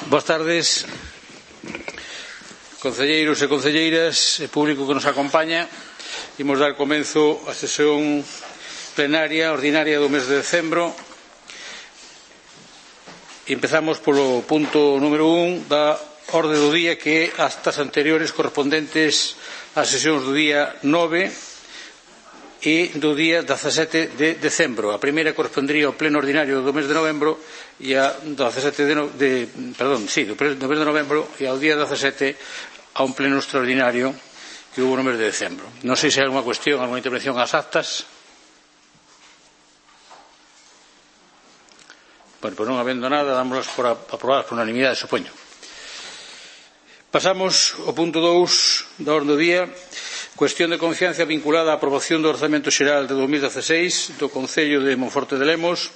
Boas tardes, concelleiros e concelleiras e público que nos acompaña. Imos dar comenzo á sesión plenaria ordinaria do mes de decembro. Empezamos polo punto número 1 da orde do día, que é actas anteriores correspondentes ás sesións do día 9 e do día 17 de decembro. A primeira correspondería ao pleno ordinario do mes de novembro e a do mes de novembro e ao día 17 a un pleno extraordinario que hubo no mes de decembro. Non sei se hai alguna cuestión, alguna intervención ás actas. Bueno, pois non habendo nada, dámoslas por aprobadas por unanimidade, supoño. Pasamos ao punto 2 da orde do día. Cuestión de confianza vinculada á aprobación do Orzamento Xeral de 2016 do Concello de Monforte de Lemos,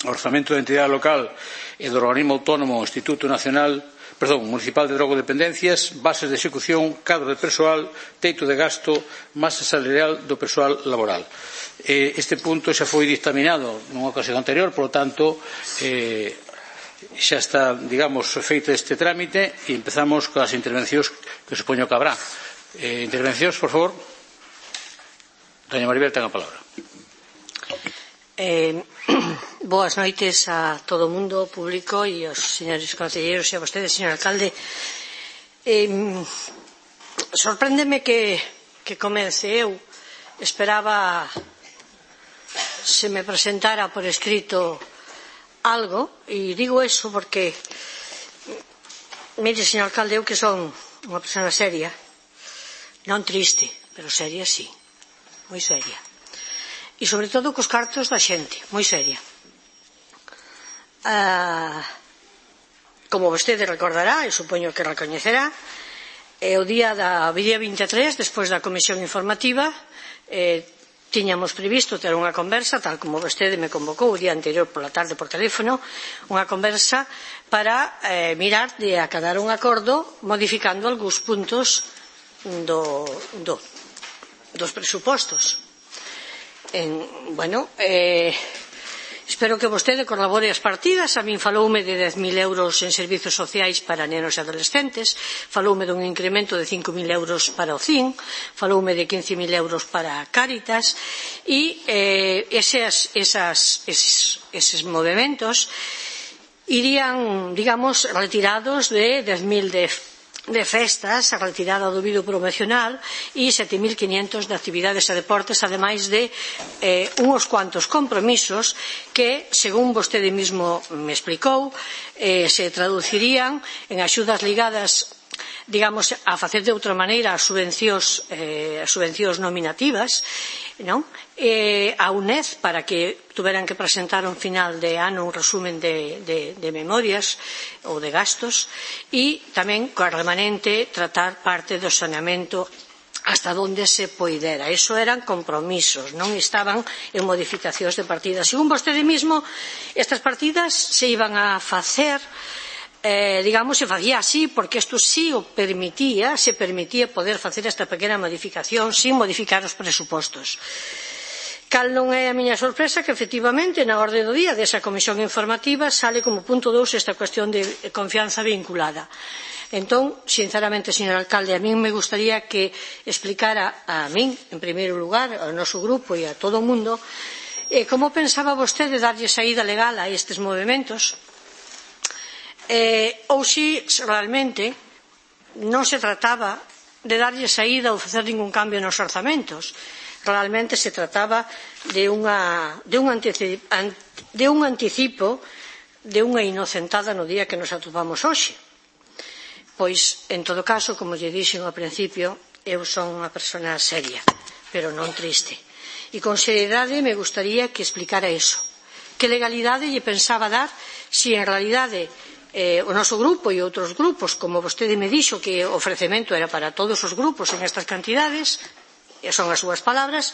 Orzamento da Entidade Local e do Organismo Autónomo Instituto Municipal de Drogodependencias, bases de execución, cadro de persoal, teito de gasto, masa salarial do persoal laboral. Este punto xa foi dictaminado nunha ocasión anterior, polo tanto, xa está, digamos, feito este trámite e empezamos coas intervencións que supoño que habrá. Intervencións, por favor. Doña Maribel, ten a palabra. Boas noites a todo o mundo público e aos señores concelleiros e a vostedes, señor alcalde. Sorpréndeme que comece. Eu esperaba se me presentara por escrito algo, e digo eso porque, mire, señor alcalde, eu que son unha persona seria, non triste, pero seria sí, moi seria, e sobre todo cos cartos da xente, moi seria. Como vostede recordará, e supoño que recoñecerá, o día 23, despois da comisión informativa, tiñamos previsto ter unha conversa, tal como vostede me convocou o día anterior pola tarde por teléfono, unha conversa para mirar de acadar un acordo modificando algúns puntos dos presupostos. Espero que vostede colabore as partidas. A min faloume de 10.000 euros en servizos sociais para nenos e adolescentes, faloume dun incremento de 5.000 euros para o CIN, faloume de 15.000 euros para Cáritas, e eses movementos irían, digamos, retirados de 10.000 de festas, a retirada do vídeo promocional e 7.500 de actividades e deportes, ademais de uns cuantos compromisos que, según vostede mismo me explicou, se traducirían en axudas ligadas, digamos, a facer de outra maneira as subvencións nominativas, non? A UNED, para que tuveran que presentar un final de ano un resumen de memorias ou de gastos, e tamén coa remanente tratar parte do saneamento hasta onde se poidera. Iso eran compromisos, non estaban en modificacións de partidas. Según vostede mismo, estas partidas se iban a facer, digamos, se facía así porque isto sí o permitía, se permitía poder facer esta pequena modificación sin modificar os presupostos. Cal non é a miña sorpresa que, efectivamente, na orde do día desa comisión informativa sale como punto 2 esta cuestión de confianza vinculada. Entón, sinceramente, señor alcalde, a min me gustaría que explicara a min, en primeiro lugar, ao noso grupo e a todo o mundo, como pensaba vostede darlle saída legal a estes movementos, ou se realmente non se trataba de darlle saída ou facer ningún cambio nos orzamentos. Realmente se trataba de un anticipo de unha inocentada no día que nos atopamos hoxe. Pois, en todo caso, como lle dixen ao principio, eu son unha persona seria, pero non triste. E con seriedade me gustaría que explicara iso. Que legalidade lle pensaba dar se en realidade o noso grupo e outros grupos, como vostede me dixo que o ofrecemento era para todos os grupos en estas cantidades, e son as súas palabras,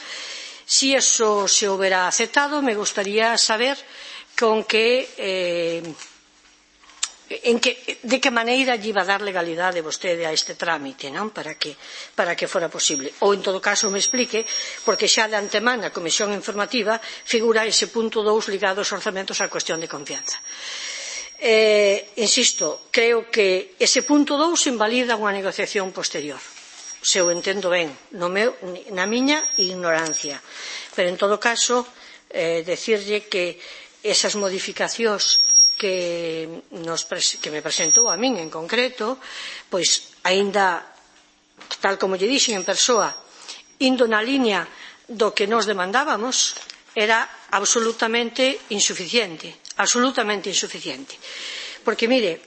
se iso se houbera aceptado, me gustaría saber de que maneira lle iba a dar legalidade vostede a este trámite, non? Para que fora posible. Ou, en todo caso, me explique, porque xa de antemán na comisión informativa figura ese punto 2 ligado aos orzamentos á cuestión de confianza. Insisto, creo que ese punto 2 invalida unha negociación posterior, se o entendo ben, na miña ignorancia. Pero, en todo caso, decirlle que esas modificacións que me presentou a min en concreto, pois, aínda, tal como lle dixen en persoa, indo na liña do que nos demandábamos, era absolutamente insuficiente, porque, mire,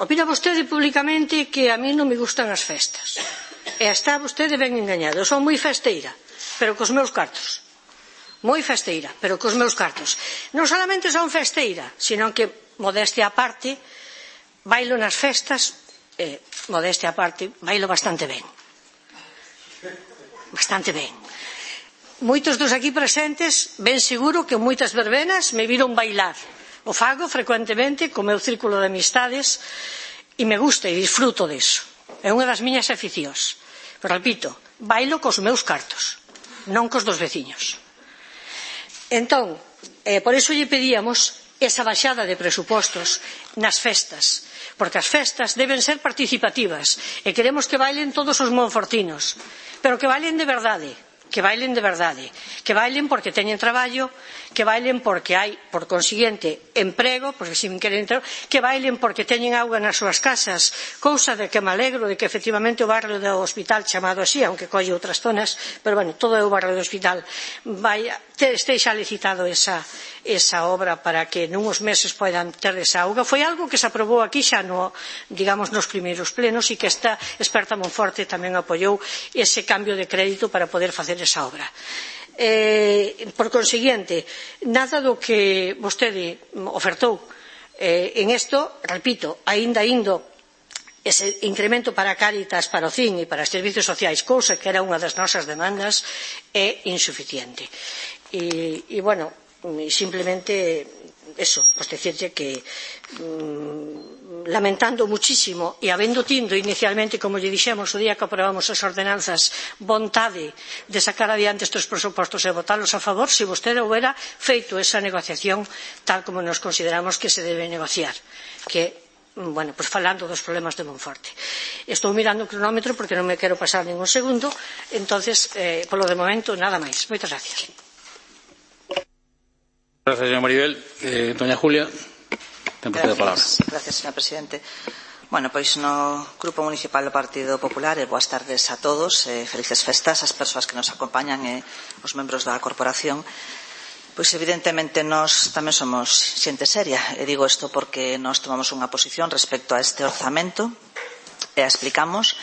opina vostede públicamente que a mí non me gustan as festas, e está vostede ben engañado. Eu son moi festeira, pero cos meus cartos, moi festeira, pero cos meus cartos. Non solamente son festeira, sino que, modestia aparte, bailo nas festas, modestia aparte, bailo bastante ben. Bastante ben. Moitos dos aquí presentes, ben seguro que moitas verbenas me viron bailar. O fago frecuentemente co meu círculo de amistades e me gusta e disfruto deso. É unha das miñas aficións. Pero, repito, bailo cos meus cartos, non cos dos veciños. Entón, por iso lle pedíamos esa baixada de presupostos nas festas, porque as festas deben ser participativas e queremos que bailen todos os monfortinos, pero que bailen de verdade, que bailen porque teñen traballo, que bailen porque hai, por consiguiente, emprego, porque si queren, que bailen porque teñen auga nas súas casas, cousa de que me alegro de que efectivamente o barrio do hospital chamado así, aunque colle outras zonas, pero bueno, todo é o barrio do hospital, estexa licitado esa obra para que nuns meses poidan ter esa auga. Foi algo que se aprobou aquí xa nos primeiros plenos e que esta experta Monforte tamén apoiou ese cambio de crédito para poder facer esa obra. Por consiguiente, nada do que vostede ofertou en isto, repito, aínda indo ese incremento para Cáritas, para o CIN e para os servizos sociais, cousa que era unha das nosas demandas, é insuficiente. E, bueno, simplemente eso, pues decirle que lamentando muchísimo e habendo tindo inicialmente, como lle dixemos o día que aprobamos as ordenanzas, vontade de sacar adiante estes presupostos e votalos a favor, se vostede houbera feito esa negociación tal como nos consideramos que se debe negociar, que, bueno, pues falando dos problemas de Monforte. Estou mirando o cronómetro porque non me quero pasar ningún segundo, entonces, polo de momento, nada máis. Moitas gracias. Gracias, señora Maribel. Doña Julia, ten vostede a palabra. Gracias, señor presidente. Bueno, pois no Grupo Municipal do Partido Popular, boas tardes a todos, felices festas ás persoas que nos acompañan e os membros da corporación. Pois evidentemente nós tamén somos xente seria, e digo isto porque nós tomamos unha posición respecto a este orzamento e explicamos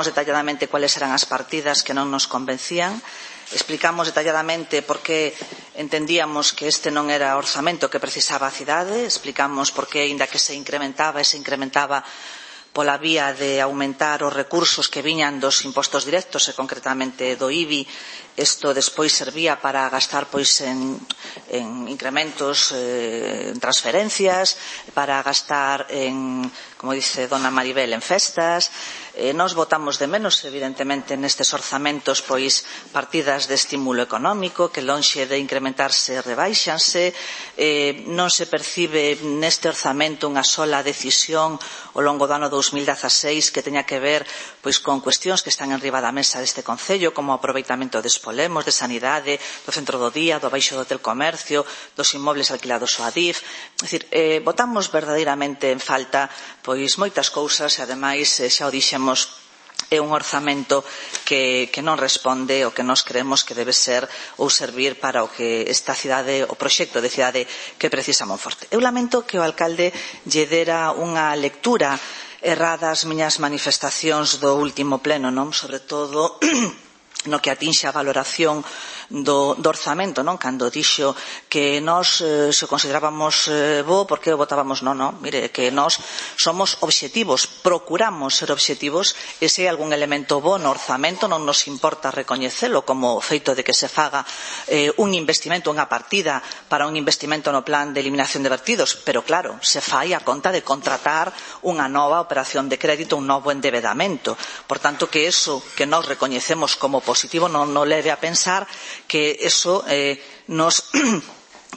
detalladamente cuáles eran as partidas que non nos convencían. Explicamos detalladamente por que entendíamos que este non era o orzamento que precisaba a cidade, explicamos por que, aínda que se incrementaba pola vía de aumentar os recursos que viñan dos impostos directos e concretamente do IBI, isto despois servía para gastar en incrementos, en transferencias, para gastar en, como dice dona Maribel, en festas. Nós votamos de menos, evidentemente, nestes orzamentos partidas de estímulo económico que lonxe de incrementarse rebaixanse. Non se percibe neste orzamento unha sola decisión ao longo do ano 2016 que teña que ver con cuestións que están enriba da mesa deste Concello, como o aproveitamento de Espolemos, de Sanidade, do Centro do Día, do Baixo do Hotel Comercio, dos inmobles alquilados ao ADIF. É dicir, votamos verdadeiramente en falta moitas cousas e, ademais, xa o dixemos, é un orzamento que non responde ao que nós creemos que debe ser ou servir para o que esta cidade, o proxecto de cidade que precisa Monforte. Eu lamento que o alcalde lle dera unha lectura errada ás miñas manifestacións do último pleno, non? Sobre todo no que atinxe a valoración do orzamento, non? Cando dixo que nós se considerábamos bo, porque votábamos non, mire, que nós somos obxectivos, procuramos ser obxectivos, e se hai algún elemento bo no orzamento non nos importa recoñecelo, como o feito de que se faga un investimento, unha partida para un investimento no plan de eliminación de vertidos, pero claro, se fai a conta de contratar unha nova operación de crédito, un novo endebedamento. Por tanto, que eso que nós recoñecemos como positivo non leve a pensar que eso nos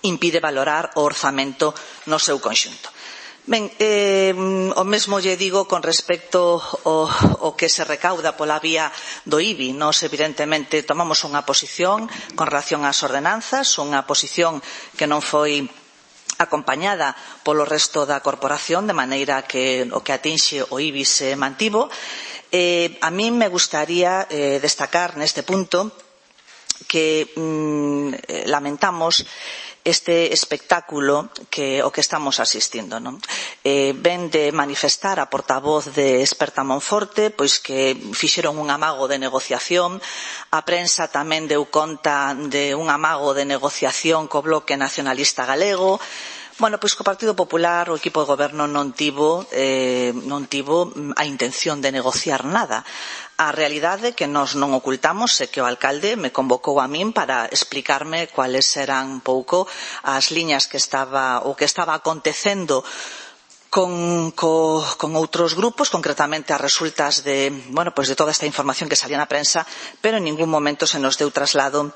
impide valorar o orzamento no seu conxunto. Ben, o mesmo lle digo con respecto ao que se recauda pola vía do IBI. Nos, evidentemente, tomamos unha posición con relación ás ordenanzas, unha posición que non foi acompañada polo resto da corporación, de maneira que o que atinxe o IBI se mantivo. A min me gustaría destacar neste punto que lamentamos este espectáculo o que estamos asistindo, non? Ven de manifestar a portavoz de Experta Monforte pois que fixeron un amago de negociación. A prensa tamén deu conta de un amago de negociación co Bloque Nacionalista Galego. Bueno, pois que o Partido Popular, o equipo de goberno non tivo a intención de negociar nada. A realidade que nós non ocultamos é que o alcalde me convocou a min para explicarme cuáles eran un pouco as liñas que estaba acontecendo con outros grupos, concretamente as resultas de toda esta información que salía na prensa, pero en ningún momento se nos deu traslado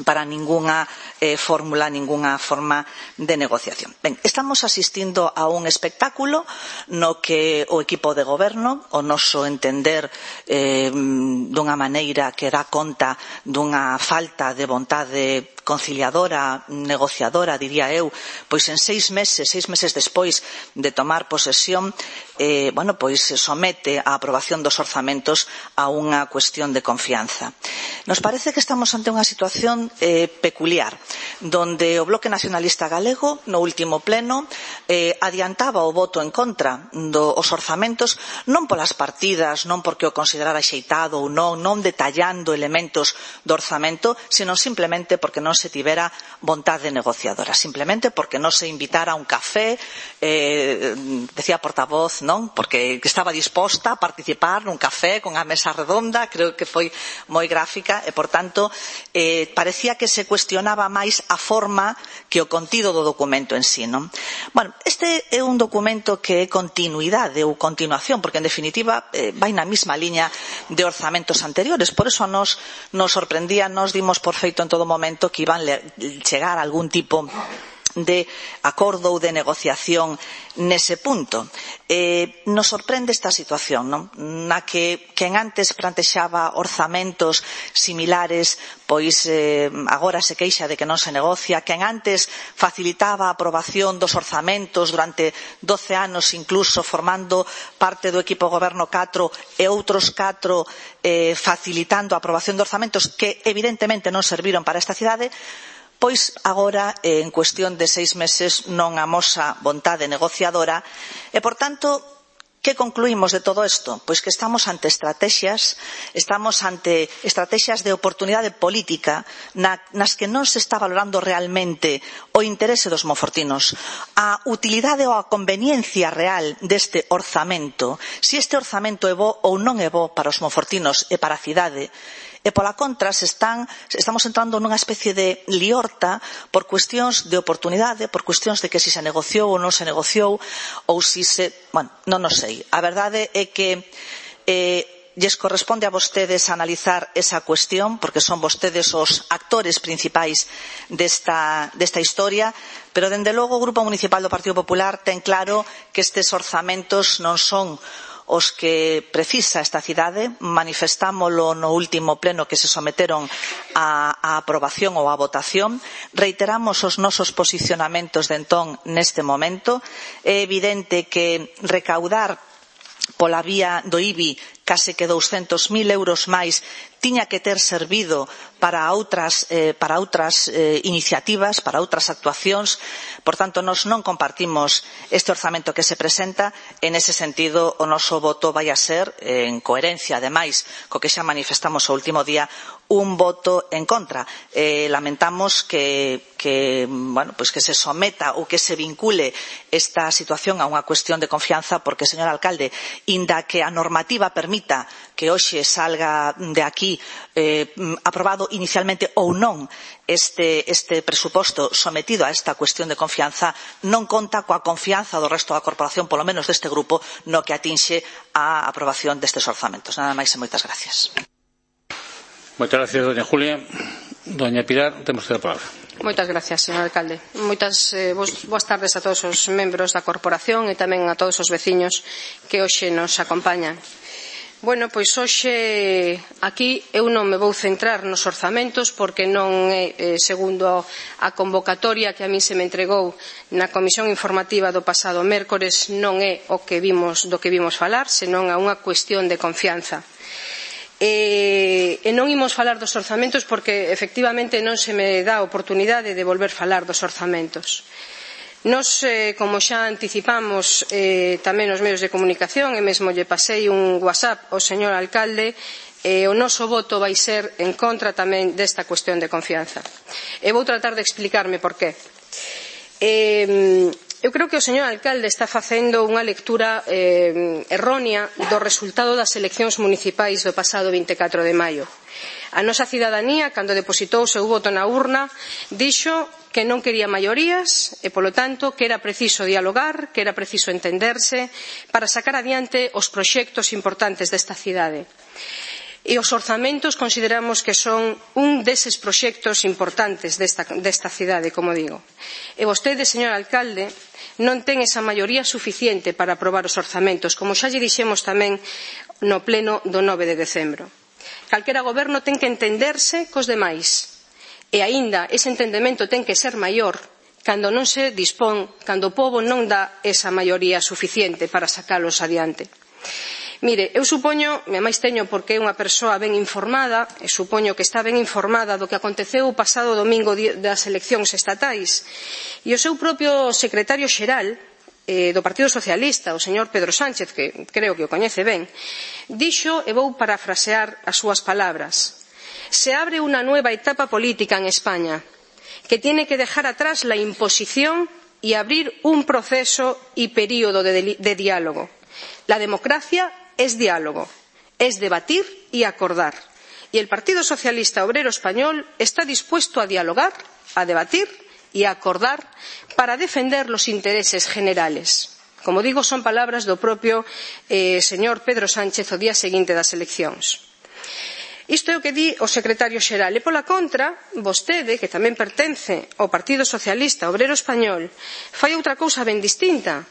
para ningunha fórmula, ningunha forma de negociación. Ben, estamos asistindo a un espectáculo no que o equipo de goberno, o noso entender dunha maneira que dá conta dunha falta de vontade conciliadora, negociadora, diría eu, pois en 6 meses despois de tomar posesión, pois se somete a aprobación dos orzamentos a unha cuestión de confianza. Nos parece que estamos ante unha situación peculiar, donde o Bloque Nacionalista Galego, no último pleno, adiantaba o voto en contra dos orzamentos, non polas partidas, non porque o considerara axeitado ou non detallando elementos do orzamento, sino simplemente porque non se tivera vontade negociadora, simplemente porque non se invitara a un café, decía a portavoz, non? Porque estaba disposta a participar nun café con a mesa redonda, creo que foi moi gráfica, e, por tanto, parecía que se cuestionaba máis a forma que o contido do documento en sí, non? Bueno, este é un documento que é continuidade ou continuación, porque, en definitiva, vai na mesma liña de orzamentos anteriores. Por eso nos sorprendía, nos dimos por feito en todo momento que iban a chegar a algún tipo de acordo ou de negociación nese punto. Nos sorprende esta situación, non? Na que quen antes plantexaba orzamentos similares, pois agora se queixa de que non se negocia, quen antes facilitaba a aprobación dos orzamentos durante 12 anos, incluso formando parte do equipo goberno 4 e outros 4 facilitando a aprobación de orzamentos que evidentemente non serviron para esta cidade, pois agora, en cuestión de 6 meses, non amosa vontade negociadora e, por tanto, que concluímos de todo isto? Pois que estamos ante estrategias de oportunidade política nas que non se está valorando realmente o interese dos monfortinos, a utilidade ou a conveniencia real deste orzamento, se este orzamento é bo ou non é bo para os monfortinos e para a cidade. E, pola contra, estamos entrando nunha especie de liorta por cuestións de oportunidade, por cuestións de que se negociou ou non se negociou, ou se... non o sei. A verdade é que lles corresponde a vostedes analizar esa cuestión, porque son vostedes os actores principais desta historia, pero, dende logo, o Grupo Municipal do Partido Popular ten claro que estes orzamentos non son os que precisa esta cidade. Manifestámolo no último pleno que se someteron a aprobación ou a votación. Reiteramos os nosos posicionamentos de entón neste momento. É evidente que recaudar pola vía do IBI case que 200.000 euros máis tiña que ter servido para outras iniciativas, para outras actuacións. Por tanto, nós non compartimos este orzamento que se presenta. En ese sentido, o noso voto vai a ser, en coherencia, ademais, co que xa manifestamos o último día, un voto en contra. Lamentamos que se someta ou que se vincule esta situación a unha cuestión de confianza, porque, señor alcalde, inda que a normativa permita que hoxe salga de aquí aprobado inicialmente ou non este presuposto sometido a esta cuestión de confianza, non conta coa confianza do resto da corporación, polo menos deste grupo, no que atinxe a aprobación destes orzamentos. Nada máis e moitas gracias. Moitas gracias, doña Julia. Doña Pilar, temos a palabra. Moitas gracias, señor alcalde. Boas tardes a todos os membros da corporación e tamén a todos os veciños que hoxe nos acompañan. Bueno, pois hoxe aquí eu non me vou centrar nos orzamentos porque non é, segundo a convocatoria que a min se me entregou na comisión informativa do pasado mércores, non é do que vimos falar, senón a unha cuestión de confianza. E non imos falar dos orzamentos porque efectivamente non se me dá a oportunidade de volver falar dos orzamentos. Nos, como xa anticipamos tamén nos medios de comunicación e mesmo lle pasei un WhatsApp ao señor alcalde, o noso voto vai ser en contra tamén desta cuestión de confianza. E vou tratar de explicarme por qué. Eu creo que o señor alcalde está facendo unha lectura errónea do resultado das eleccións municipais do pasado 24 de maio. A nosa cidadanía, cando depositou o seu voto na urna, dixo que non quería maiorías e, polo tanto, que era preciso dialogar, que era preciso entenderse para sacar adiante os proxectos importantes desta cidade. E os orzamentos consideramos que son un deses proxectos importantes desta cidade, como digo. E vostede, señor alcalde, non ten esa maioría suficiente para aprobar os orzamentos, como xa lle dixemos tamén no pleno do 9 de decembro. Calquera goberno ten que entenderse cos demais. E aínda ese entendemento ten que ser maior cando non se dispón, cando o pobo non dá esa maioría suficiente para sacalos adiante. Mire, eu supoño, e máis teño porque é unha persoa ben informada, e supoño que está ben informada do que aconteceu o pasado domingo das eleccións estatais, e o seu propio secretario xeral do Partido Socialista, o señor Pedro Sánchez, que creo que o coñece ben, dixo, e vou parafrasear as súas palabras: se abre una nueva etapa política en España que tiene que dejar atrás la imposición y abrir un proceso y período de diálogo. La democracia es diálogo, es debatir y acordar. Y el Partido Socialista Obrero Español está dispuesto a dialogar, a debatir y a acordar para defender los intereses generales. Como digo, son palabras do propio señor Pedro Sánchez o día seguinte das eleccións. Isto é o que di o secretario xeral. E pola contra, vostede, que tamén pertence ao Partido Socialista Obrero Español, fai outra cousa ben distinta.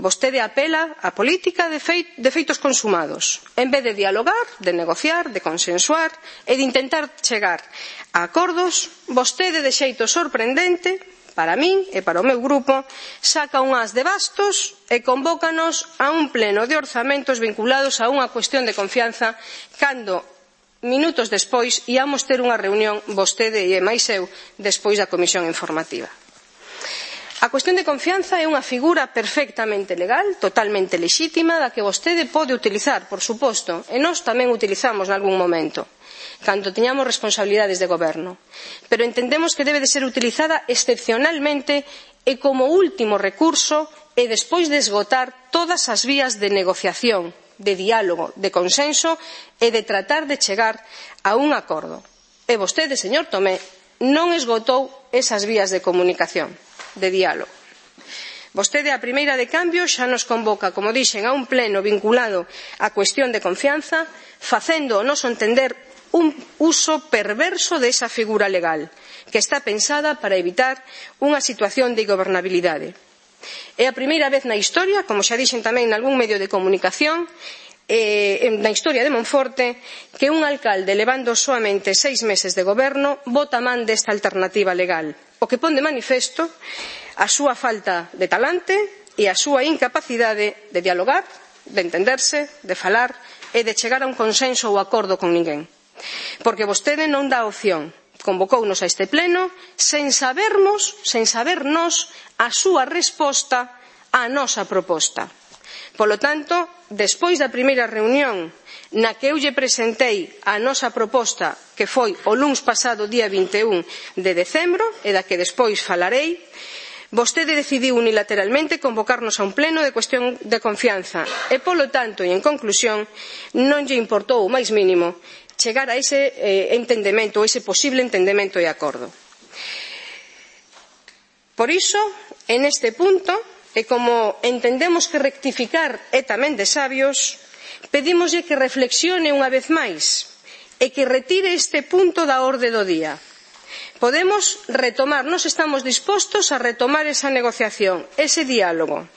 Vostede apela á política de feitos consumados. En vez de dialogar, de negociar, de consensuar e de intentar chegar a acordos, vostede, de xeito sorprendente, para min e para o meu grupo, saca un as de bastos e convócanos a un pleno de orzamentos vinculados a unha cuestión de confianza cando minutos despois íamos ter unha reunión vostede e máis eu despois da comisión informativa. A cuestión de confianza é unha figura perfectamente legal, totalmente lexítima, da que vostede pode utilizar, por suposto, e nós tamén utilizamos nalgún momento, cando teñamos responsabilidades de goberno. Pero entendemos que debe de ser utilizada excepcionalmente e como último recurso e despois de esgotar todas as vías de negociación, de diálogo, de consenso e de tratar de chegar a un acordo. E vostede, señor Tomé, non esgotou esas vías de comunicación, de diálogo. Vostede, a primeira de cambio, xa nos convoca, como dixen, a un pleno vinculado á cuestión de confianza, facendo o noso entender un uso perverso desa figura legal, que está pensada para evitar unha situación de ingobernabilidade. É a primeira vez na historia, como xa dixen tamén nalgún medio de comunicación, na historia de Monforte, que un alcalde levando soamente 6 meses de goberno bota man desta alternativa legal, o que pon de manifesto a súa falta de talante e a súa incapacidade de dialogar, de entenderse, de falar e de chegar a un consenso ou acordo con ninguén. Porque vostede non dá opción, convocounos a este pleno sen sabernos a súa resposta á nosa proposta. Polo tanto, despois da primeira reunión na que eu lle presentei a nosa proposta, que foi o luns pasado día 21 de decembro, e da que despois falarei, vostede decidiu unilateralmente convocarnos a un pleno de cuestión de confianza e, polo tanto, e en conclusión, non lle importou o máis mínimo chegar a ese entendemento, ese posible entendemento e acordo. Por iso, en este punto, e como entendemos que rectificar é tamén de sabios, pedímoslle que reflexione unha vez máis e que retire este punto da orde do día. Podemos retomar, nos estamos dispostos a retomar esa negociación, ese diálogo,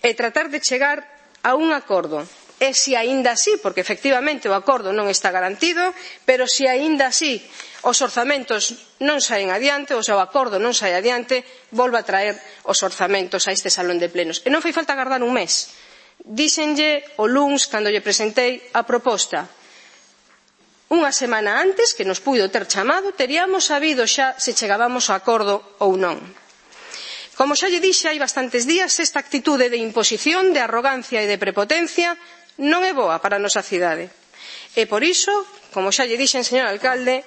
e tratar de chegar a un acordo. E se aínda así, porque efectivamente o acordo non está garantido, pero se aínda así os orzamentos non saen adiante, ou se o acordo non sae adiante, volva a traer os orzamentos a este salón de plenos. E non fai falta agardar un mes. Díxenlle o luns, cando lle presentei a proposta, unha semana antes, que nos puido ter chamado, teríamos sabido xa se chegábamos a acordo ou non. Como xa lle dixe hai bastantes días, esta actitude de imposición, de arrogancia e de prepotencia non é boa para a nosa cidade. E por iso, como xa lle dixen, señor alcalde,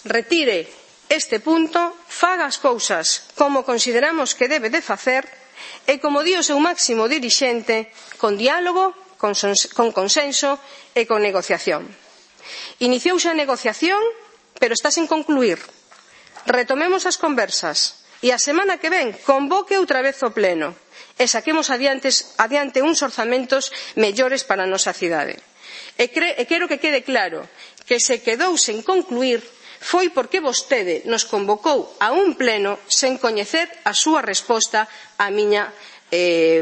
retire este punto, faga as cousas como consideramos que debe de facer e, como di o seu máximo dirixente, con diálogo, con consenso e con negociación. Iniciouse a negociación, pero está sen concluir. Retomemos as conversas e a semana que ven convoque outra vez o pleno e saquemos adiante uns orzamentos mellores para a nosa cidade. E quero que quede claro que se quedou sen concluir foi porque vostede nos convocou a un pleno sen coñecer a súa resposta á miña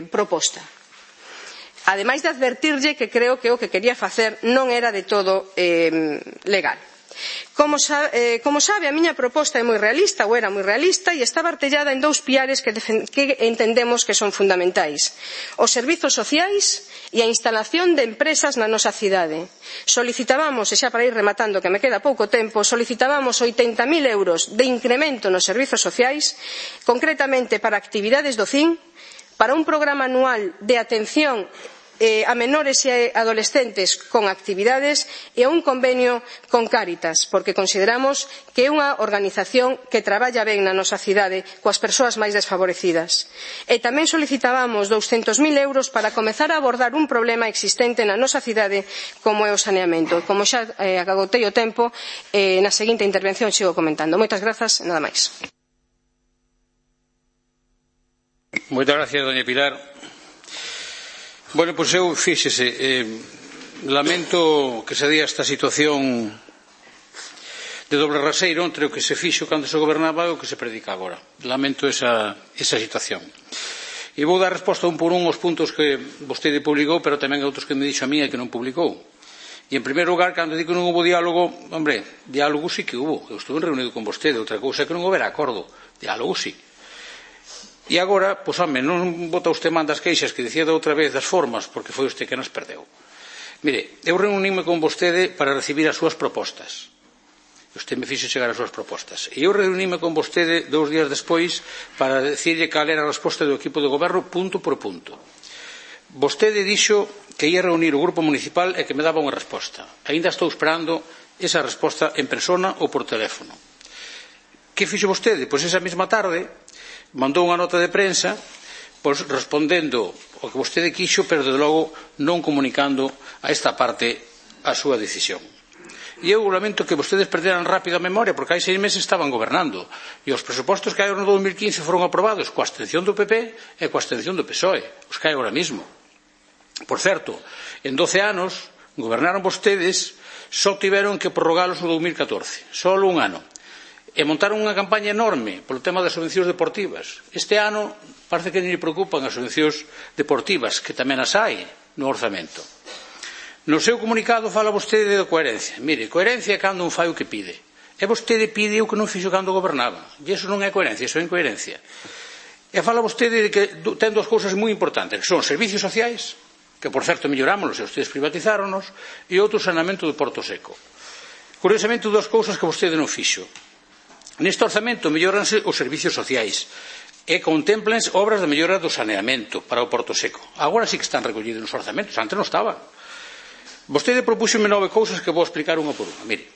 proposta. Ademais de advertirlle que creo que o que quería facer non era de todo legal. Como sabe, a miña proposta é moi realista, ou era moi realista, e estaba artellada en dous piares que entendemos que son fundamentais: os servizos sociais e a instalación de empresas na nosa cidade. Solicitábamos, e xa para ir rematando que me queda pouco tempo, solicitábamos 80.000 euros de incremento nos servizos sociais, concretamente para actividades do CIN, para un programa anual de atención a menores e adolescentes con actividades e a un convenio con Cáritas, porque consideramos que é unha organización que traballa ben na nosa cidade coas persoas máis desfavorecidas. E tamén solicitábamos 200.000 euros para comezar a abordar un problema existente na nosa cidade como é o saneamento. Como xa agotei o tempo, na seguinte intervención sigo comentando. Moitas grazas, nada máis. Moitas gracias, doña Pilar. Bueno, pois eu, fíxese, lamento que se dea esta situación de doble raseiro entre o que se fixo cando se gobernaba e o que se predica agora. Lamento esa situación. E vou dar resposta un por un aos puntos que vostede publicou, pero tamén a outros que me dixo a mí e que non publicou. E, en primeiro lugar, cando digo que non houve diálogo, hombre, diálogo sí que hubo. Eu estuve reunido con vostede, outra cousa é que non houbera acordo. Diálogo sí. E agora, pois, home, non bota usted man das queixas que dicía da outra vez das formas, porque foi usted que nas perdeu. Mire, eu reuníme con vostede para recibir as súas propostas. Usted me fixo chegar as súas propostas. E eu reuníme con vostede 2 días despois para decirlle cal era a resposta do equipo de goberno punto por punto. Vostede dixo que ia reunir o grupo municipal e que me daba unha resposta. Aínda estou esperando esa resposta en persona ou por teléfono. Que fixo vostede? Pois esa mesma tarde mandou unha nota de prensa respondendo o que vostede quixo, pero de logo non comunicando a esta parte a súa decisión. E eu lamento que vostedes perderan rápido a memoria, porque hai 6 meses estaban gobernando e os presupostos que hai no 2015 foron aprobados coa abstención do PP e coa abstención do PSOE, os que hai agora mismo. Por certo, en 12 anos gobernaron vostedes, só tiveron que prorrogalos no 2014, só un ano. E montaron unha campaña enorme polo tema das subvencións deportivas. Este ano parece que non lle preocupan as subvencións deportivas, que tamén as hai no orzamento. No seu comunicado fala vostede de coherencia. Mire, coherencia é cando un fai o que pide. E vostede pide o que non fixo cando gobernaba. E iso non é coherencia, iso é incoherencia. E fala vostede de que ten 2 cousas moi importantes, que son servicios sociais, que por certo mellorámonos e ustedes privatizáronos, e outro saneamento do Porto Seco. Curiosamente, 2 cousas que vostede non fixo. Neste orzamento melloranse os servicios sociais e contemplense obras de mellora do saneamento para o Porto Seco. Agora sí que están recollidos nos orzamentos, antes non estaban. Vostede propúxome 9 cousas que vou explicar unha por unha. Mire,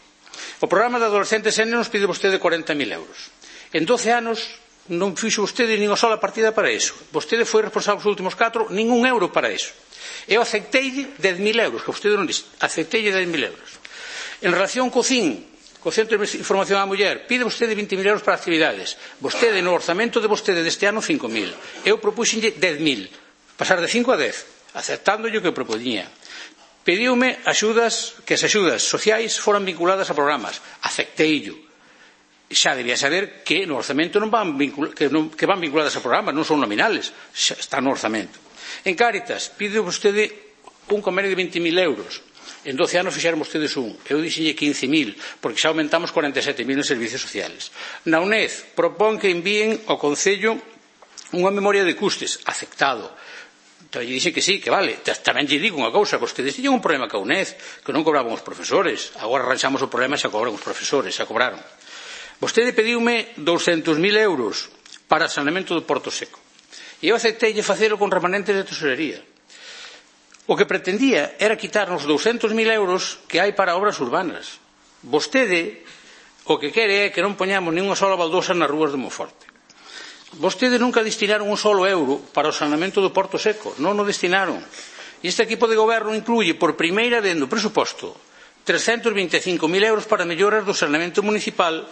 o programa de adolescentes nos pide vostede 40.000 euros. En 12 anos non fixo vostede nin unha sola partida para iso. Vostede foi responsable os últimos 4, nin un euro para iso. Eu aceitei 10.000 euros, que vostede non dixo. Aceitei 10.000 euros. En relación co CIN, co Centro de Información á Muller, pide vostede 20.000 euros para actividades. Vostede, no orzamento de vostede deste ano, 5.000. Eu propúxenlle 10.000. Pasar de 5 a 10, aceptándolle o que propoñía. Pediume axudas, que as axudas sociais foran vinculadas a programas. Acepteillo. xa debía saber que no orzamento non van vinculadas a programas, non son nominales, xa está no orzamento. En Cáritas, pide vostede un convenio de 20.000 euros. En 12 anos fixeron vostedes un. Eu dixenlle 15.000, porque xa aumentamos 47.000 en servicios sociales. Na UNED propón que envíen ao Concello unha memoria de custes. Aceptado. Entón, lle dixen que sí, que vale. Tamén lle digo unha cousa, que vostedes tiñen un problema ca UNED, que non cobraban os profesores. Agora arranxamos o problema e xa cobran os profesores, xa cobraron. Vostede pediume 200.000 euros para saneamento do Porto Seco. E eu aceptei facelo con remanentes de tesorería. O que pretendía era quitarnos 200.000 euros que hai para obras urbanas. Vostede o que quere é que non poñamos nin unha sola baldosa nas rúas de Monforte. Vostede nunca destinaron un solo euro para o saneamento do Porto Seco. Non o destinaron. E este equipo de goberno incluye por primeira vez no presuposto 325.000 euros para melloras do saneamento municipal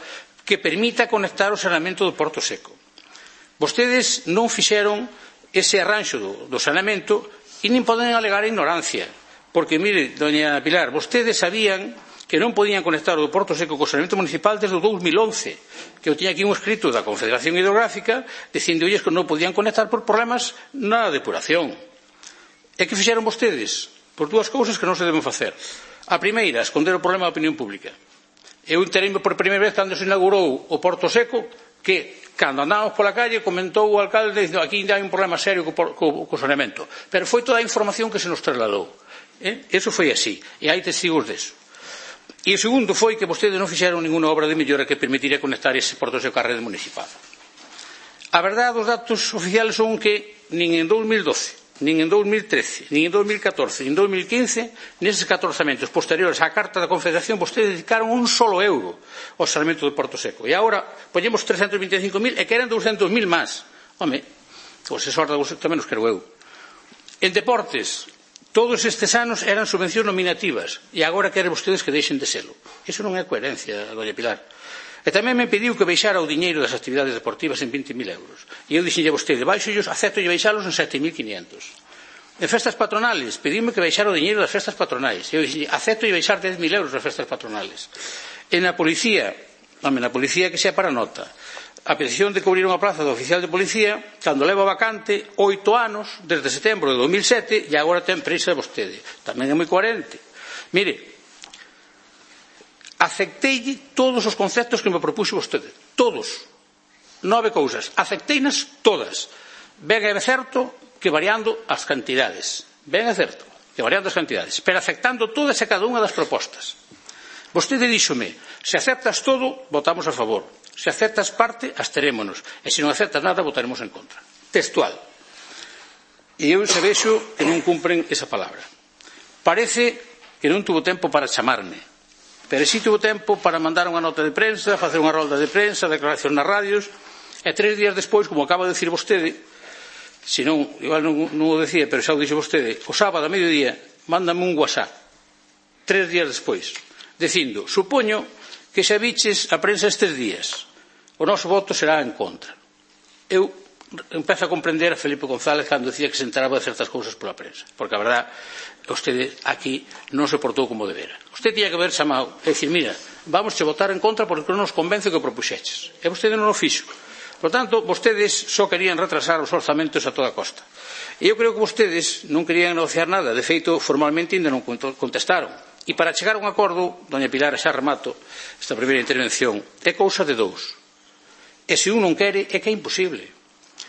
que permita conectar o saneamento do Porto Seco. Vostedes non fixeron ese arranxo do saneamento e nin poden alegar ignorancia, porque, mire, doña Pilar, vostedes sabían que non podían conectar o do Porto Seco co saneamento municipal desde o 2011, que eu tiña aquí un escrito da Confederación Hidrográfica dicindolles que non podían conectar por problemas na depuración. E que fixeron vostedes? Por dúas cousas que non se deben facer. A primeira, esconder o problema da opinión pública. Eu entereime por primeira vez cando se inaugurou o Porto Seco que, cando andábamos pola calle, comentou o alcalde dicindo aquí hai un problema serio co saneamento. Pero foi toda a información que se nos trasladou. Eso foi así. E hai testigos deso. E o segundo foi que vostedes non fixeron ninguna obra de mellora que permitiría conectar ese Porto Seco á rede municipal. A verdade, os datos oficiales son que nin en 2012, nin en 2013, nin en 2014, nin en 2015, neses 14 orzamentos posteriores á Carta da Confederación, vostedes dedicaron un solo euro ao saneamento do Porto Seco. E agora poñemos 325.000 e queren 200.000 máis. Home, pois esa horda tamén os quero eu. En deportes, todos estes anos eran subvencións nominativas e agora queren vostedes que deixen de selo. Iso non é coherencia, doña Pilar. E tamén me pediu que baixara o diñeiro das actividades deportivas en 20.000 euros. E eu dixenlle a vostede, baixollos, acepto e baixalos en 7.500. En festas patronales, pediume que baixara o diñeiro das festas patronais. E eu dixenlle, acepto e baixar 10.000 euros das festas patronales. En a policía, que sea para nota, a petición de cubrir unha plaza de oficial de policía, cando leva vacante 8 anos, desde setembro de 2007, e agora ten prisa vostede. Tamén é moi coherente. Mire, aceptei todos os conceptos que me propuxo vostede. Todos. 9 cousas. Acepteinas todas. Ben é certo que variando as cantidades. Ben é certo que variando as cantidades. Pero aceptando todas e cada unha das propostas. Vostede díxome, se aceptas todo, votamos a favor. Se aceptas parte, absterémonos. E se non aceptas nada, votaremos en contra. Textual. E eu se vexo que non cumpren esa palabra. Parece que non tuvo tempo para chamarme. Pero si tuvo tempo para mandar unha nota de prensa, facer unha rolda de prensa, declaración nas radios, e 3 días despois, como acaba de decir vostede, se non, igual non o decía, pero xa o dixo vostede, o sábado a mediodía, mándame un WhatsApp, 3 días despois, dicindo, supoño que xa viches a prensa estes días, o noso voto será en contra. Eu empezo a comprender a Felipe González cando decía que se enteraba de certas cousas pola prensa, porque a verdade, vostede aquí non se portou como debera. Usted tiña que haber chamado e dicir, mira, vamos a votar en contra porque non nos convence que o propuxeches. E vostede non o fixo. Por tanto, vostedes só querían retrasar os orzamentos a toda costa. E eu creo que vostedes non querían negociar nada. De feito, formalmente ainda non contestaron. E para chegar a un acordo, doña Pilar, xa remato esta primeira intervención, é cousa de dous. E se un non quere, é que é imposible.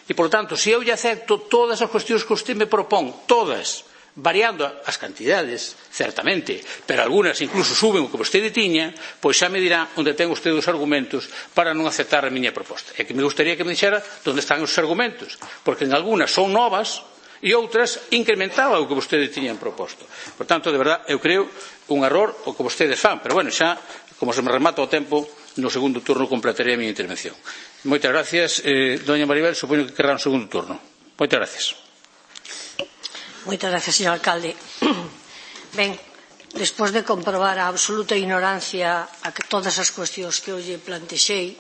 E, por tanto, se eu lle acepto todas as cuestións que usted me propón, todas, variando as cantidades, certamente, pero algunhas incluso suben o que vostede tiña, pois xa me dirá onde ten usted os argumentos para non aceptar a miña proposta. E que me gustaría que me dixera onde están os argumentos, porque en algunhas son novas e outras incrementaba o que vostede tiñan proposto. Por tanto, de verdade, eu creo un error o que vostedes fan, pero bueno, xa, como se me remata o tempo, no segundo turno completaré a miña intervención. Moitas gracias, doña Maribel, supoño que querrá un segundo turno. Moitas gracias. Moitas gracias, señor alcalde. Ben, despois de comprobar a absoluta ignorancia a que todas as cuestións que hoxe plantexei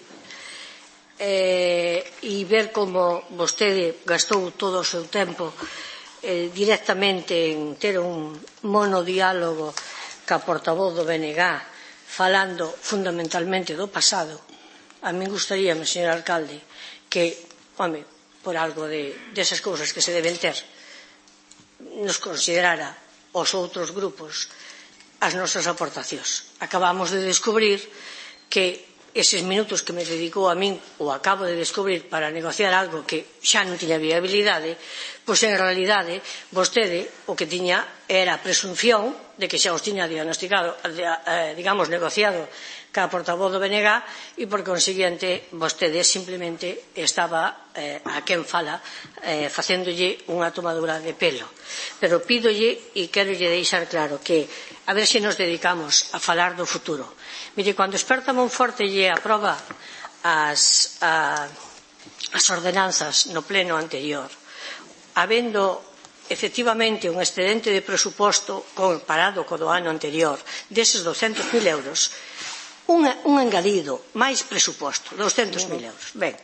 e ver como vostede gastou todo o seu tempo directamente en ter un monodiálogo ca portavoz do BNG falando fundamentalmente do pasado, a mí gustaríame, señor alcalde, que, home, por algo desas cousas que se deben ter, nos considerara os outros grupos as nosas aportacións. Acabamos de descubrir que eses minutos que me dedicou a min, ou acabo de descubrir, para negociar algo que xa non tiña viabilidade, pois en realidade vostede o que tiña era a presunción de que xa os tiña diagnosticado, digamos, negociado ca portavoz do BNG e por consiguiente vostede simplemente estaba a quen fala facéndolle unha tomadura de pelo. Pero pídolle e querolle deixar claro que a ver se nos dedicamos a falar do futuro. Mire, cando Esperta Monforte lle aproba as ordenanzas no pleno anterior, habendo efectivamente un excedente de presuposto comparado co do ano anterior deses 200.000 euros, un engadido, máis presuposto, 200.000 euros. Ben,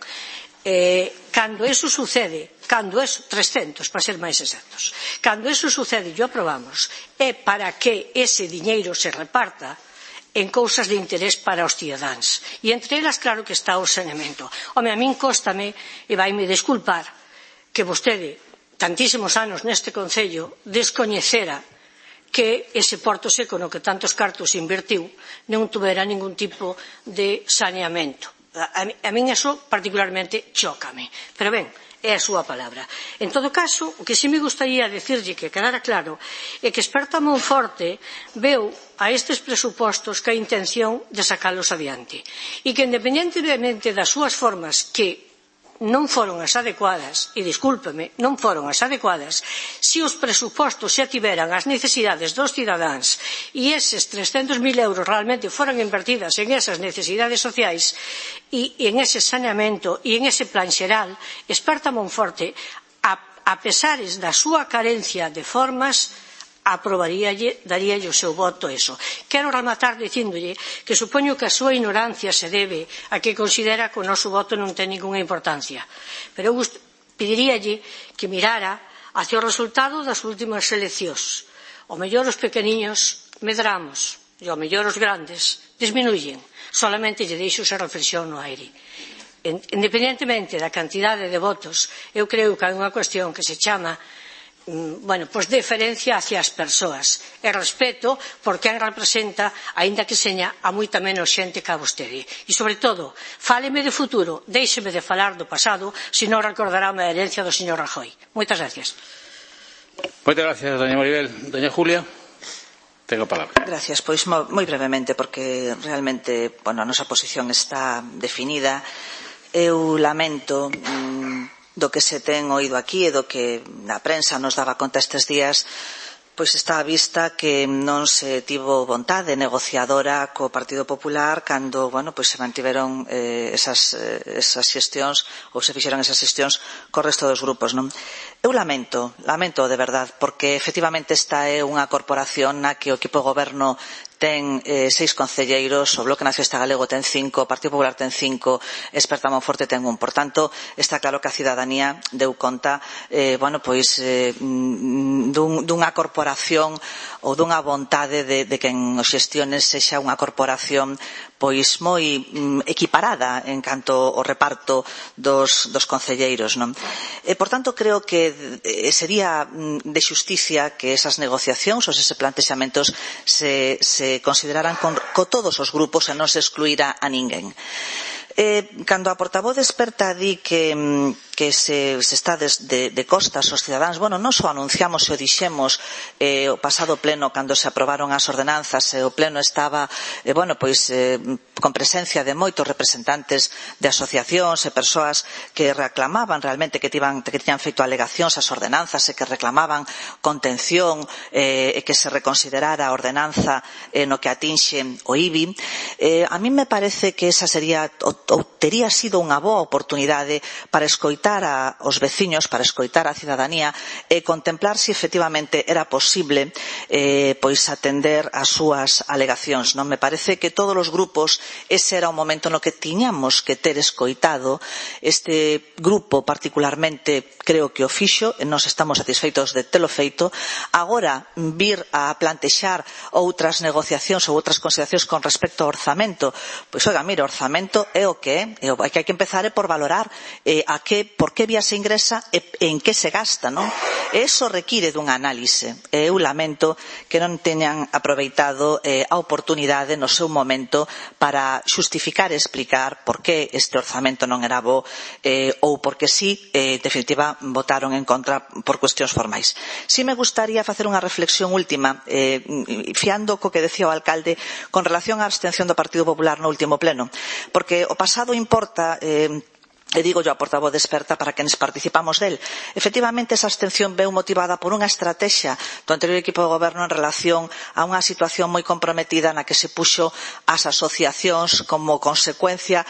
cando eso sucede, 300 para ser máis exactos, cando eso sucede e o aprobamos, é para que ese diñeiro se reparta en cousas de interés para os cidadáns. E entre elas, claro que está o saneamento. Home, a min cóstame, e vaime desculpar, que vostede, tantísimos anos neste Concello, descoñecera que ese Porto Seco no que tantos cartos invertiu non tuvera ningún tipo de saneamento. A min eso particularmente chócame. Pero ben, é a súa palabra. En todo caso, o que si me gustaría decirlle que quedara claro é que Esperta Monforte veu a estes presupostos ca intención de sacalos adiante e que independentemente das súas formas que non foron as adecuadas, e discúlpeme, non foron as adecuadas, se os presupostos xa tiveran as necesidades dos cidadáns e eses 300.000 euros realmente foran invertidas en esas necesidades sociais e en ese saneamento e en ese plan xeral, Esperta Monforte, a pesares da súa carencia de formas, aprobaríalle, daríalle o seu voto eso. Quero rematar dicíndolle que supoño que a súa ignorancia se debe a que considera que o noso voto non ten ninguna importancia. Pero eu pediríalle que mirara hacia o resultado das últimas eleccións. O mellor os pequeniños medramos e o mellor os grandes disminuyen. Solamente lle deixo esa reflexión no aire. Independentemente da cantidade de votos, eu creo que hai unha cuestión que se chama deferencia hacia as persoas e respeto por quen representa, aínda que seña a moita menos xente que a vostede. E, sobre todo, fáleme de futuro, déixeme de falar do pasado, senón recordarame a herencia do señor Rajoy. Moitas gracias. Moitas gracias, doña Maribel. Doña Julia, tengo a palabra. Gracias, pois moi brevemente, porque realmente, a nosa posición está definida. Eu lamento do que se ten oído aquí e do que a prensa nos daba conta estes días, pois está á vista que non se tivo vontade negociadora co Partido Popular cando, se mantiveron esas xestións ou se fixeron esas xestións co resto dos grupos, non? Eu lamento de verdade, porque efectivamente esta é unha corporación na que o equipo de goberno ten 6 concelleiros, o Bloque Nacionalista Galego ten 5, o Partido Popular ten 5, Esperta Monforte ten 1. Por tanto, está claro que a cidadanía deu conta dunha corporación ou dunha vontade de que en os xestiones sexa unha corporación pois moi equiparada en canto ao reparto dos concelleiros, non? Por tanto, creo que sería de xusticia que esas negociacións ou eses plantexamentos se consideraran co todos os grupos e non se excluíra a ninguén. Cando a portavoz Esperta di que se está de costas aos cidadáns, non só anunciamos e o dixemos o pasado pleno cando se aprobaron as ordenanzas e o pleno estaba con presencia de moitos representantes de asociacións e persoas que reclamaban realmente que tiñan feito alegacións ás ordenanzas e que reclamaban contención e que se reconsiderara a ordenanza no que atinxe o IBI. A mí me parece que esa sería ou tería sido unha boa oportunidade para escoitar escoitar aos veciños, para escoitar a cidadanía e contemplar se efectivamente era posible pois atender as súas alegacións. Non me parece que todos os grupos ese era o momento no que tiñamos que ter escoitado. Este grupo particularmente creo que o fixo e nós estamos satisfeitos de telo feito. Agora vir a plantexar outras negociacións ou outras consideracións con respecto ao orzamento, pois oiga, mira, o orzamento é o que é, o que hai que empezar é por valorar por que vía se ingresa e en que se gasta, non? E iso require dunha análise. Eu lamento que non teñan aproveitado a oportunidade no seu momento para xustificar e explicar por que este orzamento non era bo ou porque si, en definitiva, votaron en contra por cuestións formais. Si me gustaría facer unha reflexión última, fiando co que decía o alcalde con relación á abstención do Partido Popular no último pleno, porque o pasado importa, e digo yo a portavoz experta para quenes participamos del. Efectivamente, esa abstención veu motivada por unha estrategia do anterior equipo de goberno en relación a unha situación moi comprometida na que se puxo as asociacións como consecuencia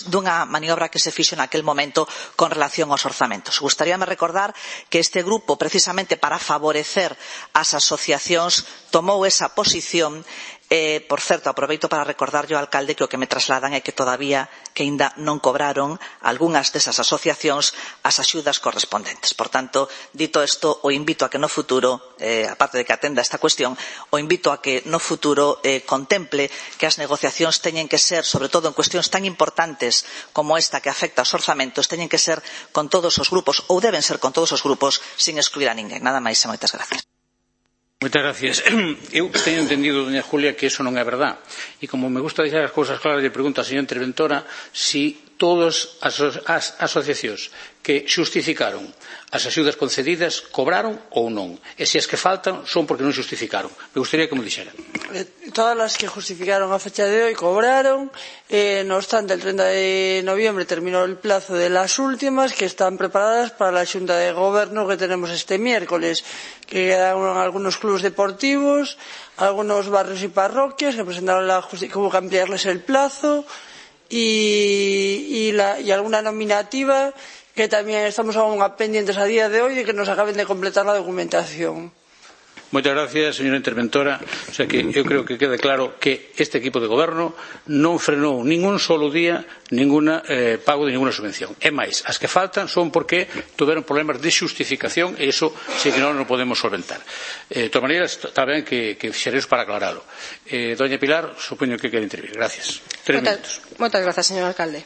dunha maniobra que se fixo naquel momento con relación aos orzamentos. Gustaríame recordar que este grupo, precisamente para favorecer as asociacións, tomou esa posición. Por certo, aproveito para recordarlle ao alcalde que o que me trasladan é que aínda non cobraron algunhas desas asociacións as axudas correspondentes. Por tanto, dito isto, o invito a que no futuro, aparte de que atenda esta cuestión, o invito a que no futuro contemple que as negociacións teñen que ser, sobre todo en cuestións tan importantes como esta que afecta aos orzamentos, teñen que ser con todos os grupos, ou deben ser con todos os grupos, sin excluir a ninguén. Nada máis e moitas gracias. Moitas gracias. Eu teño entendido, doña Julia, que eso non é verdad. E como me gusta deixar as cousas claras, lle pregunto á señora interventora si todas as asociacións que xustificaron as axudas concedidas cobraron ou non. E se as que faltan son porque non xustificaron. Me gustaría que me dixera. Todas as que justificaron a fecha de hoy cobraron. No obstante, el 30 de noviembre terminó el plazo de las últimas que están preparadas para la Xunta de Gobierno que tenemos este miércoles, que quedaron algunos clubes deportivos, algunos barrios y parroquias que presentaron que hubo que ampliarles el plazo y alguna nominativa que también estamos aún pendientes a día de hoy de que nos acaben de completar la documentación. Moitas gracias, señora interventora. O sea que eu creo que quede claro que este equipo de goberno non frenou ningún solo día ningún pago de ninguna subvención. É máis, as que faltan son porque tiveron problemas de xustificación e iso sí que non podemos solventar. De todas maneiras, está ben que fixereis para aclaralo. Doña Pilar, supoño que quere intervir. Gracias. 3 minutos. Moitas gracias, señor alcalde.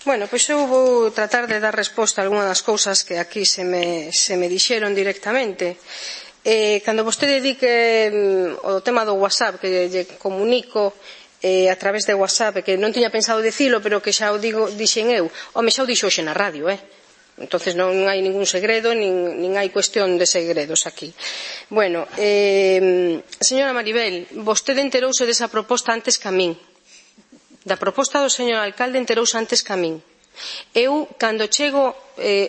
Bueno, pois eu vou tratar de dar resposta a algunhas das cousas que aquí se me dixeron directamente. Cando vostede di que o tema do WhatsApp que lle comunico a través de WhatsApp que non tiña pensado dicilo pero que xa o dixen eu, xa o dixo hoxe na radio, entonces non hai ningún segredo nin hai cuestión de segredos aquí. Bueno, señora Maribel, vostede enterouse desa proposta antes que a min, da proposta do señor alcalde enterouse antes que a min. Eu, cando chego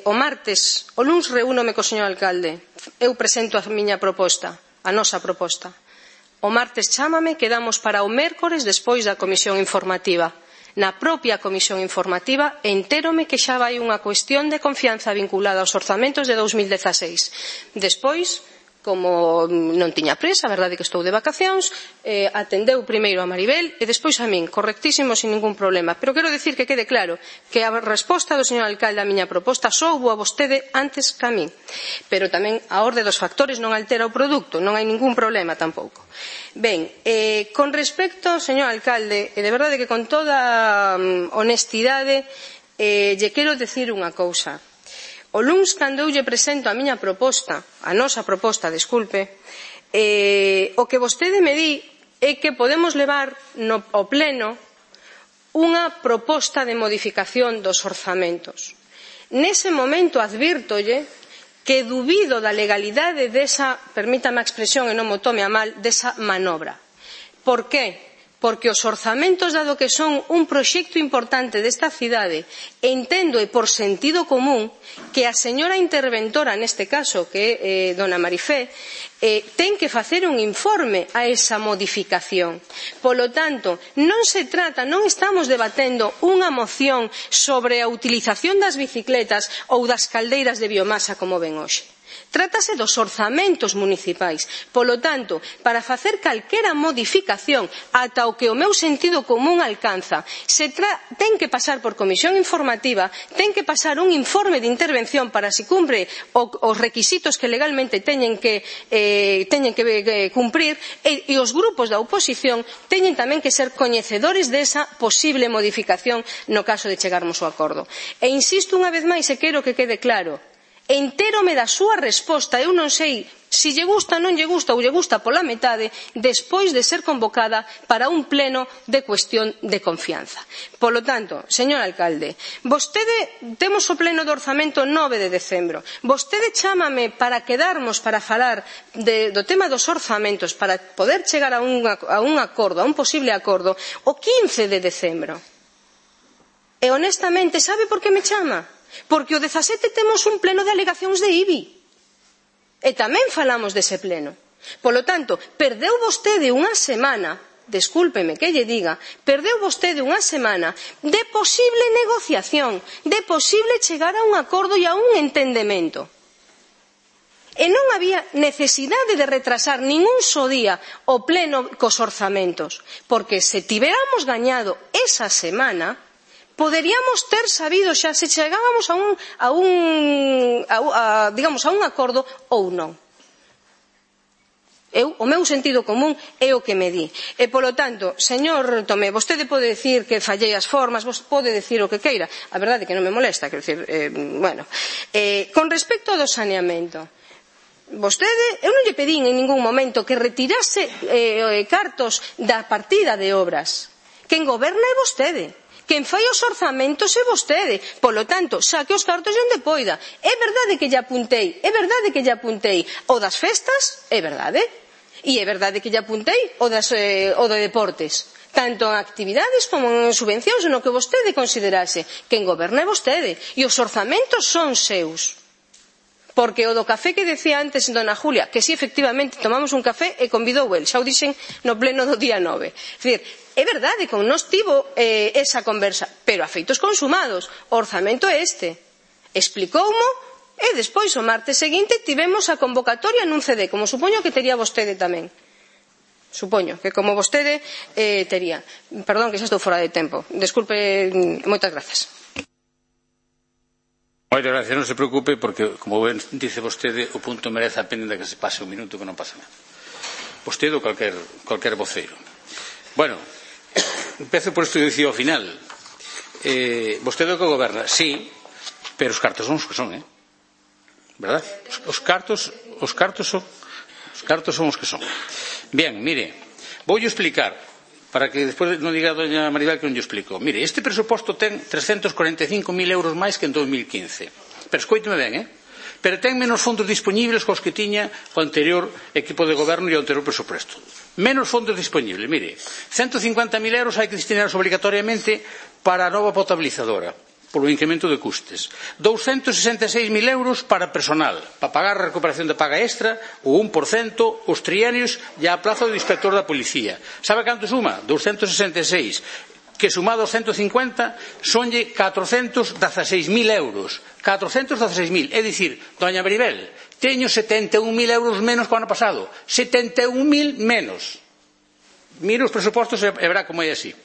o martes, o luns reúnome co señor alcalde, eu presento a miña proposta, a nosa proposta. O martes chámame, quedamos para o mércores despois da comisión informativa. Na propia comisión informativa entérome que xa vai unha cuestión de confianza vinculada aos orzamentos de 2016. Despois, como non tiña presa, a verdade que estou de vacacións, atendeu primeiro a Maribel e despois a min, correctísimo, sin ningún problema. Pero quero dicir que quede claro que a resposta do señor alcalde á miña proposta soubo a vostede antes que a min. Pero tamén a orde dos factores non altera o produto, non hai ningún problema tampouco. Ben, con respecto, señor alcalde, e de verdade que con toda honestidade, lle quero dicir unha cousa. O luns, cando eu lle presento a miña proposta, a nosa proposta, desculpe, o que vostede me di é que podemos levar ao pleno unha proposta de modificación dos orzamentos. Nese momento advírtolle que dubido da legalidade desa, permítame a expresión e non mo tome a mal, desa manobra. Por qué? porque os orzamentos, dado que son un proxecto importante desta cidade, entendo e por sentido común que a señora interventora, neste caso, que é dona Marifé, ten que facer un informe a esa modificación. Polo tanto, non se trata, non estamos debatendo unha moción sobre a utilización das bicicletas ou das caldeiras de biomasa como ven hoxe. Trátase dos orzamentos municipais. Polo tanto, para facer calquera modificación ata o que o meu sentido común alcanza, ten que pasar por comisión informativa, ten que pasar un informe de intervención para se cumpre os requisitos que legalmente teñen que cumprir e os grupos da oposición teñen tamén que ser coñecedores desa posible modificación no caso de chegarmos ao acordo. E insisto unha vez máis e quero que quede claro, entérome da súa resposta, eu non sei se lle gusta, non lle gusta ou lle gusta pola metade, despois de ser convocada para un pleno de cuestión de confianza. Polo tanto, señor alcalde, temos o pleno do orzamento 9 de decembro, vostede chámame para quedarmos para falar do tema dos orzamentos, para poder chegar a un acordo, a un posible acordo, o 15 de decembro. E honestamente, sabe por que me chama? Porque o 17 temos un pleno de alegacións de IBI e tamén falamos dese pleno. Polo tanto, perdeu vostede unha semana, descúlpeme que lle diga, perdeu vostede unha semana de posible negociación, de posible chegar a un acordo e a un entendemento. E non había necesidade de retrasar ningún só día o pleno cos orzamentos, porque se tiveramos gañado esa semana, poderíamos ter sabido xa se chegábamos a un acordo ou non. O meu sentido común é o que me di. E, polo tanto, señor Tomé, vostede pode dicir que fallei as formas, pode dicir o que queira. A verdade é que non me molesta, quero dicir, con respecto ao do saneamento, vostede, eu non lle pedín en ningún momento que retirase cartos da partida de obras. Quen goberna é vostede. Quen fai os orzamentos é vostede. Polo tanto, saque os cartos de onde poida. É verdade que lle apuntei o das festas, é verdade. E é verdade que lle apuntei o de deportes. Tanto en actividades como en subvencións, no que vostede considerase. Quen goberna é vostede. E os orzamentos son seus. Porque o do café que decía antes dona Julia, que si efectivamente tomamos un café e convidou el, xa o dixen no pleno do día 9. É dicir, é verdade, con nos tivo esa conversa, pero a feitos consumados, o orzamento é este. Explicoumo e despois o martes seguinte tivemos a convocatoria nun CD, como supoño que tería vostede tamén. Supoño que como vostede tería. Perdón que xa estou fora de tempo. Desculpe, moitas grazas. Moitas gracias, non se preocupe, porque, como ben dice vostede, o punto merece a pena de que se pase un minuto que non pasa nada. Vostede ou calquer voceiro. Bueno, empezo por isto que dicía ao final. Vostede o que goberna, sí, pero os cartos son os que son, verdad? Os cartos son os que son. Bien, mire, voulle explicar, para que despois non diga a doña Maribel que non lle explico. Mire, este presuposto ten 345.000 euros máis que en 2015. Pero escoíteme ben, pero ten menos fondos disponibles cos que tiña o anterior equipo de goberno e o anterior presuposto. Menos fondos disponibles. Mire, 150.000 euros hai que destinar obrigatoriamente para a nova potabilizadora, polo incremento de custes. 266.000 euros para personal, para pagar a recuperación de paga extra, o 1%, os trienios e a plaza do inspector da policía. Sabe canto suma? 266. Que sumado aos 150 sonlle 416.000 euros. 416.000. É dicir, doña Maribel, teño 71.000 euros menos que o ano pasado. 71.000 menos. Mire os presupostos e verá como é así.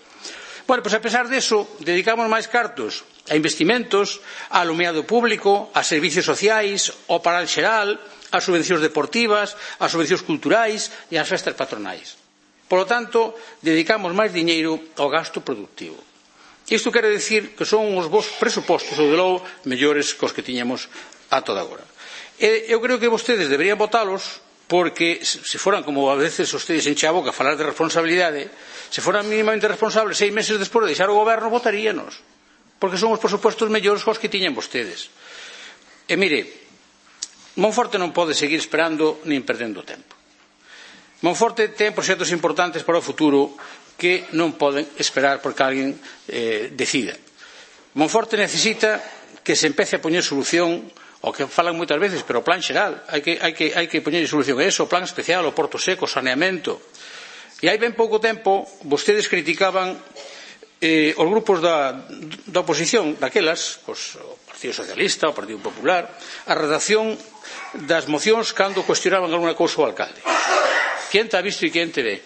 Bueno, pois a pesar deso, dedicamos máis cartos a investimentos, a alumeado público, a servicios sociais, ao paral xeral, a subvencións deportivas, a subvencións culturais e ás festas patronais. Por lo tanto, dedicamos máis diñeiro ao gasto productivo. Isto quere dicir que son os vos presupostos, ou de logo, mellores que os que tiñamos a toda agora. Eu creo que vostedes deberían votalos porque se foran, como a veces ustedes enche a boca a falar de responsabilidade, se foran mínimamente responsables 6 meses despois de deixar o goberno, votaríanos, porque son os presupostos mellores cos que tiñan vostedes. E mire, Monforte non pode seguir esperando nin perdendo tempo. Monforte ten proxectos importantes para o futuro que non poden esperar porque alguén decida. Monforte necesita que se empece a poñer solución o que falan moitas veces, pero o plan xeral hai que poñer solución a eso, o plan especial, o Porto Seco, o saneamento. E hai ben pouco tempo vostedes criticaban os grupos da oposición daquelas, o Partido Socialista, o Partido Popular, a redacción das mocións cando cuestionaban alguna cousa ao alcalde. Quen te ha visto e quen te ve?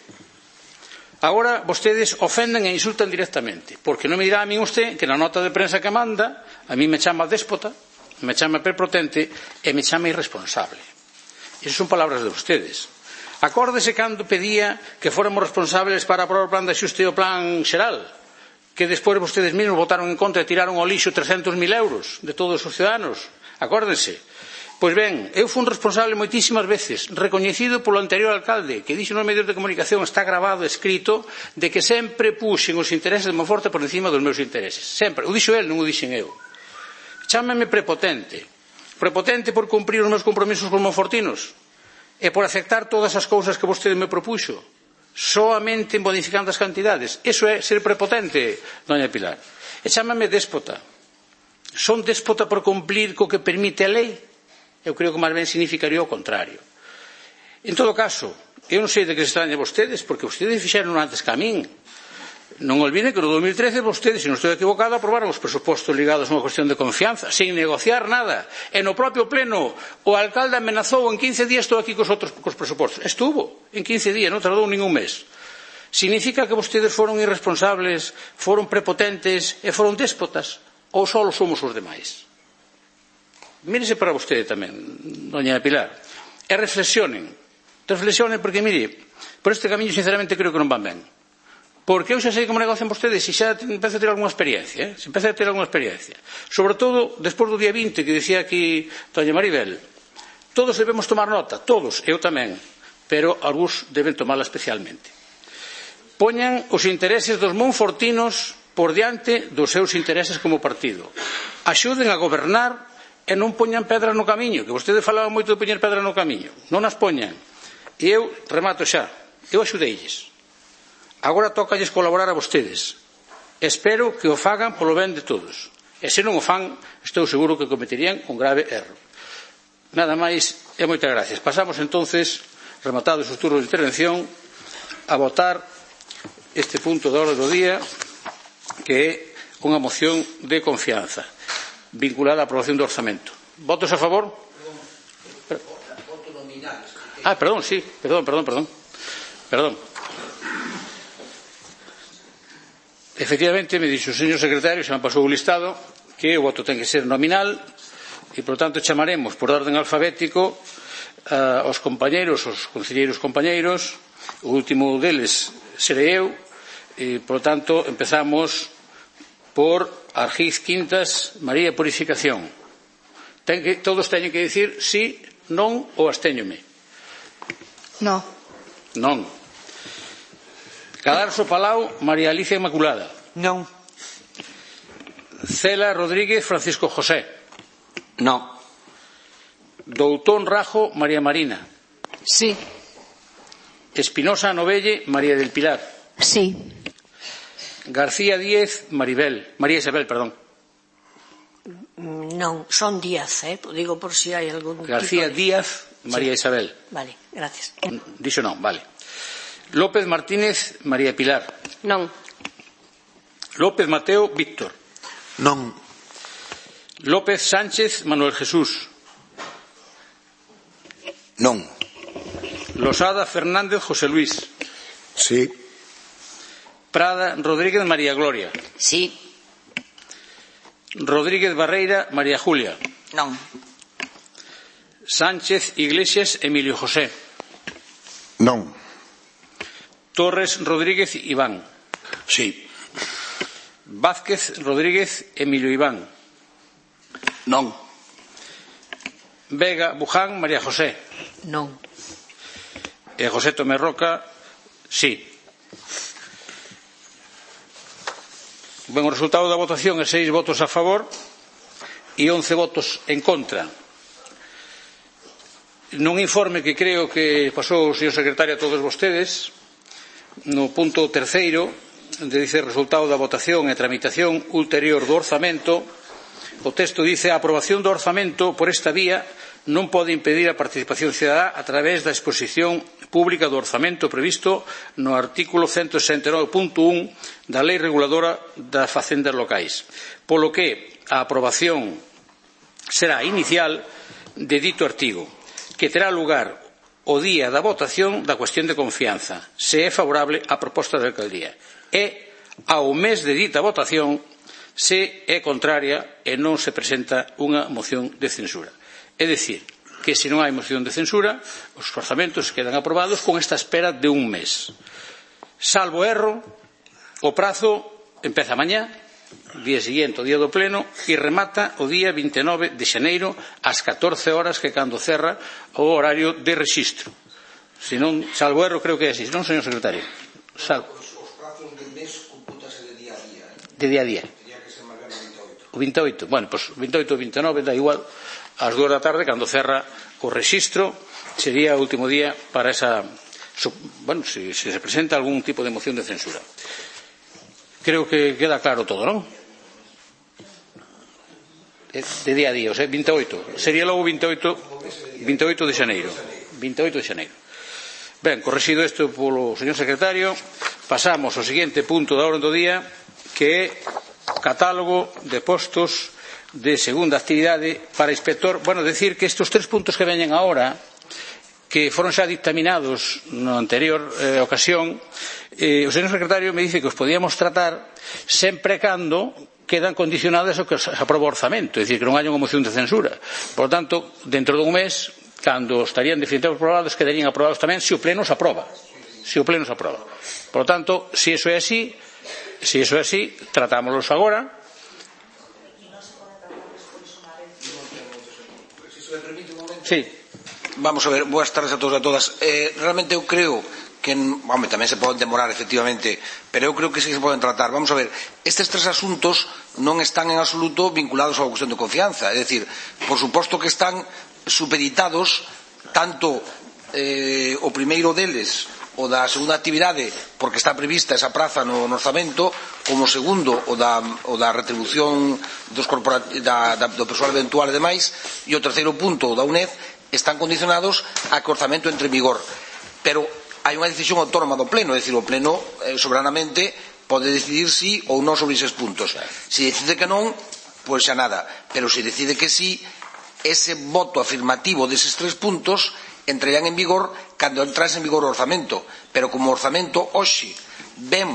Agora vostedes ofenden e insultan directamente, porque non me dirá a min usted que na nota de prensa que manda a mí me chama déspota, me chama prepotente e me chama irresponsable. Esas son palabras de ustedes. Acórdese cando pedía que fóramos responsables para aprobar o plan de axuste e o plan xeral, que despois vostedes mesmos votaron en contra e tiraron ao lixo 300.000 euros de todos os ciudadanos. Acórdense. Pois ben, eu fui un responsable moitísimas veces, recoñecido polo anterior alcalde, que dixo nos medios de comunicación, está grabado, escrito, de que sempre puxen os intereses de Monforte por encima dos meus intereses. Sempre. O dixo el, non o dixen eu. Chámame prepotente. Prepotente por cumprir os meus compromisos con monfortinos e por aceptar todas as cousas que vostede me propuxo, soamente modificando as cantidades. Eso é ser prepotente, doña Pilar. E chámame déspota. Son déspota por cumplir co que permite a lei? Eu creo que máis ben significaría o contrario. En todo caso, eu non sei de que se extraña vostedes, porque vostedes fixeron antes que a min. Non olviden que no 2013 vostedes, se non estou equivocado, aprobaron os presupostos ligados a unha cuestión de confianza, sin negociar nada. E no propio pleno o alcalde amenazou en 15 días estou aquí cos presupostos. Estuvo en 15 días, non tardou ningún mes. Significa que vostedes foron irresponsables, foron prepotentes e foron déspotas? Ou só somos os demais? Mírese para vostede tamén, doña Pilar, e reflexionen porque, mire, por este camiño sinceramente creo que non van ben. Porque eu xa sei como negocian vostedes e xa empeza a ter alguna experiencia, sobre todo despois do día 20 que dicía aquí doña Maribel. Todos debemos tomar nota, todos, eu tamén, pero algúns deben tomala especialmente. Poñan os intereses dos monfortinos por diante dos seus intereses como partido. Axuden a gobernar e non poñan pedras no camiño, que vostedes falaban moito de poñer pedras no camiño. Non as poñan. E eu remato xa, eu axudeilles. Agora tócalles colaborar a vostedes. Espero que o fagan polo ben de todos. E se non o fan, estou seguro que cometerían un grave erro. Nada máis e moitas gracias. Pasamos entonces, rematados os turnos de intervención, a votar este punto da orde do día, que é unha moción de confianza vinculada á aprobación do orzamento. Votos a favor? Perdón, sí. Perdón. Efectivamente, me dixo o señor secretario, xa me pasou o listado, que o voto ten que ser nominal e, por tanto, chamaremos por orden alfabético aos compañeiros, os concelleiros compañeiros. O último deles serei eu e, por tanto, empezamos por Argiz Quintas María Purificación. Todos teñen que dicir sí, non ou abstéñome. No. Non. Cadarso Palau María Alicia Inmaculada. Non. Cela Rodríguez Francisco José. No. Doutón Rajo María Marina. Sí. Espinosa Novelle María del Pilar. Sí. García Díez María Isabel, perdón. Non, son Díaz, digo por si hai algún García Díaz María Isabel. Vale, gracias. Dixo non, vale. López Martínez María Pilar. Non. López Mateo Víctor. Non. López Sánchez Manuel Jesús. Non. Losada Fernández José Luis. Sí. Prada Rodríguez María Gloria. Sí. Rodríguez Barreira María Julia. Non. Sánchez Iglesias Emilio José. Non. Torres Rodríguez Iván. Sí. Vázquez Rodríguez Emilio Iván. Non. Vega Buján María José. Non. E José Tomé Roca, sí. Ben, o resultado da votación é 6 votos a favor e 11 votos en contra. Nun informe que creo que pasou o señor secretario a todos vostedes, no punto terceiro, dice resultado da votación e tramitación ulterior do orzamento, o texto dice a aprobación do orzamento por esta vía non pode impedir a participación cidadá a través da exposición pública do orzamento previsto no artículo 169.1 da Lei Reguladora das Facendas Locais, polo que a aprobación será inicial de dito artigo, que terá lugar o día da votación da cuestión de confianza, se é favorable á proposta da alcaldía, e ao mes de dita votación se é contraria e non se presenta unha moción de censura. É dicir, que se non hai moción de censura, os orzamentos quedan aprobados con esta espera de un mes. Salvo erro, o prazo empeza mañá, día seguinte, o día do pleno, e remata o día 29 de xaneiro ás 14 horas, que cando cerra o horario de rexistro. Se non, salvo erro, creo que é así, non, señor secretario? Salvo. Os prazos del mes compútase de día a día. De día a día. Tenía que ser máis ben O 28. 28, bueno, pois 28 ou 29 dá igual, ás 2 da tarde, cando cerra o rexistro, sería o último día para esa, bueno, se se presenta algún tipo de moción de censura. Creo que queda claro todo, non? De día a día, o sea, 28, sería logo 28 de xaneiro. 28 de xaneiro. Ben, correxido isto polo señor secretario, pasamos ao seguinte punto da orde do día, que é catálogo de postos de segunda actividade para inspector. Bueno, decir que estes tres puntos que veñen agora, que foron xa dictaminados na anterior ocasión, o señor secretario me dice que os podíamos tratar sempre cando quedan condicionadas ao que se aproba o orzamento, é dicir, que non haya unha moción de censura. Por lo tanto, dentro dun mes, cando estarían definitivamente aprobados, quedarían aprobados tamén se o pleno se aproba. Se o pleno se aproba. Por lo tanto, se iso é así, tratámoslos agora. Sí. Vamos a ver, boas tardes a todos e a todas. Realmente eu creo que, home, tamén se poden demorar efectivamente, pero eu creo que sí que se poden tratar. Vamos a ver, estes tres asuntos non están en absoluto vinculados á cuestión de confianza, é dicir, por suposto que están supeditados tanto o primeiro deles, o da segunda actividade, porque está prevista esa praza no orzamento, como o segundo, o da retribución do persoal eventual e demais, e o terceiro punto, o da UNED, están condicionados a que o orzamento entre en vigor. Pero hai unha decisión autónoma do Pleno, é dicir, o Pleno soberanamente pode decidir si ou non sobre eses puntos. Se decide que non, pois xa nada. Pero se decide que sí, ese voto afirmativo deses tres puntos entrarían en vigor cando entrase en vigor o orzamento. Pero como o orzamento hoxe ven,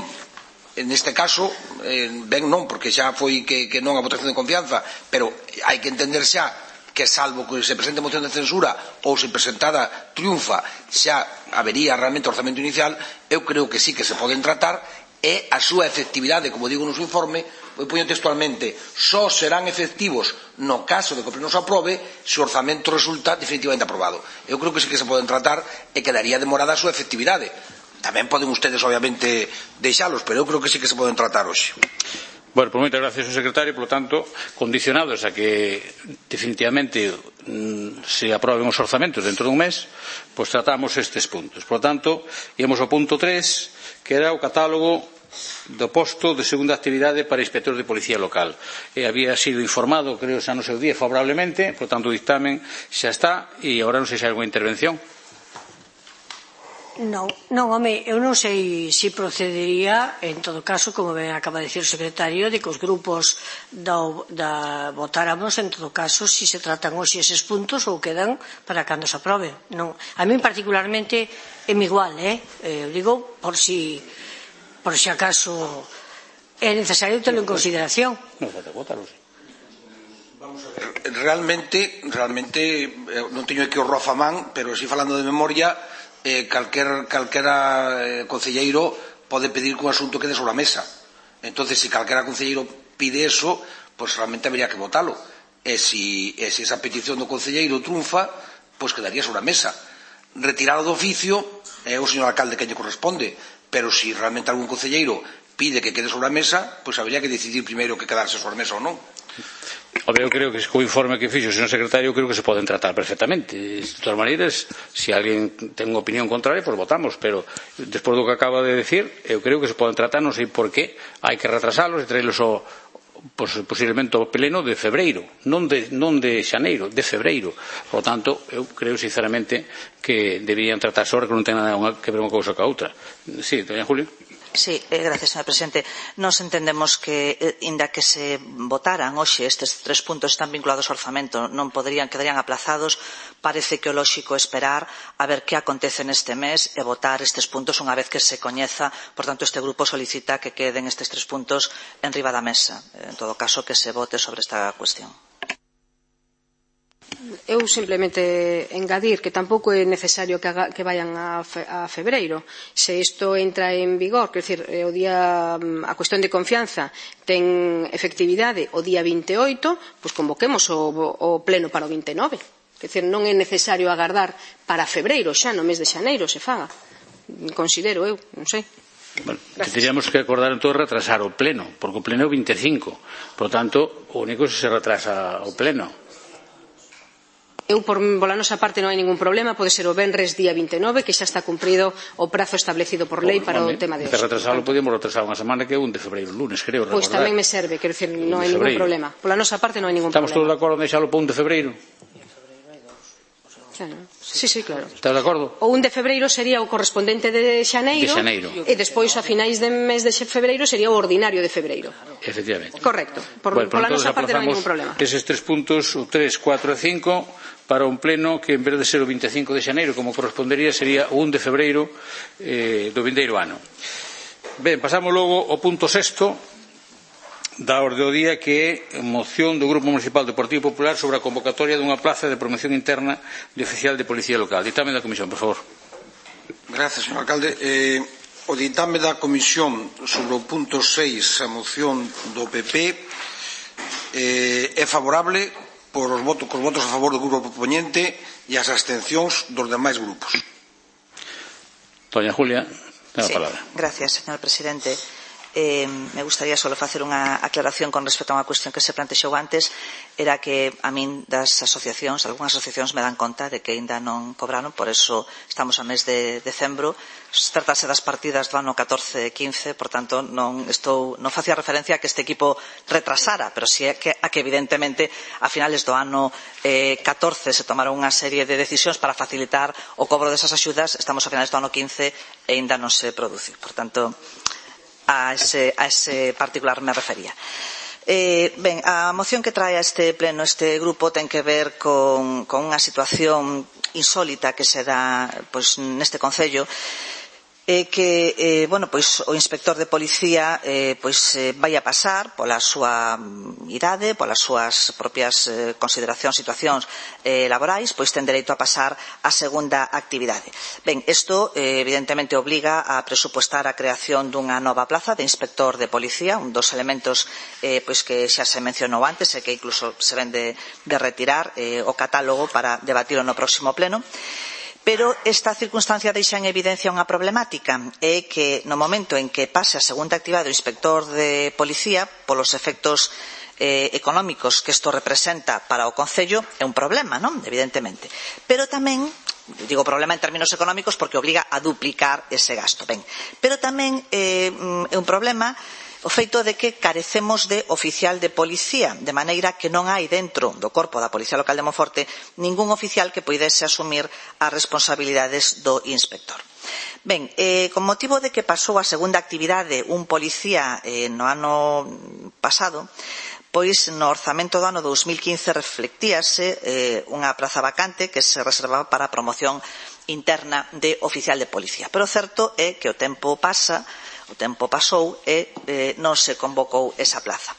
neste caso, ben non, porque xa foi que non a votación de confianza, pero hai que entender xa que salvo que se presente moción de censura ou se presentada triunfa xa habería realmente orzamento inicial, eu creo que sí que se poden tratar e a súa efectividade, como digo no seu informe, eu poño textualmente, só serán efectivos no caso de que o pleno se aprobe se o orzamento resulta definitivamente aprobado. Eu creo que sí que se poden tratar e quedaría demorada a súa efectividade. Tamén poden ustedes, obviamente, deixalos, pero eu creo que sí que se poden tratar hoxe. Bueno, pues moitas gracias, señor secretario. Por lo tanto, condicionados a que definitivamente se aproben os orzamentos dentro dun mes, pues tratamos estes puntos. Por lo tanto, íamos ao punto 3, que era o catálogo do posto de segunda actividade para inspector de policía local. Había sido informado, creo, xa no seu día, favorablemente, por lo tanto, o dictamen xa está, e agora non sei se hai alguna intervención. Non, home, eu non sei se procedería, en todo caso, como ben acaba de dicir o secretario, de que os grupos votáramos, en todo caso, se se tratan hoxe eses puntos ou quedan para cando se aproben. Non, a mí particularmente é igual, eu digo, por si acaso é necesario terlo en consideración. Vamos a ver, realmente non teño aquí o Rofamán, pero si falando de memoria, calquera concelleiro pode pedir que un asunto quede sobre a mesa. Entonces, se calquera concelleiro pide eso, pues realmente habería que votalo. E se esa petición do concelleiro triunfa, pues quedaría sobre a mesa. Retirado do oficio é o señor alcalde que lle corresponde, pero se realmente algún concelleiro pide que quede sobre a mesa, pues habría que decidir primeiro que quedarse sobre a mesa ou non. Eu creo que co informe que fixo o señor secretario, creo que se poden tratar perfectamente. De todas maneiras, se alguén ten unha opinión contraria, pois votamos, pero despois do que acaba de decir, eu creo que se poden tratar, non sei por qué hai que retrasalos e traerlos posiblemente ao pleno de febreiro, non de xaneiro, de febreiro. Por lo tanto, eu creo sinceramente que deberían tratarse ahora, que non ten nada que ver unha cousa ca outra. Sí, doña Julio. Sí, gracias, señor presidente. Nos entendemos que, inda que se votaran hoxe estes 3 puntos están vinculados ao orzamento, non quedarían aplazados. Parece que o lóxico esperar a ver que acontece neste mes e votar estes puntos unha vez que se coñeza. Por tanto, este grupo solicita que queden estes 3 puntos en riba da mesa. En todo caso, que se vote sobre esta cuestión. Eu simplemente engadir que tampouco é necesario que vayan a febreiro. Se isto entra en vigor, quer dizer, a cuestión de confianza ten efectividade o día 28, pois convoquemos o pleno para o 29. Quer dizer, non é necesario agardar para febreiro, xa no mes de xaneiro se faga. Considero eu, non sei. Bueno, que teríamos que acordar entón retrasar o pleno, porque o pleno é o 25. Por lo tanto, o único é se retrasa o pleno. Eu, pola nosa parte, non hai ningún problema. Pode ser o venres día 29, que xa está cumprido o prazo establecido por lei para o tema de hoxe. Para retrasarlo, podíamos retrasar unha semana que é 1 de febreiro, lunes, creo. Pois tamén me serve, quero dicir, non hai ningún problema. Pola nosa parte non hai ningún problema. Estamos todos de acordo en deixalo para 1 de febreiro? Sí, claro. Estás de acordo? O 1 de febreiro sería o correspondente de xaneiro. E despois, a finais de mes de febreiro, sería o ordinario de febreiro. Efectivamente. Correcto. Pola nosa parte non hai ningún problema. Eses 3 puntos, o 3, 4 e 5, para un pleno que, en vez de ser o 25 de xaneiro, como correspondería, sería o 1 de febreiro do vindeiro ano. Ben, pasamos logo ao punto 6 da orde do día, que é moción do Grupo Municipal do Partido Popular sobre a convocatoria dunha plaza de promoción interna de oficial de policía local. Ditame da comisión, por favor. Gracias, señor alcalde. O ditame da comisión sobre o punto 6, a moción do PP, é favorable cos votos a favor do grupo proponente e as abstencións dos demais grupos. Doña Julia, ten a palabra. Gracias, señor presidente. Me gustaría só facer unha aclaración con respecto a unha cuestión que se plantexou antes. Era que a min das asociacións, algunhas asociacións me dan conta de que ainda non cobraron, por eso estamos a mes de decembro. Tratase das partidas do ano 14-15, por tanto non facía referencia a que este equipo retrasara, pero si é que evidentemente a finales do ano 14 se tomaron unha serie de decisións para facilitar o cobro desas axudas. Estamos a finales do ano 15 e ainda non se produciu. Por tanto, a ese particular me refería. Ben, a moción que trae a este pleno este grupo ten que ver con unha situación insólita que se dá neste concello, que o inspector de policía vai a pasar pola súa idade, polas súas propias consideracións, situacións laborais, pois ten dereito a pasar a segunda actividade. Ben, isto evidentemente obliga a presupuestar a creación dunha nova plaza de inspector de policía, un dos elementos que xa se mencionou antes e que incluso se ven de retirar o catálogo para debatirlo no próximo pleno. Pero esta circunstancia deixa en evidencia unha problemática, é que no momento en que pase a segunda actividade do inspector de policía, polos efectos económicos que isto representa para o concello, é un problema, non? Evidentemente. Pero tamén, digo problema en términos económicos porque obliga a duplicar ese gasto. Ben, pero tamén é un problema o feito de que carecemos de oficial de policía, de maneira que non hai dentro do corpo da Policía Local de Monforte ningún oficial que poidese asumir as responsabilidades do inspector. Ben, con motivo de que pasou a segunda actividade un policía no ano pasado, pois no orzamento do ano 2015 reflectíase unha praza vacante que se reservaba para a promoción interna de oficial de policía. Pero o certo é que o tempo pasou e non se convocou esa plaza.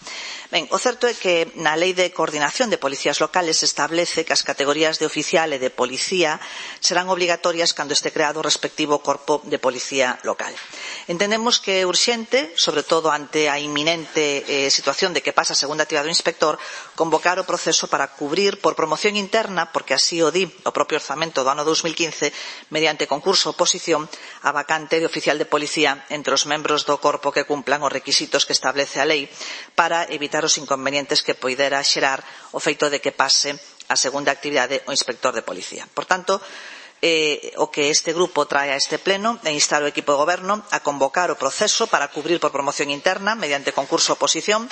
Ben, o certo é que na Lei de Coordinación de Policías Locales se establece que as categorías de oficial e de policía serán obligatorias cando este creado o respectivo corpo de policía local. Entendemos que é urxente, sobre todo ante a inminente situación de que pasa a segunda actividade do inspector, convocar o proceso para cubrir por promoción interna, porque así o di o propio orzamento do ano 2015, mediante concurso ou oposición, a vacante de oficial de policía entre os membros do corpo que cumplan os requisitos que establece a lei para evitar solucionar os inconvenientes que poidera xerar o feito de que pase a segunda actividade o inspector de policía. Por tanto, o que este grupo trae a este pleno é instar o equipo de goberno a convocar o proceso para cubrir por promoción interna mediante concurso oposición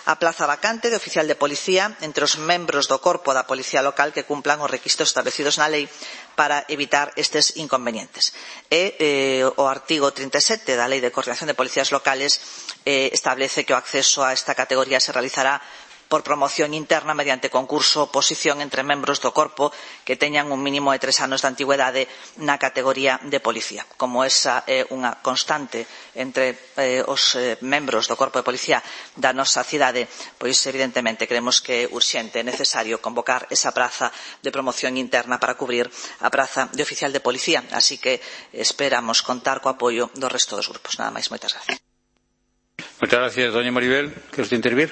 a plaza vacante de oficial de policía entre os membros do corpo da policía local que cumplan os requisitos establecidos na lei para evitar estes inconvenientes. O artigo 37 da Lei de Coordinación de Policías Locales establece que o acceso a esta categoría se realizará por promoción interna mediante concurso ou oposición entre membros do corpo que teñan un mínimo de 3 anos de antigüedade na categoría de policía. Como esa é unha constante entre os membros do corpo de policía da nosa cidade, pois evidentemente creemos que é urxente e necesario convocar esa praza de promoción interna para cubrir a praza de oficial de policía. Así que esperamos contar co apoio do resto dos grupos. Nada máis, moitas gracias. Moitas gracias, doña Maribel. ¿Quere usted intervir?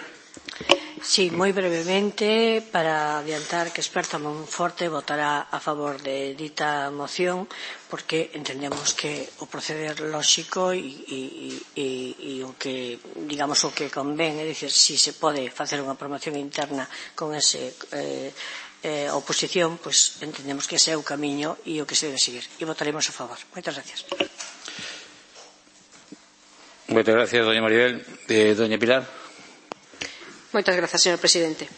Sí, moi brevemente, para adiantar que Experta Monforte votará a favor de dita moción, porque entendemos que o proceder lóxico e o que, digamos, o que convén, é dicir, si se pode facer unha promoción interna con ese oposición, pois entendemos que ese é o camiño e o que se debe seguir. E votaremos a favor. Moitas gracias. Moitas gracias, doña Maribel. Doña Pilar. Moitas grazas, señor presidente.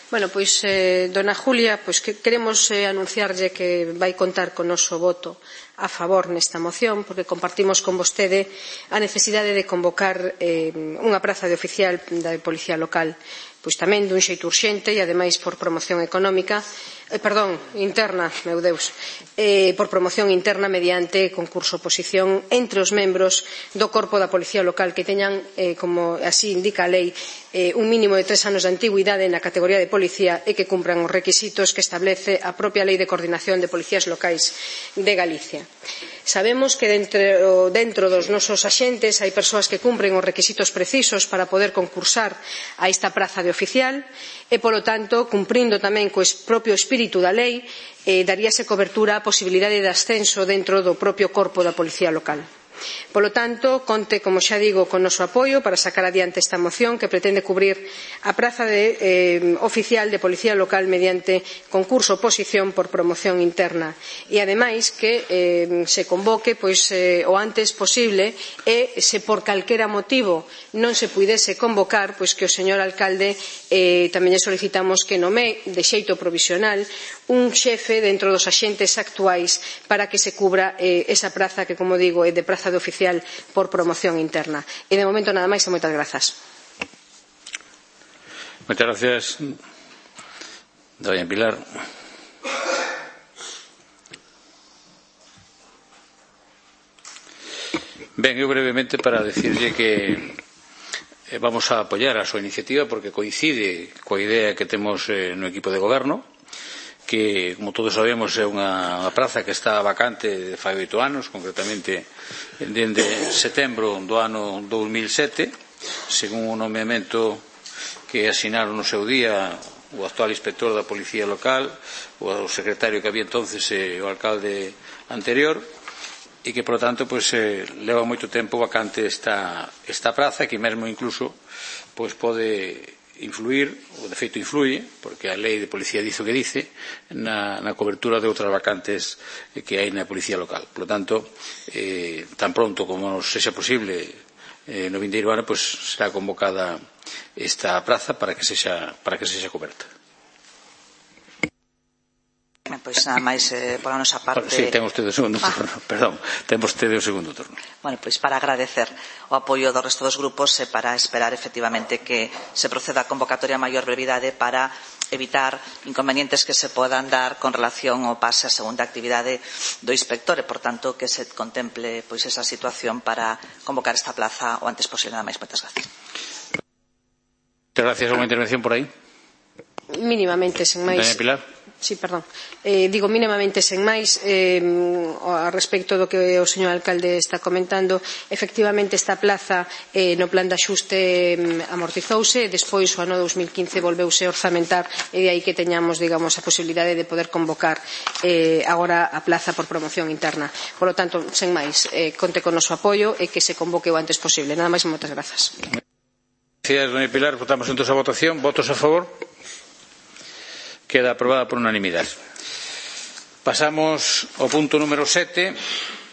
Bueno, pois, dona Julia, pois que queremos anunciarlle que vai contar con noso voto a favor nesta moción, porque compartimos con vostede a necesidade de convocar unha praza de oficial da Policía Local, pois tamén dun xeito urxente e ademais por promoción económica, interna, meu Deus, por promoción interna mediante concurso oposición entre os membros do corpo da Policía Local que teñan, como así indica a lei, un mínimo de 3 anos de antigüidade na categoría de policía e que cumpran os requisitos que establece a propia Lei de Coordinación de Policías Locais de Galicia. Sabemos que dentro dos nosos axentes hai persoas que cumpren os requisitos precisos para poder concursar a esta praza de oficial e, polo tanto, cumprindo tamén co propio espírito da lei, daríase cobertura á posibilidade de ascenso dentro do propio corpo da Policía Local. Polo tanto, conte, como xa digo, con noso apoio para sacar adiante esta moción que pretende cubrir a praza de oficial de Policía Local mediante concurso oposición por promoción interna e, ademais, que se convoque o antes posible e, se por calquera motivo non se puidese convocar, pois que o señor alcalde tamén lle solicitamos que nomee de xeito provisional un xefe dentro dos axentes actuais para que se cubra esa praza que, como digo, é de praza de oficial por promoción interna. E de momento nada máis e moitas grazas. Moitas gracias, doña Pilar. Ben, eu brevemente para decirlle que vamos a apoiar a súa iniciativa porque coincide coa idea que temos no equipo de goberno, que, como todos sabemos, é unha praza que está vacante de fai 8 anos, concretamente dende setembro do ano 2007, según o nomeamento que asinaron no seu día o actual inspector da Policía Local, o secretario que había entonces o alcalde anterior, e que, por lo tanto, leva moito tempo vacante esta praza, que mesmo incluso pode influir, ou de feito influye, porque a lei de policía dice o que dice, na cobertura de outras vacantes que hai na policía local. Por lo tanto, tan pronto como nos sexa posible no vindeiro ano, será convocada esta praza para que sexa coberta. Pois nada máis pola nosa parte. Sí, ten vostede o segundo turno, perdón, ten vostede o segundo turno. Bueno, pois para agradecer o apoio do resto dos grupos e para esperar efectivamente que se proceda a convocatoria a maior brevidade para evitar inconvenientes que se podan dar con relación ao pase a segunda actividade do inspector e, por tanto, que se contemple esa situación para convocar esta plaza o antes posible. Nada máis, moitas gracias. Muchas gracias. ¿Alguna intervención por aí? Mínimamente, sen máis. Doña Pilar. Sí, perdón. Digo mínimamente sen máis a respecto do que o señor alcalde está comentando. Efectivamente, esta plaza no plan de axuste amortizouse e despois o ano 2015 volveuse a orzamentar e de aí que teñamos, digamos, a posibilidade de poder convocar agora a plaza por promoción interna. Por lo tanto, sen máis, conte con noso apoio e que se convoque o antes posible. Nada máis e moitas grazas. Gracias, doña Pilar. Votamos entonces a votación. ¿Votos a favor? Queda aprobada por unanimidade. Pasamos ao punto número 7,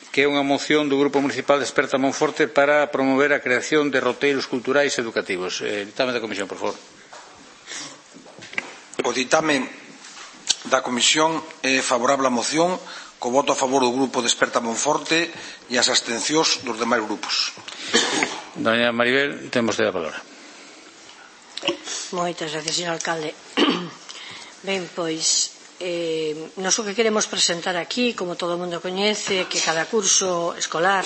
que é unha moción do Grupo Municipal de Esperta Monforte para promover a creación de roteiros culturais e educativos. Ditame da Comisión, por favor. O ditame da Comisión é favorable á moción, co voto a favor do Grupo de Esperta Monforte e as abstencións dos demais grupos. Doña Maribel, temos de a palabra. Moitas gracias, señor alcalde. Ben, pois, nós o que queremos presentar aquí, como todo o mundo coñece, que cada curso escolar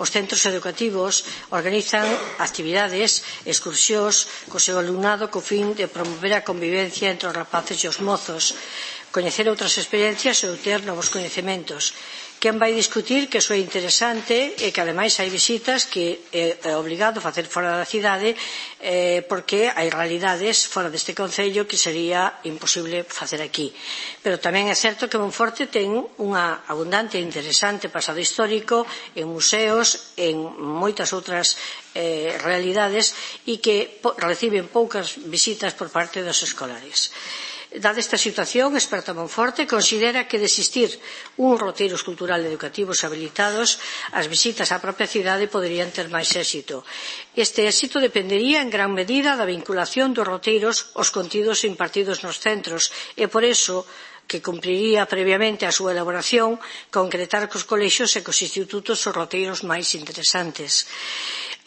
os centros educativos organizan actividades, excursións co seu alumnado co fin de promover a convivencia entre os rapaces e os mozos, coñecer outras experiencias e obter novos coñecementos. Quen vai discutir que iso é interesante e que ademais hai visitas que é obrigado a facer fora da cidade porque hai realidades fora deste concello que sería imposible facer aquí. Pero tamén é certo que Monforte ten unha abundante e interesante pasado histórico en museos, en moitas outras realidades e que reciben poucas visitas por parte dos escolares. Dada esta situación, Esperta Monforte considera que de existir uns roteiros cultural e educativos habilitados, as visitas á propia cidade poderían ter máis éxito. Este éxito dependería en gran medida da vinculación dos roteiros aos contidos impartidos nos centros e por iso que cumpriría previamente a súa elaboración concretar cos colexios e cos institutos os roteiros máis interesantes.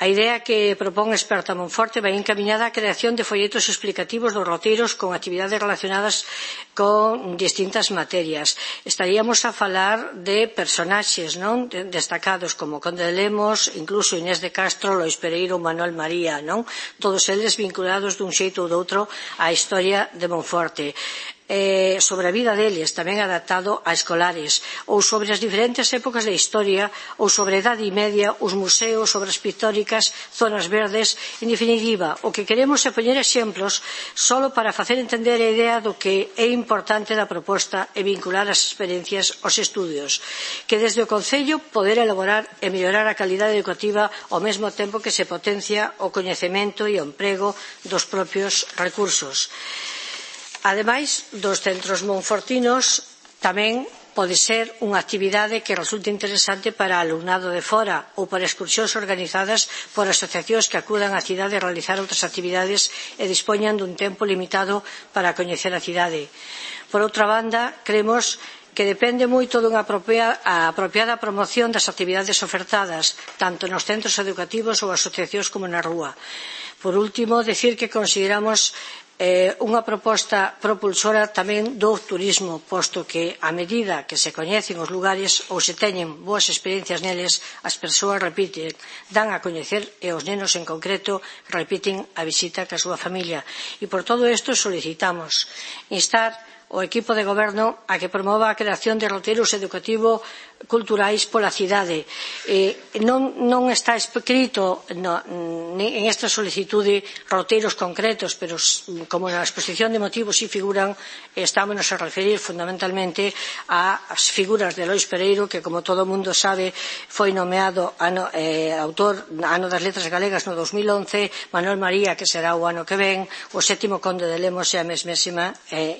A idea que propón Esperta Monforte vai encaminhada á creación de folletos explicativos dos roteiros con actividades relacionadas con distintas materias. Estaríamos a falar de personaxes destacados como Conde de Lemos, incluso Inés de Castro, Lois Pereiro ou Manuel María, todos eles vinculados dun xeito ou doutro á historia de Monforte. Sobre a vida deles, tamén adaptado a escolares, ou sobre as diferentes épocas da historia, ou sobre a Idade Media, os museos, obras pictóricas, zonas verdes. En definitiva, o que queremos é poñer exemplos solo para facer entender a idea do que é importante da proposta e vincular as experiencias aos estudios, que desde o Concello poder elaborar e mellorar a calidade educativa ao mesmo tempo que se potencia o coñecemento e o emprego dos propios recursos. Ademais dos centros monfortinos, tamén pode ser unha actividade que resulte interesante para alumnado de fora ou para excursións organizadas por asociacións que acudan á cidade a realizar outras actividades e dispoñan dun tempo limitado para coñecer a cidade. Por outra banda, creemos que depende moito dunha apropiada promoción das actividades ofertadas, tanto nos centros educativos ou asociacións como na rúa. Por último, decir que consideramos unha proposta propulsora tamén do turismo, posto que a medida que se coñecen os lugares ou se teñen boas experiencias neles, as persoas repiten, dan a coñecer e os nenos en concreto repiten a visita ca súa familia. E por todo isto solicitamos instar o equipo de goberno a que promova a creación de roteiros educativos culturais pola cidade. Non está escrito en esta solicitude roteiros concretos, pero como na exposición de motivos si figuran, estámonos a referir fundamentalmente ás figuras de Lois Pereiro, que como todo o mundo sabe foi nomeado autor ano das letras galegas no 2011, Manuel María, que será o ano que ven, o 7º Conde de Lemos e a mesmésima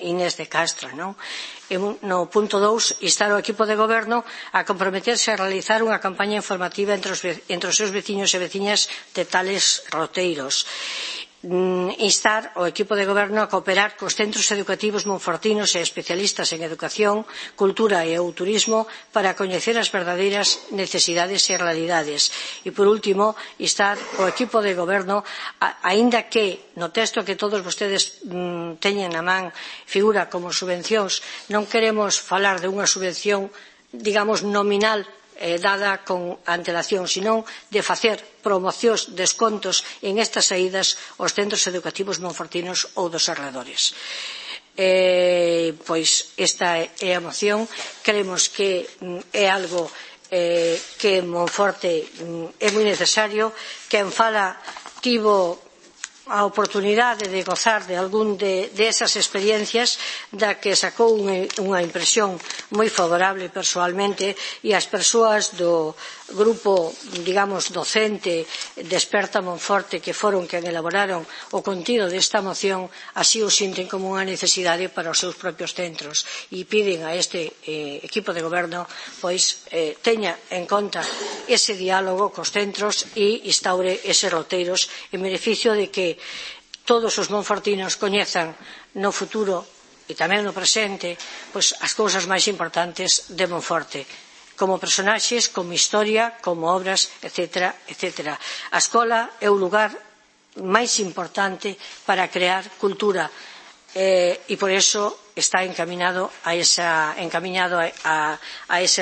Inés de Castro. No punto 2, instar o equipo de goberno a comprometerse a realizar unha campaña informativa entre os seus veciños e veciñas de tales roteiros. Instar o equipo de goberno a cooperar cos centros educativos monfortinos e especialistas en educación, cultura e ou turismo para coñecer as verdadeiras necesidades e realidades. E, por último, instar o equipo de goberno, aínda que no texto que todos vostedes teñen na man figura como subvencións, non queremos falar de unha subvención, digamos, nominal dada con antelación, senón de facer promocións, descontos en estas saídas aos centros educativos monfortinos ou dos arredores. Pois esta é a moción. Creemos que é algo que en Monforte é moi necesario. Quen fala tivo a oportunidade de gozar de algún de esas experiencias da que sacou unha impresión moi favorable persoalmente, e as persoas do grupo, digamos, docente Desperta Monforte, que foron quen elaboraron o contido desta moción, así o sinten como unha necesidade para os seus propios centros, e piden a este equipo de goberno pois teña en conta ese diálogo cos centros e instaure eses roteiros en beneficio de que todos os monfortinos coñezan no futuro e tamén no presente pois as cousas máis importantes de Monforte, como personaxes, como historia, como obras, etc. etc. A escola é o lugar máis importante para crear cultura e por eso está encaminado a eses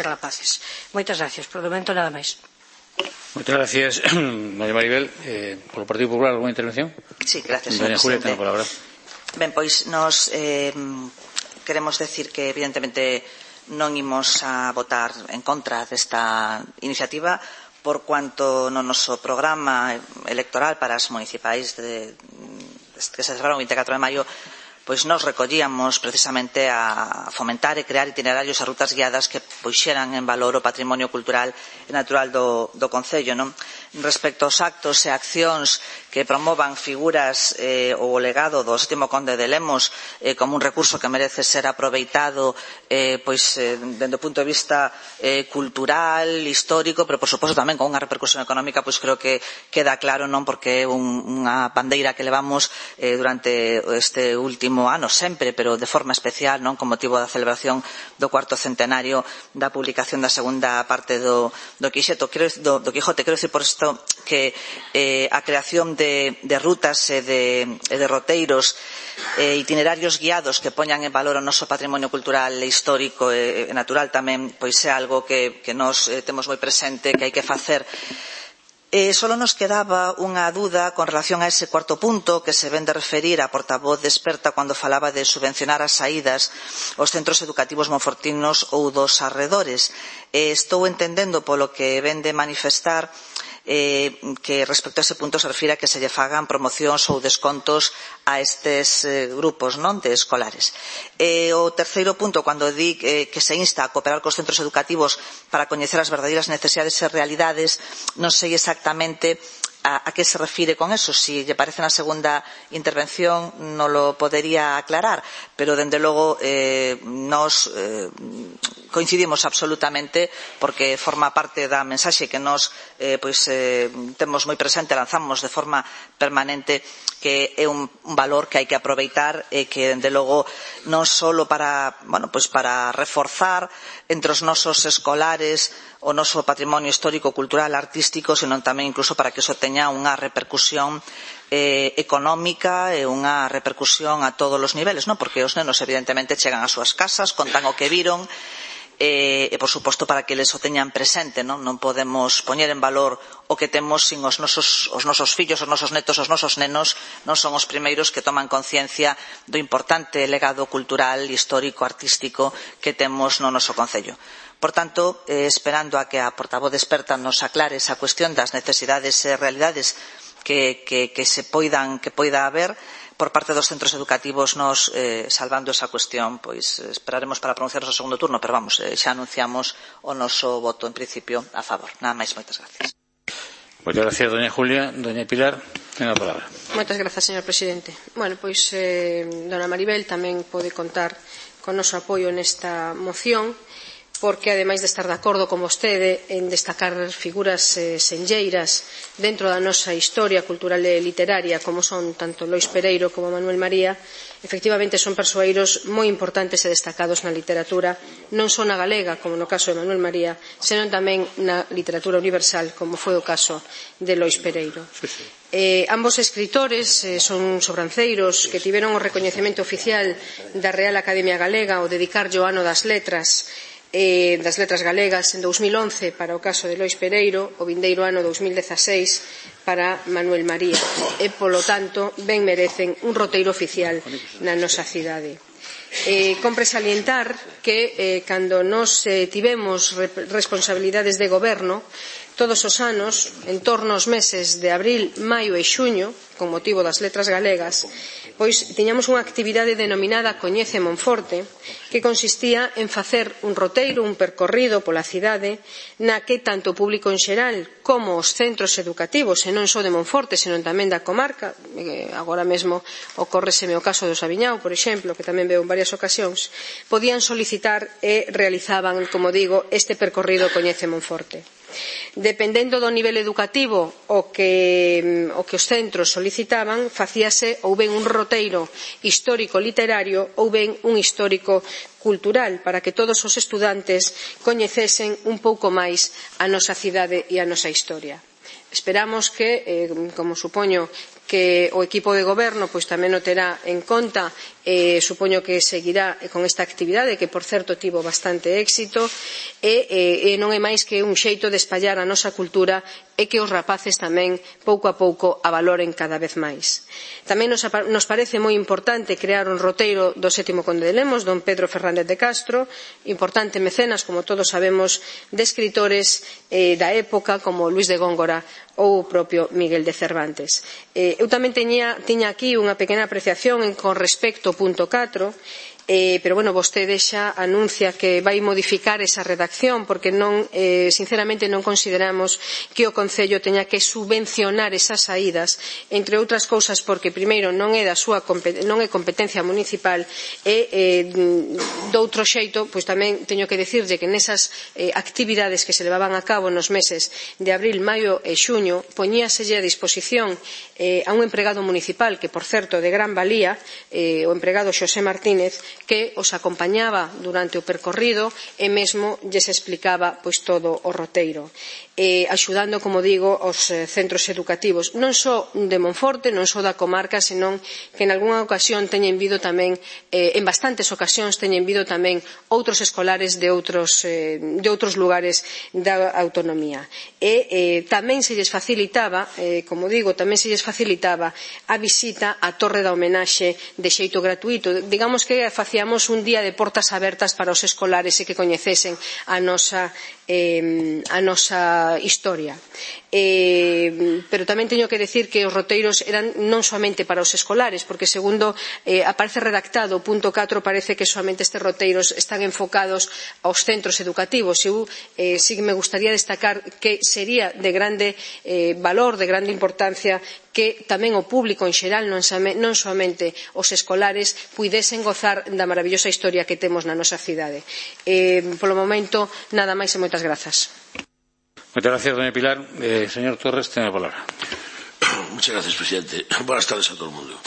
rapaces. Moitas gracias. Por o momento nada máis. Muchas gracias, doña Maribel. Por o Partido Popular, ¿alguna intervención? Sí, gracias, doña Julia, ten a palabra. Ben, pois nos queremos decir que evidentemente non imos a votar en contra desta iniciativa por cuanto no noso programa electoral para as municipais que se celebraron o 24 de maio pois nos recollíamos precisamente a fomentar e crear itinerarios e rutas guiadas que puxeran en valor o patrimonio cultural e natural do Concello, non? Respecto aos actos e accións que promovan figuras ou o legado do sétimo conde de Lemos como un recurso que merece ser aproveitado pois dende o punto de vista cultural, histórico, pero por suposto tamén con unha repercusión económica, pois creo que queda claro, non, porque é unha bandeira que levamos durante este último ano sempre, pero de forma especial, non, con motivo da celebración do cuarto centenario da publicación da segunda parte do Quijote. Quero dicir por isto que a creación de rutas e de roteiros itinerarios guiados que poñan en valor o noso patrimonio cultural e histórico e natural tamén pois é algo que nos temos moi presente que hai que facer. Solo nos quedaba unha dúda con relación a ese cuarto punto que se ven de referir a portavoz Desperta cando falaba de subvencionar as saídas aos centros educativos monfortinos ou dos arredores. Estou entendendo polo que ven de manifestar que respecto a ese punto se refira a que se lle fagan promocións ou descontos a estes grupos, non, de escolares. O terceiro punto, cando di que se insta a cooperar cos centros educativos para coñecer as verdadeiras necesidades e realidades, non sei exactamente a que se refire con eso. Si lle parece na segunda intervención non lo podería aclarar, pero dende logo nos coincidimos absolutamente porque forma parte da mensaxe que nos temos moi presente, lanzamos de forma permanente, que é un valor que hai que aproveitar e que dende logo non só para reforzar entre os nosos escolares o noso patrimonio histórico, cultural, artístico, senón tamén incluso para que iso teña unha repercusión económica e unha repercusión a todos os niveles, non? Porque os nenos evidentemente chegan ás súas casas, contan o que viron e por suposto para que eles o teñan presente, non? Non podemos poñer en valor o que temos sin os nosos fillos, os nosos netos, os nosos nenos non son os primeiros que toman conciencia do importante legado cultural, histórico, artístico que temos no noso concello. Por tanto, esperando a que a portavoz Desperta nos aclare esa cuestión das necesidades e realidades que poida haber por parte dos centros educativos, nos salvando esa cuestión, pois esperaremos para pronunciarnos o segundo turno, pero vamos, xa anunciamos o noso voto en principio a favor. Nada máis, moitas gracias. Moitas gracias, doña Julia. Doña Pilar, ten a palabra. Moitas grazas, señor presidente. Bueno, pois dona Maribel tamén pode contar con noso apoio nesta moción, porque ademais de estar de acordo con vostede en destacar figuras senlleiras dentro da nosa historia cultural e literaria, como son tanto Lois Pereiro como Manuel María, efectivamente son persoeiros moi importantes e destacados na literatura, non só na galega, como no caso de Manuel María, senón tamén na literatura universal, como foi o caso de Lois Pereiro. Ambos escritores son sobranceiros que tiveron o recoñecemento oficial da Real Academia Galega ao dedicarlle o ano das letras das letras galegas en 2011 para o caso de Lois Pereiro, o vindeiro ano 2016 para Manuel María, e, polo tanto, ben merecen un roteiro oficial na nosa cidade. Compre salientar que cando nos tivemos responsabilidades de goberno, todos os anos, en torno aos meses de abril, maio e xuño, con motivo das letras galegas, pois tiñamos unha actividade denominada Coñece Monforte, que consistía en facer un roteiro, un percorrido pola cidade, na que tanto o público en xeral como os centros educativos, e non só de Monforte, senón tamén da comarca, agora mesmo ocórreseme o caso do Sabiñao, por exemplo, que tamén veo en varias ocasións, podían solicitar e realizaban, como digo, este percorrido Coñece Monforte. Dependendo do nivel educativo o que os centros solicitaban, facíase ou ben un roteiro histórico literario ou ben un histórico cultural, para que todos os estudantes coñecesen un pouco máis a nosa cidade e a nosa historia. Esperamos que, como supoño que o equipo de goberno pois tamén o terá en conta, supoño que seguirá con esta actividade, que por certo tivo bastante éxito, e non é máis que un xeito de espallar a nosa cultura e que os rapaces tamén pouco a pouco a valoren cada vez máis. Tamén nos parece moi importante crear un roteiro do 7º Conde de Lemos, don Pedro Fernández de Castro, importante mecenas, como todos sabemos, de escritores da época como Luis de Góngora ou o propio Miguel de Cervantes. Eu tamén tiña aquí unha pequena apreciación con respecto ao punto 4, pero, bueno, vostede xa anuncia que vai modificar esa redacción porque sinceramente non consideramos que o Concello teña que subvencionar esas saídas, entre outras cousas porque, primeiro, non é competencia municipal e, doutro xeito, pois tamén teño que dicirlle que nesas actividades que se levaban a cabo nos meses de abril, maio e xuño, poñíaselle a disposición a un empregado municipal que, por certo, de gran valía, o empregado Xosé Martínez, que os acompañaba durante o percorrido e mesmo lles explicaba pois todo o roteiro, axudando, como digo, os centros educativos, non só de Monforte, non só da comarca, senón que en algunha ocasión teñen vido tamén, en bastantes ocasións teñen vido tamén outros escolares de outros lugares da autonomía. E tamén se lles facilitaba, como digo, tamén se lles facilitaba a visita á Torre da Homenaxe de xeito gratuito. Digamos que facíamos un día de portas abertas para os escolares e que coñecesen a nosa historia. Pero tamén teño que decir que os roteiros eran non soamente para os escolares, porque segundo aparece redactado o punto 4, parece que somente estes roteiros están enfocados aos centros educativos. Eu sí que me gustaría destacar que sería de grande valor, de grande importancia, que tamén o público en xeral, non somente os escolares, puidesen gozar da maravillosa historia que temos na nosa cidade. Polo momento, nada máis e moitas grazas. Muchas gracias, doña Pilar. Señor Torres, tiene la palabra. Muchas gracias, presidente. Buenas tardes a todo el mundo.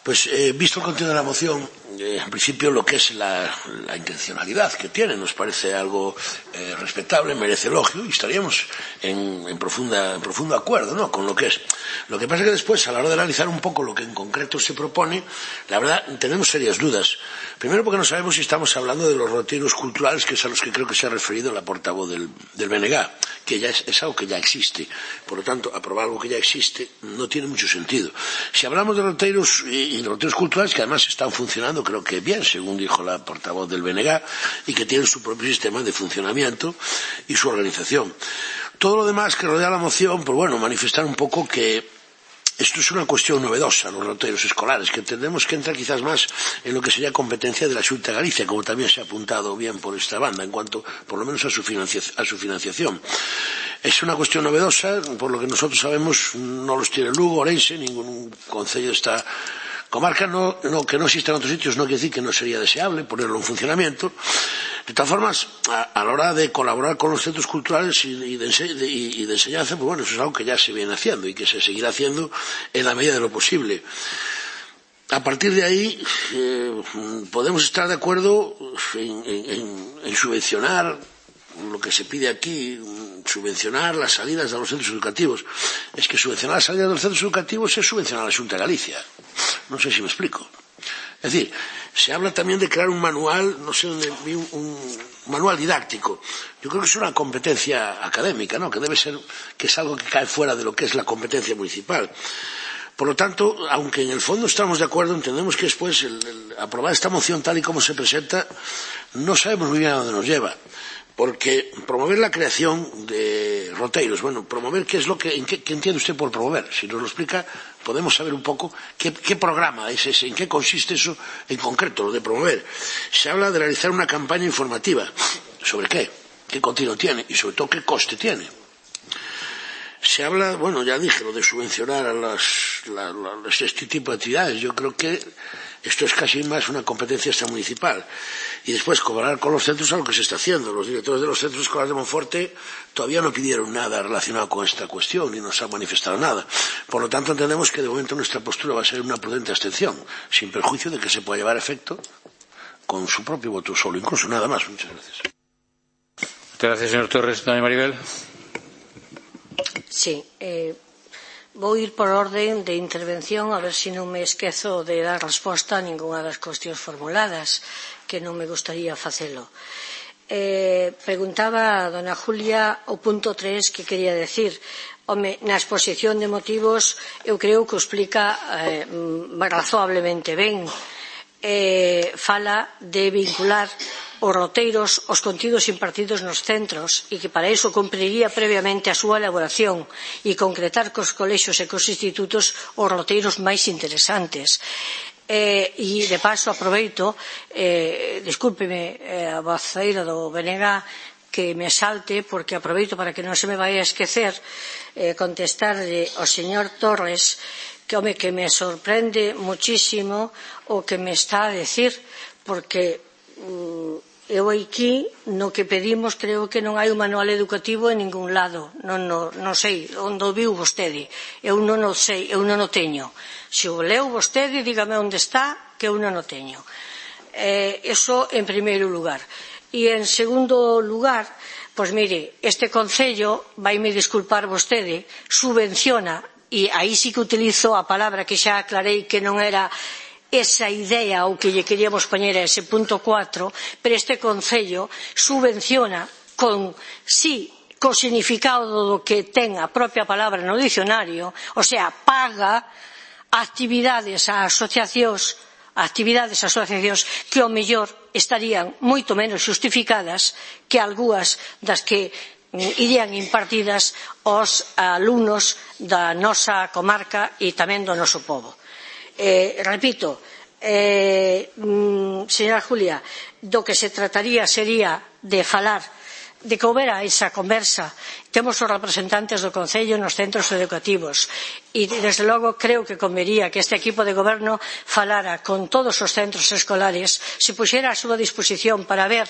Pues visto el contenido de la moción, en principio lo que es la intencionalidad que tiene nos parece algo respetable, merece elogio y estaríamos en profundo acuerdo, ¿no?, con lo que es. Lo que pasa es que después, a la hora de analizar un poco lo que en concreto se propone, la verdad tenemos serias dudas. Primero porque no sabemos si estamos hablando de los roteiros culturales, que es a los que creo que se ha referido la portavoz del BNG, que ya es algo que ya existe. Por lo tanto, aprobar algo que ya existe no tiene mucho sentido. Si hablamos de roteiros y de roteiros culturales que además están funcionando, creo que bien, según dijo la portavoz del BNG, y que tienen su propio sistema de funcionamiento y su organización. Todo lo demás que rodea la moción, pues bueno, manifestar un poco que esto es una cuestión novedosa, los roteiros escolares, que entendemos que entra quizás más en lo que sería competencia de la Xunta de Galicia, como también se ha apuntado bien por esta banda, en cuanto, por lo menos, a su financiación. Es una cuestión novedosa, por lo que nosotros sabemos, no los tiene Lugo, Orense, ningún concello de esta comarca, que no exista en otros sitios no quiere decir que no sería deseable ponerlo en funcionamiento. De todas formas, a la hora de colaborar con los centros culturales y de enseñanza, pues bueno, eso es algo que ya se viene haciendo y que se seguirá haciendo en la medida de lo posible. A partir de ahí, podemos estar de acuerdo en subvencionar lo que se pide aquí, subvencionar las salidas de los centros educativos. Es que subvencionar las salidas de los centros educativos es subvencionar a la Xunta de Galicia. No sé si me explico. Es decir, se habla también de crear un manual, no sé dónde vi un manual didáctico. Yo creo que es una competencia académica, ¿no? Que debe ser, que es algo que cae fuera de lo que es la competencia municipal. Por lo tanto, aunque en el fondo estamos de acuerdo, entendemos que después aprobar esta moción tal y como se presenta, no sabemos muy bien a dónde nos lleva. Porque promover la creación de roteiros, bueno, promover, ¿qué entiende usted por promover? Si nos lo explica, podemos saber un poco qué programa es ese, en qué consiste eso en concreto, lo de promover. Se habla de realizar una campaña informativa. ¿Sobre qué? ¿Qué contenido tiene? Y sobre todo, ¿qué coste tiene? Se habla, bueno, ya dije, lo de subvencionar a este tipo de actividades. Yo creo que esto es casi más una competencia extramunicipal. Y después, cobrar con los centros a lo que se está haciendo. Los directores de los centros escolares de Monforte todavía no pidieron nada relacionado con esta cuestión ni nos han manifestado nada. Por lo tanto, entendemos que de momento nuestra postura va a ser una prudente abstención, sin perjuicio de que se pueda llevar a efecto con su propio voto solo, incluso nada más. Muchas gracias. Muchas gracias, señor Torres. Doña Maribel. Sí, vou ir por orden de intervención a ver se non me esquezo de dar resposta a ningunha das cuestións formuladas, que non me gustaría facelo. Preguntaba a dona Julia o punto 3 que quería decir. Home, na exposición de motivos eu creo que o explica razoablemente ben. Fala de vincular os roteiros aos contidos impartidos nos centros e que para iso cumpriría previamente a súa elaboración e concretar cos colexios e cos institutos os roteiros máis interesantes. E de paso aproveito, discúlpeme a voceira do BNG que me salte, porque aproveito para que non se me vai a esquecer contestarle ao señor Torres que me sorprende muchísimo o que me está a decir, porque eu aquí no que pedimos creo que non hai un manual educativo en ningún lado. Non sei onde o viu vostede, eu non o sei, eu non o teño. Se o leu vostede, dígame onde está, que eu non o teño. Eso en primeiro lugar. E en segundo lugar, pois mire, este concello, vaime disculpar vostede, subvenciona, e aí sí que utilizo a palabra que xa aclarei que non era esa idea o que lle queríamos poñer a ese punto 4, pero este concello subvenciona co significado do que ten a propia palabra no dicionario, o sea, paga actividades a asociacións que ao mellor estarían moito menos xustificadas que algunhas das que irían impartidas aos alumnos da nosa comarca e tamén do noso pobo. Repito, señora Julia, do que se trataría sería de falar, de que houbera esa conversa. Temos os representantes do Concello nos centros educativos e, desde logo, creo que convería que este equipo de goberno falara con todos os centros escolares, se puxera a súa disposición para ver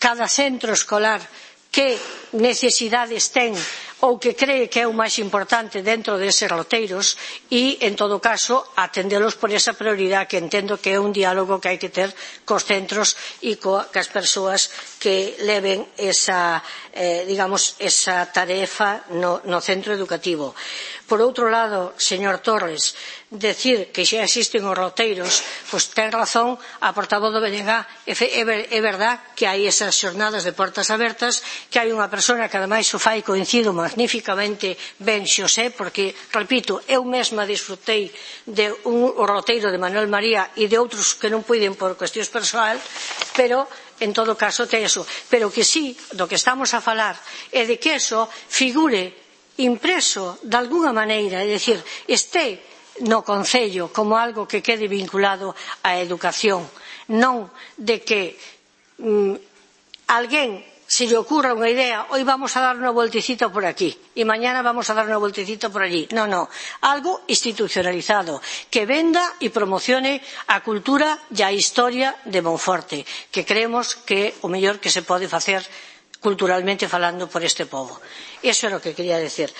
cada centro escolar que necesidades ten ou que cree que é o máis importante dentro deses roteiros e, en todo caso, atendelos por esa prioridade que entendo que é un diálogo que hai que ter cos centros e cas persoas que leven esa tarefa no centro educativo. Por outro lado, señor Torres, decir que xa existen os roteiros, pois ten razón a portavoz do BNG. É verdad que hai esas xornadas de portas abertas, que hai unha persona que ademais o fai, coincido magníficamente ben, Xosé, porque, repito, eu mesma disfrutei de un roteiro de Manuel María e de outros que non puiden por cuestións persoal, pero en todo caso ten eso. Pero que sí, do que estamos a falar é de que eso figure impreso de alguna maneira, é dicir, este no Concello como algo que quede vinculado á educación, non de que alguén se lle ocurra unha idea, hoy vamos a dar unha voltecita por aquí e mañana vamos a dar unha voltecita por allí. Non, algo institucionalizado que venda e promocione a cultura e a historia de Monforte, que creemos que é o mellor que se pode facer culturalmente falando por este pobo. Eso é o que quería decir.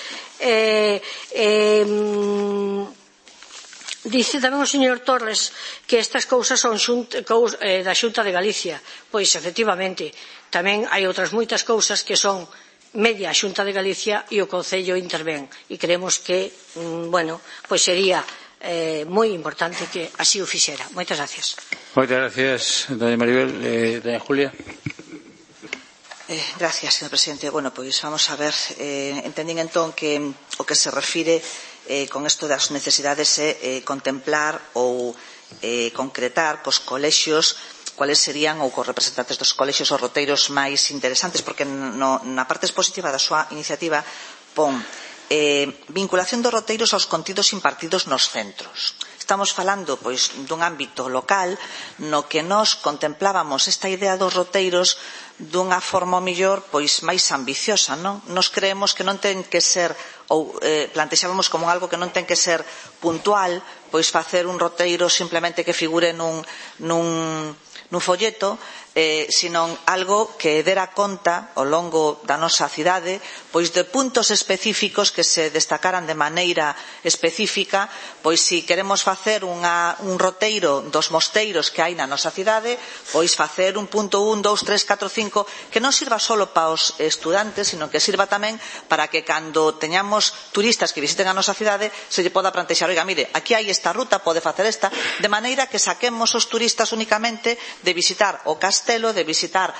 Dice tamén o señor Torres que estas cousas son da Xunta de Galicia. Pois, efectivamente, tamén hai outras moitas cousas que son media a Xunta de Galicia e o Concello intervén. E creemos que, pois sería moi importante que así o fixera. Moitas gracias. Moitas gracias, doña Maribel. Doña Julia. Gracias, señor presidente. Bueno, pois vamos a ver, entendín entón que o que se refire con isto das necesidades é contemplar ou concretar cos colexios cuáles serían, ou cos representantes dos colexios, os roteiros máis interesantes, porque na parte expositiva da súa iniciativa pon vinculación dos roteiros aos contidos impartidos nos centros. Estamos falando, pois, dun ámbito local no que nós contemplábamos esta idea dos roteiros dunha forma mellor, pois, máis ambiciosa, non? Nos creemos que non ten que ser, ou plantexábamos como algo que non ten que ser puntual, pois facer un roteiro simplemente que figure nun folleto, senón algo que dera conta ao longo da nosa cidade pois de puntos específicos que se destacaran de maneira específica, pois se queremos facer un roteiro dos mosteiros que hai na nosa cidade, pois facer un punto 1, 2, 3, 4, 5 que non sirva só para os estudantes, sino que sirva tamén para que cando teñamos turistas que visiten a nosa cidade se lle poda plantexar, oiga, mire, aquí hai esta ruta, pode facer esta, de maneira que saquemos os turistas únicamente de visitar o castelo, de visitar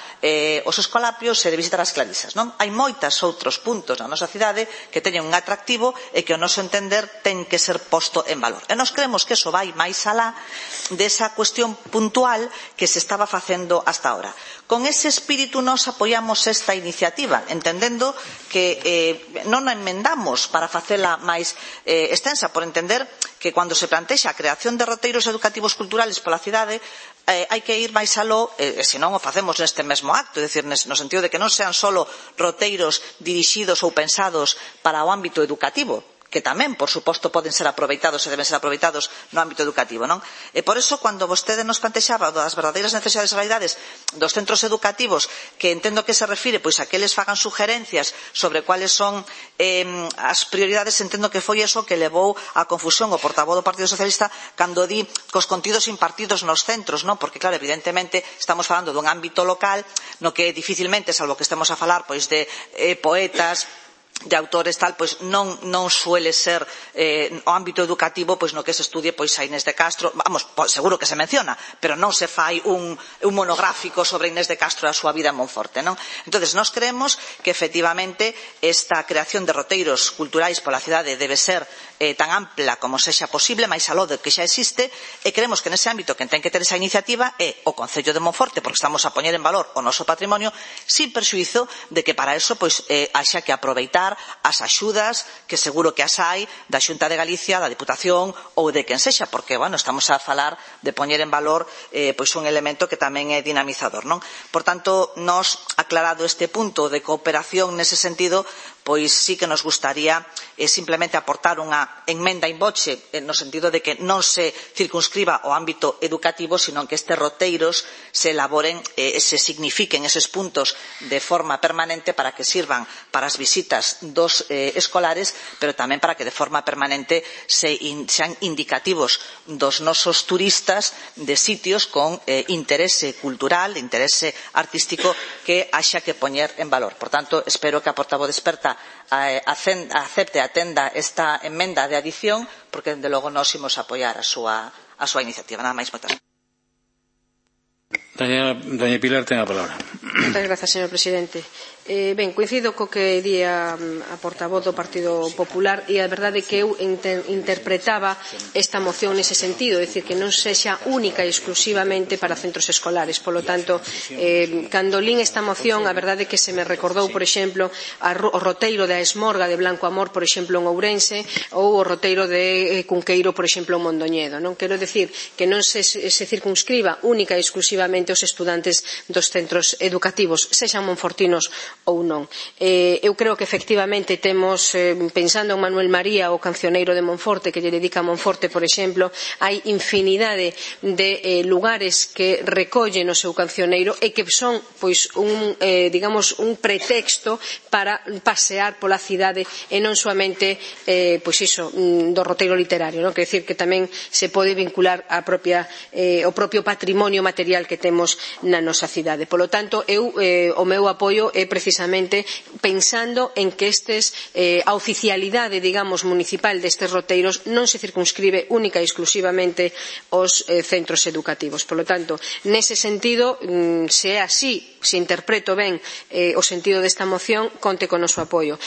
os escolapios e de visitar as clarisas, non? Hai moitos outros puntos na nosa cidade que teñen un atractivo e que ao noso entender ten que ser posto en valor. E nós creemos que iso vai máis alá desa cuestión puntual que se estaba facendo hasta ahora. Con ese espírito nos apoiamos esta iniciativa, entendendo que non a enmendamos para facela máis extensa, por entender que cando se plantexa a creación de roteiros educativos culturales pola cidade hai que ir máis aló, se non o facemos neste mesmo acto, é dicir, no sentido de que non sean só roteiros dirixidos ou pensados para o ámbito educativo, que tamén, por suposto, poden ser aproveitados e deben ser aproveitados no ámbito educativo, non? E por iso, cando vostede nos plantexaba das verdadeiras necesidades e realidades dos centros educativos, que entendo que se refire pois a que eles fagan sugerencias sobre cuáles son as prioridades, entendo que foi eso que levou a confusión o portavoz do Partido Socialista cando di cos contidos impartidos nos centros, non? Porque, claro, evidentemente, estamos falando dun ámbito local no que dificilmente, salvo que estemos a falar pois de poetas, de autores tal, pois non suele ser o ámbito educativo pois no que se estudie pois a Inés de Castro, vamos, seguro que se menciona, pero non se fai un monográfico sobre Inés de Castro e a súa vida en Monforte, non? Entonces, nós creemos que efectivamente esta creación de roteiros culturais pola cidade debe ser tan ampla como sexa posible, máis aló de que xa existe, e creemos que nese ámbito que ten que ter esa iniciativa é o Concello de Monforte, porque estamos a poñer en valor o noso patrimonio, sin perxuízo de que para eso pois haxa que aproveitar as axudas, que seguro que as hai, da Xunta de Galicia, da Diputación ou de quen sexa, porque, bueno, estamos a falar de poñer en valor pois un elemento que tamén é dinamizador, non? Por tanto, nós, aclarado este punto de cooperación nese sentido, pois sí que nos gustaría simplemente aportar unha enmenda in voce no sentido de que non se circunscriba o ámbito educativo, sino que estes roteiros se elaboren e se signifiquen eses puntos de forma permanente para que sirvan para as visitas dos escolares, pero tamén para que de forma permanente sean indicativos dos nosos turistas de sitios con interese cultural, interese artístico que haxa que poñer en valor. Por tanto, espero que a portavoz experta acepte, atenda esta enmenda de adición, porque, desde logo, nós imos apoiar a súa iniciativa. Nada máis, moitas gracias. Doña Pilar, ten a palabra. Moitas grazas, señor presidente. Ben, coincido co que di a portavoz do Partido Popular, e a verdade é que eu interpretaba esta moción nese sentido, é dicir, que non sexa única e exclusivamente para centros escolares. Polo tanto, cando lín esta moción, a verdade é que se me recordou, por exemplo, o roteiro da Esmorga de Blanco Amor, por exemplo, en Ourense, ou o roteiro de Cunqueiro, por exemplo, en Mondoñedo. Non quero dicir que non se circunscriba única e exclusivamente os estudantes dos centros educativos, sexan monfortinos ou non. Eu creo que efectivamente temos, pensando en Manuel María, o cancioneiro de Monforte, que lle dedica a Monforte, por exemplo, hai infinidade de lugares que recollen o seu cancioneiro e que son, pois, digamos, un pretexto para pasear pola cidade e non soamente, pois iso, do roteiro literario, non? Quer dicir que tamén se pode vincular o propio patrimonio material que temos na nosa cidade. Polo tanto, o meu apoio é precisamente pensando en que a oficialidade, digamos, municipal destes roteiros non se circunscribe única e exclusivamente aos centros educativos. Por lo tanto, nese sentido, se é así, se interpreto ben o sentido desta moción, conte con o noso apoio.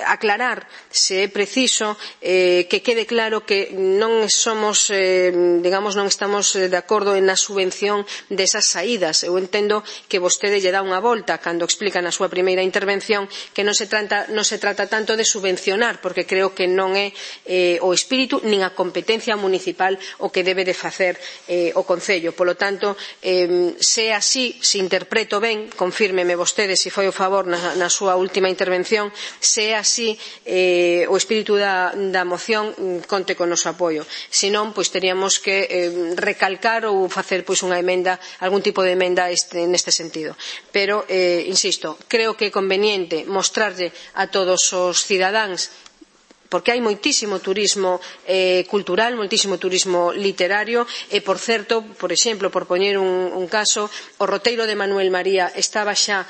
Aclarar, se é preciso, que quede claro que non somos, digamos, non estamos de acordo na subvención desas saídas. Eu entendo que vostede lle dá unha volta cando explica na súa primeira intervención que non se trata tanto de subvencionar, porque creo que non é o espírito nin a competencia municipal o que debe de facer o Concello. Polo tanto, se é así, se interpreto ben, confírmeme vostede se foi o favor na súa última intervención, se é así o espírito da moción, conte con o noso apoio. Se non, pois teríamos que recalcar ou facer unha emenda, algún tipo de emenda neste sentido. Pero, insisto, creo que é conveniente mostrarlle a todos os cidadáns, porque hai moitísimo turismo cultural, moitísimo turismo literario e, por certo, por exemplo, por poñer un caso, o roteiro de Manuel María estaba xa,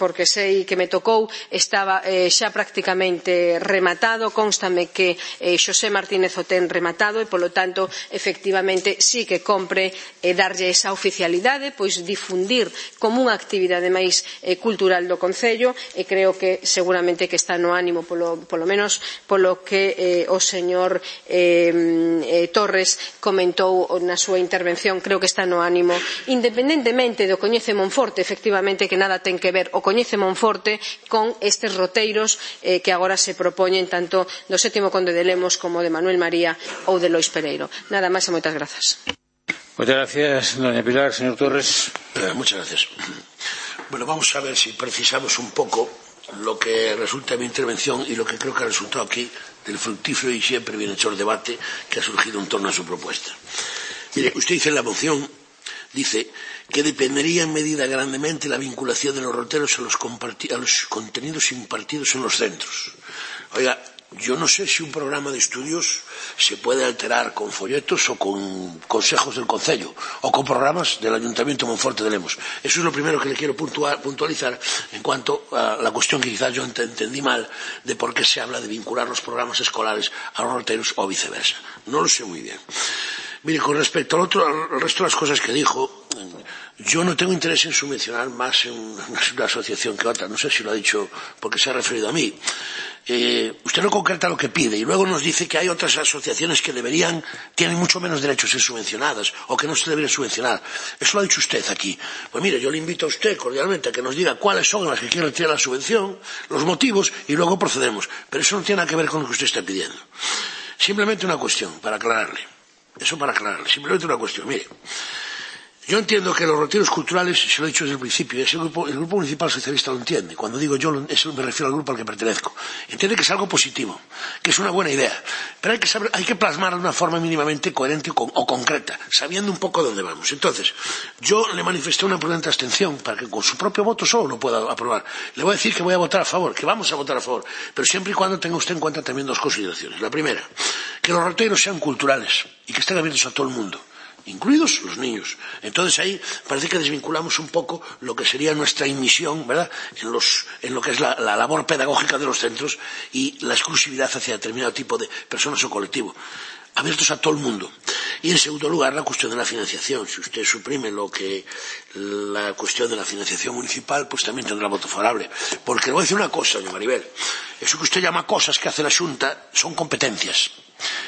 porque sei que me tocou, estaba xa prácticamente rematado, constame que Xosé Martínez o ten rematado e, polo tanto, efectivamente, sí que compre darlle esa oficialidade, pois difundir como unha actividade máis cultural do Concello, e creo que seguramente que está no ánimo, polo menos polo que o señor Torres comentou na súa intervención, creo que está no ánimo, independentemente do Coñece Monforte, efectivamente que nada ten que ver o Coñece Monforte con estes roteiros que agora se propoñen tanto do 7º Conde de Lemos como de Manuel María ou de Lois Pereiro. Nada máis e moitas grazas. Muchas gracias, doña Pilar. Señor Torres. Muchas gracias. Bueno, vamos a ver si precisamos un poco lo que resulta de mi intervención y lo que creo que ha resultado aquí del fructífero y siempre bienhechor debate que ha surgido en torno a su propuesta. Mire, usted dice en la moción, dice que dependería en medida grandemente la vinculación de los roteros a los contenidos impartidos en los centros. Oiga, yo no sé si un programa de estudios se puede alterar con folletos o con consejos del Concello o con programas del Ayuntamiento de Monforte de Lemos. Eso es lo primero que le quiero puntualizar en cuanto a la cuestión que quizás yo entendí mal de por qué se habla de vincular los programas escolares a los roteros o viceversa. No lo sé muy bien. Mire, con respecto al resto de las cosas que dijo, yo no tengo interés en subvencionar más en una asociación que otra. No sé si lo ha dicho porque se ha referido a mí. Usted no concreta lo que pide y luego nos dice que hay otras asociaciones que tienen mucho menos derechos a ser subvencionadas o que no se deberían subvencionar. Eso lo ha dicho usted aquí. Pues mire, yo le invito a usted cordialmente a que nos diga cuáles son las que quiere retirar la subvención, los motivos y luego procedemos. Pero eso no tiene nada que ver con lo que usted está pidiendo. Simplemente una cuestión para aclararle. Eso para aclararle. Simplemente una cuestión. Mire, yo entiendo que los retiros culturales, se lo he dicho desde el principio, y el Grupo Municipal Socialista lo entiende. Cuando digo yo, eso me refiero al grupo al que pertenezco. Entiende que es algo positivo, que es una buena idea. Pero hay que plasmarlo de una forma mínimamente coherente o concreta, sabiendo un poco dónde vamos. Entonces, yo le manifesté una prudente abstención para que con su propio voto solo lo pueda aprobar. Le voy a decir que voy a votar a favor, que vamos a votar a favor, pero siempre y cuando tenga usted en cuenta también dos consideraciones. La primera, que los retiros sean culturales y que estén abiertos a todo el mundo, incluidos los niños. Entonces ahí parece que desvinculamos un poco lo que sería nuestra inmisión, ¿verdad?, en lo que es la labor pedagógica de los centros y la exclusividad hacia determinado tipo de personas o colectivo, abiertos a todo el mundo. Y en segundo lugar, la cuestión de la financiación. Si usted suprime la cuestión de la financiación municipal, pues también tendrá voto favorable. Porque le voy a decir una cosa, doña Maribel. Eso que usted llama cosas que hace la Xunta son competencias.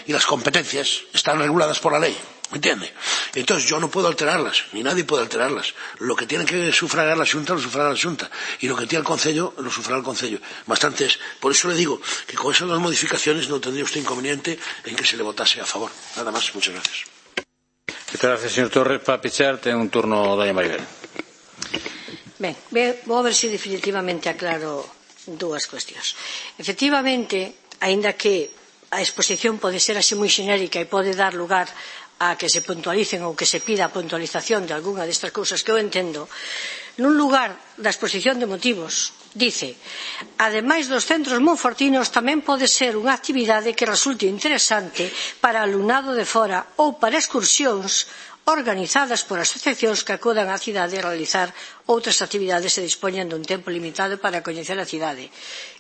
Y las competencias están reguladas por la ley. ¿Me entiende? Entonces yo no puedo alterarlas, ni nadie puede alterarlas. Lo que tiene que sufragar la Xunta, lo sufragará la Xunta. Y lo que tiene el Concello, lo sufragará el Concello. Bastante es. Por eso le digo que con esas dos modificaciones no tendría usted inconveniente en que se le votase a favor. Nada más. Muchas gracias. Muchas gracias, señor Torres. Para pechar, ten un turno doña Maribel. Ben, vou a ver se definitivamente aclaro dúas cuestións. Efectivamente, aínda que a exposición pode ser así moi xenérica e pode dar lugar a que se puntualicen ou que se pida a puntualización de algunha destas cousas que eu entendo, nun lugar da exposición de motivos dice: ademais dos centros monfortinos tamén pode ser unha actividade que resulte interesante para alumnado de fora ou para excursións organizadas por asociacións que acudan á cidade a realizar outras actividades e dispoñan dun tempo limitado para coñecer a cidade.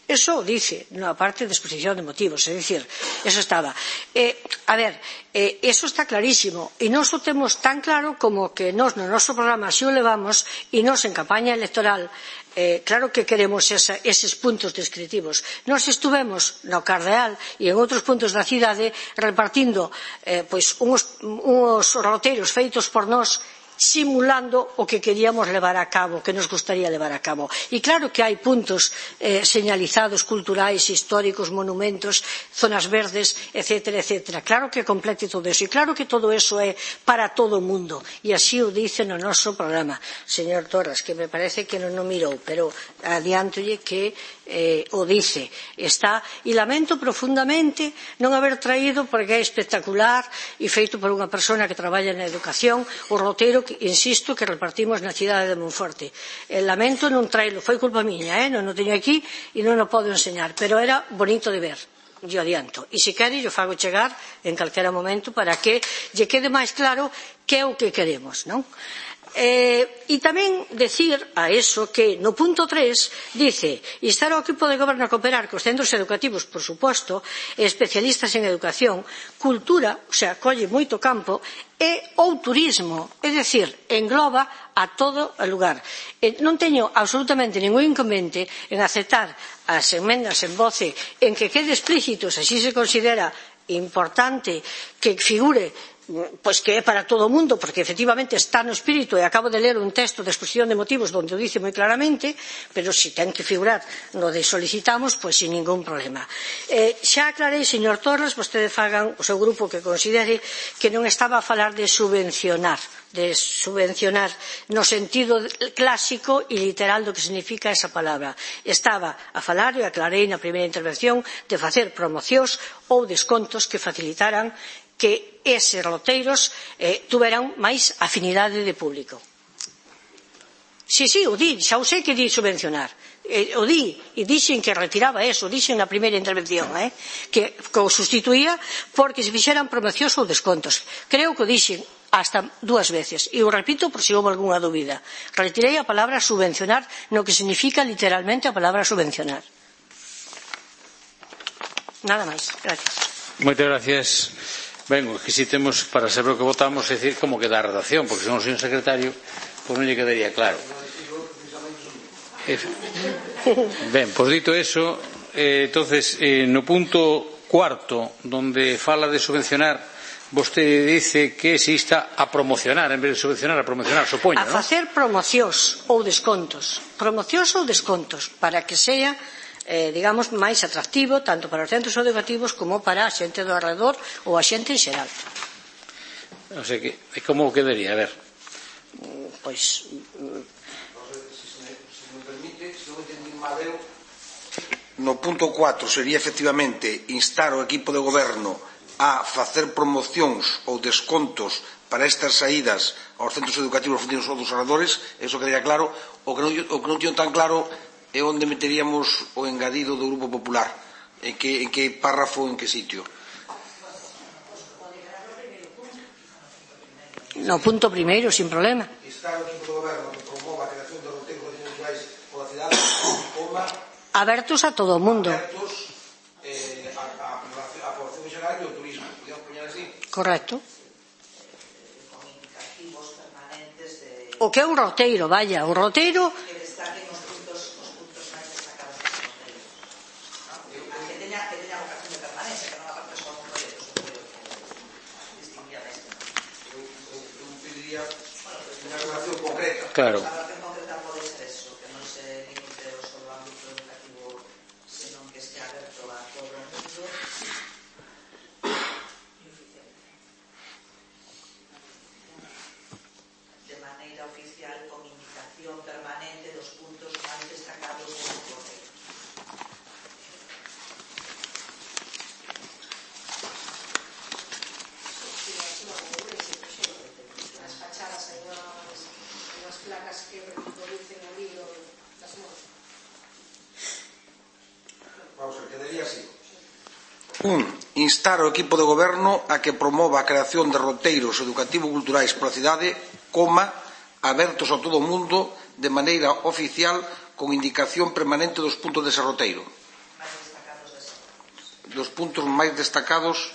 Eso dice na parte de exposición de motivos, é dicir, eso estaba. Eso está clarísimo e nós o temos tan claro como que nós no noso programa así o levamos e nós en campaña electoral claro que queremos eses puntos descritivos. Nós estuvemos no Cardeal e en outros puntos da cidade repartindo uns roteiros feitos por nós simulando o que queríamos levar a cabo, que nos gustaría levar a cabo. E claro que hai puntos señalizados culturais, históricos, monumentos, zonas verdes, etcétera, etcétera. Claro que complete todo eso. E claro que todo eso é para todo o mundo. E así o dice no noso programa. Señor Torres, que me parece que non o mirou, pero adiántolle que o dice. Está, e lamento profundamente non haber traído, porque é espectacular e feito por unha persona que traballa na educación, o roteiro insisto, que repartimos na cidade de Monforte. Lamento non traelo, foi culpa miña, non o teño aquí e non o podo enseñar, pero era bonito de ver, yo adianto. E se quere, yo fago chegar en calquera momento para que lle quede máis claro que é o que queremos, non? E tamén decir a eso que no punto 3 dice instar ao equipo de goberno a cooperar cos centros educativos, por suposto, especialistas en educación, cultura, o sea, colle moito campo, e ou turismo, é dicir, engloba a todo o lugar. Non teño absolutamente ningún inconveniente en aceptar as emendas en voce en que quede explícito, se así se considera importante que figure pois que é para todo o mundo, porque efectivamente está no espírito e acabo de ler un texto de exposición de motivos onde o dice moi claramente, pero se ten que figurar no de solicitamos, pois sin ningún problema. Xa aclarei, señor Torres, vostede fagan o seu grupo que considere que non estaba a falar de subvencionar no sentido clásico e literal do que significa esa palabra. Estaba a falar, e aclarei na primeira intervención, de facer promocións ou descontos que facilitaran que eses roteiros tuveran máis afinidade de público. Si, o di, xa o sei que di subvencionar. O di, e dixen que retiraba eso, dixen na primeira intervención, que o sustituía porque se fixeran promocións ou descontos. Creo que o dixen hasta 2 veces, e o repito por se houve algunha dúbida. Retirei a palabra subvencionar no que significa literalmente a palabra subvencionar. Nada máis, gracias. Moitas gracias. Ben, que si temos para saber o que votamos, é dicir, como queda a redacción, porque se non soy un secretario, pois non lle quedaría claro. Ben, pois dito eso, entonces, no punto 4, donde fala de subvencionar, vostede dice que se insta a promocionar, en vez de subvencionar, a promocionar, supoño, non? A facer promocións ou descontos, para que sea digamos, máis atractivo tanto para os centros educativos como para a xente do alrededor ou a xente en xeral. O sea que, como quedaría? A ver. Pois... Se me permite, se non entendí mal eu, no punto 4 sería efectivamente instar o equipo de goberno a facer promocións ou descontos para estas saídas aos centros educativos ou dos alrededores, eso quedaría claro. O que non teño tan claro é onde meteríamos o engadido do Grupo Popular, en que párrafo, en que sitio. No punto primeiro, sin problema. Instar o equipo do goberno que promova a creación de roteiros culturais pola cidade, abertos a todo o mundo. Abertos a población xeral e ao turismo. Podíamos poñer así? Correcto. O que é un roteiro, vaya, o roteiro... Claro. De maneira oficial, con indicación permanente dos puntos máis destacados do roteiro. As fachadas hai unhas placas que reproducen o libro das mosas. Vamos a ver, quedaría así. instar ao equipo de goberno a que promova a creación de roteiros educativo-culturais pola cidade, abertos a todo o mundo de maneira oficial con indicación permanente dos puntos dese roteiro. Dos puntos máis destacados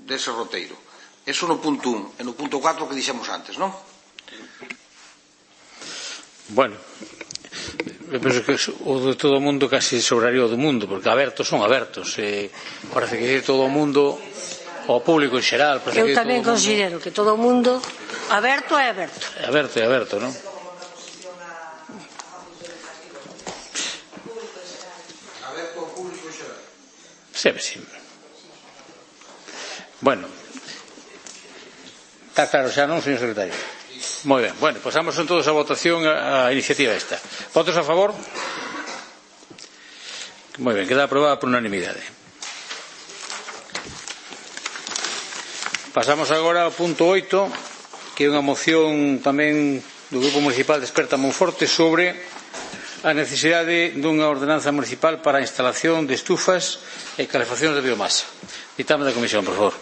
dese roteiro. Eso no punto 1. E no punto 4 que dixemos antes, non? Bueno, eu penso que o de todo o mundo casi sobraría o do mundo, porque abertos son abertos. Parece que todo o mundo, o público en xeral. Eu tamén considero que todo o mundo aberto é aberto. É aberto, non? Aberto ao público en xeral. Sí. Bueno, está claro xa, non, señor secretario? Moi ben, bueno, pasamos todos a votación a iniciativa esta. Votos a favor? Moi ben, queda aprobada por unanimidade. Pasamos agora ao punto 8, que é unha moción tamén do Grupo Municipal de Esperta Monforte sobre a necesidade dunha ordenanza municipal para a instalación de estufas e calefacción de biomasa. Ditame da Comisión, por favor.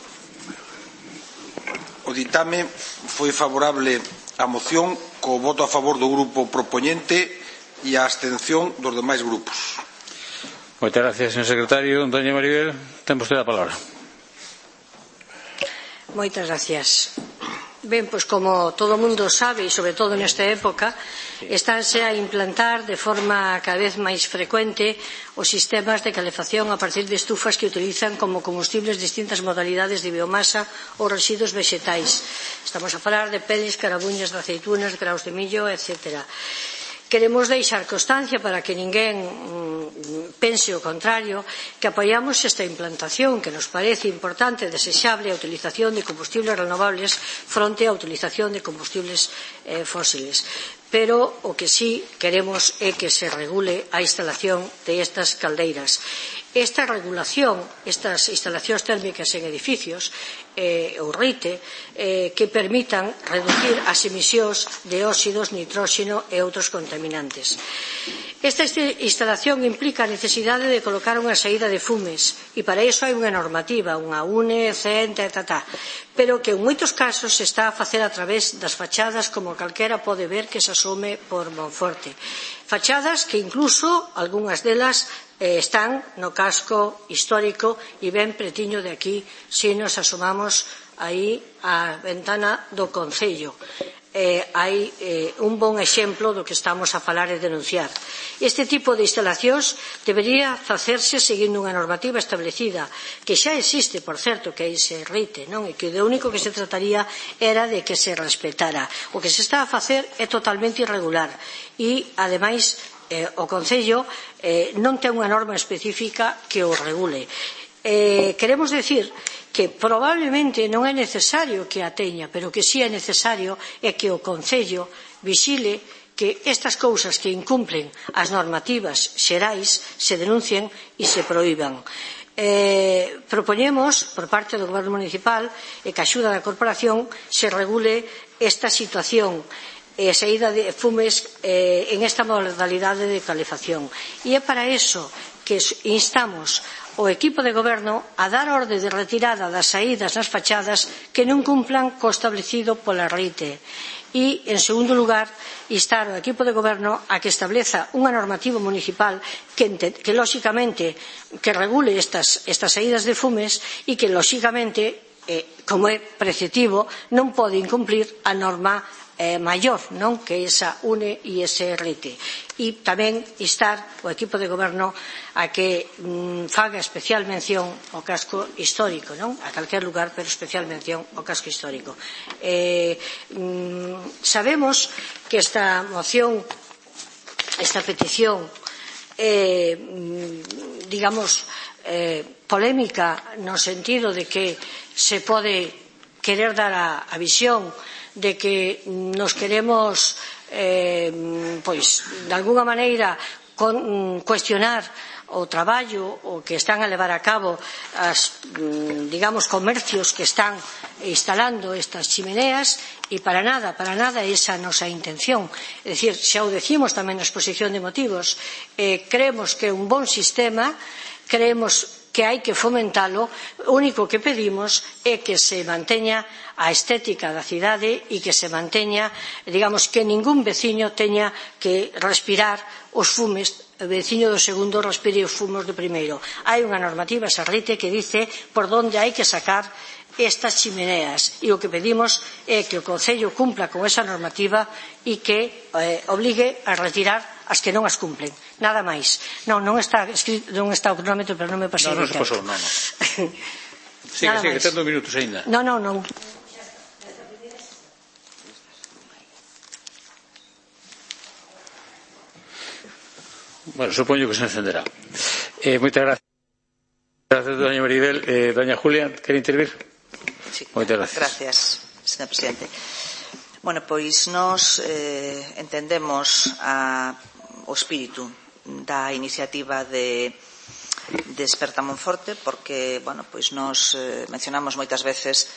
O ditame foi favorable á moción co voto a favor do grupo propoñente e a abstención dos demais grupos. Moitas gracias, señor secretario. Doña Maribel, ten vostede a palabra. Moitas gracias. Ben, pois como todo o mundo sabe, e sobre todo nesta época, estánse a implantar de forma cada vez máis frecuente os sistemas de calefacción a partir de estufas que utilizan como combustibles distintas modalidades de biomasa ou residuos vexetais. Estamos a falar de peles, carabuñas de aceitunas, graus de millo, etc. Queremos deixar constancia para que ninguén pense o contrario, que apoiamos esta implantación que nos parece importante e desexable a utilización de combustibles renovables fronte á utilización de combustibles fósiles. Pero o que sí queremos é que se regule a instalación de estas caldeiras. Esta regulación, estas instalacións térmicas en edificios, ou RITE, que permitan reducir as emisións de óxidos, nitróxeno e outros contaminantes. Esta instalación implica a necesidade de colocar unha saída de fumes e para iso hai unha normativa, unha UNE, CEN, pero que en moitos casos se está a facer a través das fachadas, como calquera pode ver que se asome por Monforte. Fachadas que incluso, algunhas delas, están no casco histórico e ben pretiño de aquí se nos asomamos aí á ventana do Concello. Hai un bon exemplo do que estamos a falar e denunciar. Este tipo de instalacións debería facerse seguindo unha normativa establecida, que xa existe, por certo, que aí se RITE, non? E que o único que se trataría era de que se respetara. O que se está a facer é totalmente irregular e, ademais, o Concello non ten unha norma específica que o regule. Queremos decir que probablemente non é necesario que a teña, pero que si é necesario é que o Concello vigile que estas cousas que incumplen as normativas xerais se denuncien e se proíban. Propoñemos, por parte do Goberno Municipal e que a axuda da Corporación, se regule esta situación e a saída de fumes en esta modalidade de calefacción. E é para iso que instamos o equipo de goberno a dar orde de retirada das saídas nas fachadas que non cumplan co establecido pola RITE. E, en segundo lugar, instar o equipo de goberno a que estableza unha normativa municipal que lóxicamente, que regule estas saídas de fumes e que, lóxicamente, como é preceptivo, non pode incumplir a norma maior, non? Que esa UNE e ese RITE. E tamén instar o equipo de goberno a que faga especial mención ao casco histórico, non? A calquer lugar, pero especial mención ao casco histórico. Sabemos que esta moción, esta petición digamos polémica no sentido de que se pode querer dar a visión de que nos queremos pois de alguna maneira cuestionar o traballo o que están a levar a cabo as, digamos, comercios que están instalando estas chimeneas e para nada esa é a nosa intención. É dicir, xa o decimos tamén na exposición de motivos, creemos que é un bon sistema, creemos que hai que fomentalo. O único que pedimos é que se manteña a estética da cidade e que se manteña, digamos, que ningún veciño teña que respirar os fumes, o veciño do segundo respire os fumos do primeiro. Hai unha normativa, Sarrite, que dice por onde hai que sacar estas chimeneas, e o que pedimos é que o Concello cumpla con esa normativa e que obligue a retirar as que non as cumplen. Nada máis. Non está escrito, non está o cronómetro, pero non me pasei. Non se pasou, non. Sigue, tendo minutos ainda. Non. Bueno, supoño que se encenderá. Moitas gracias. Gracias, doña Maribel. Doña Julia, quere intervir? Sí, moitas gracias. Gracias, señor presidente. Bueno, pois nós entendemos o espírito da iniciativa de Desperta Monforte, porque, bueno, pois nós mencionamos moitas veces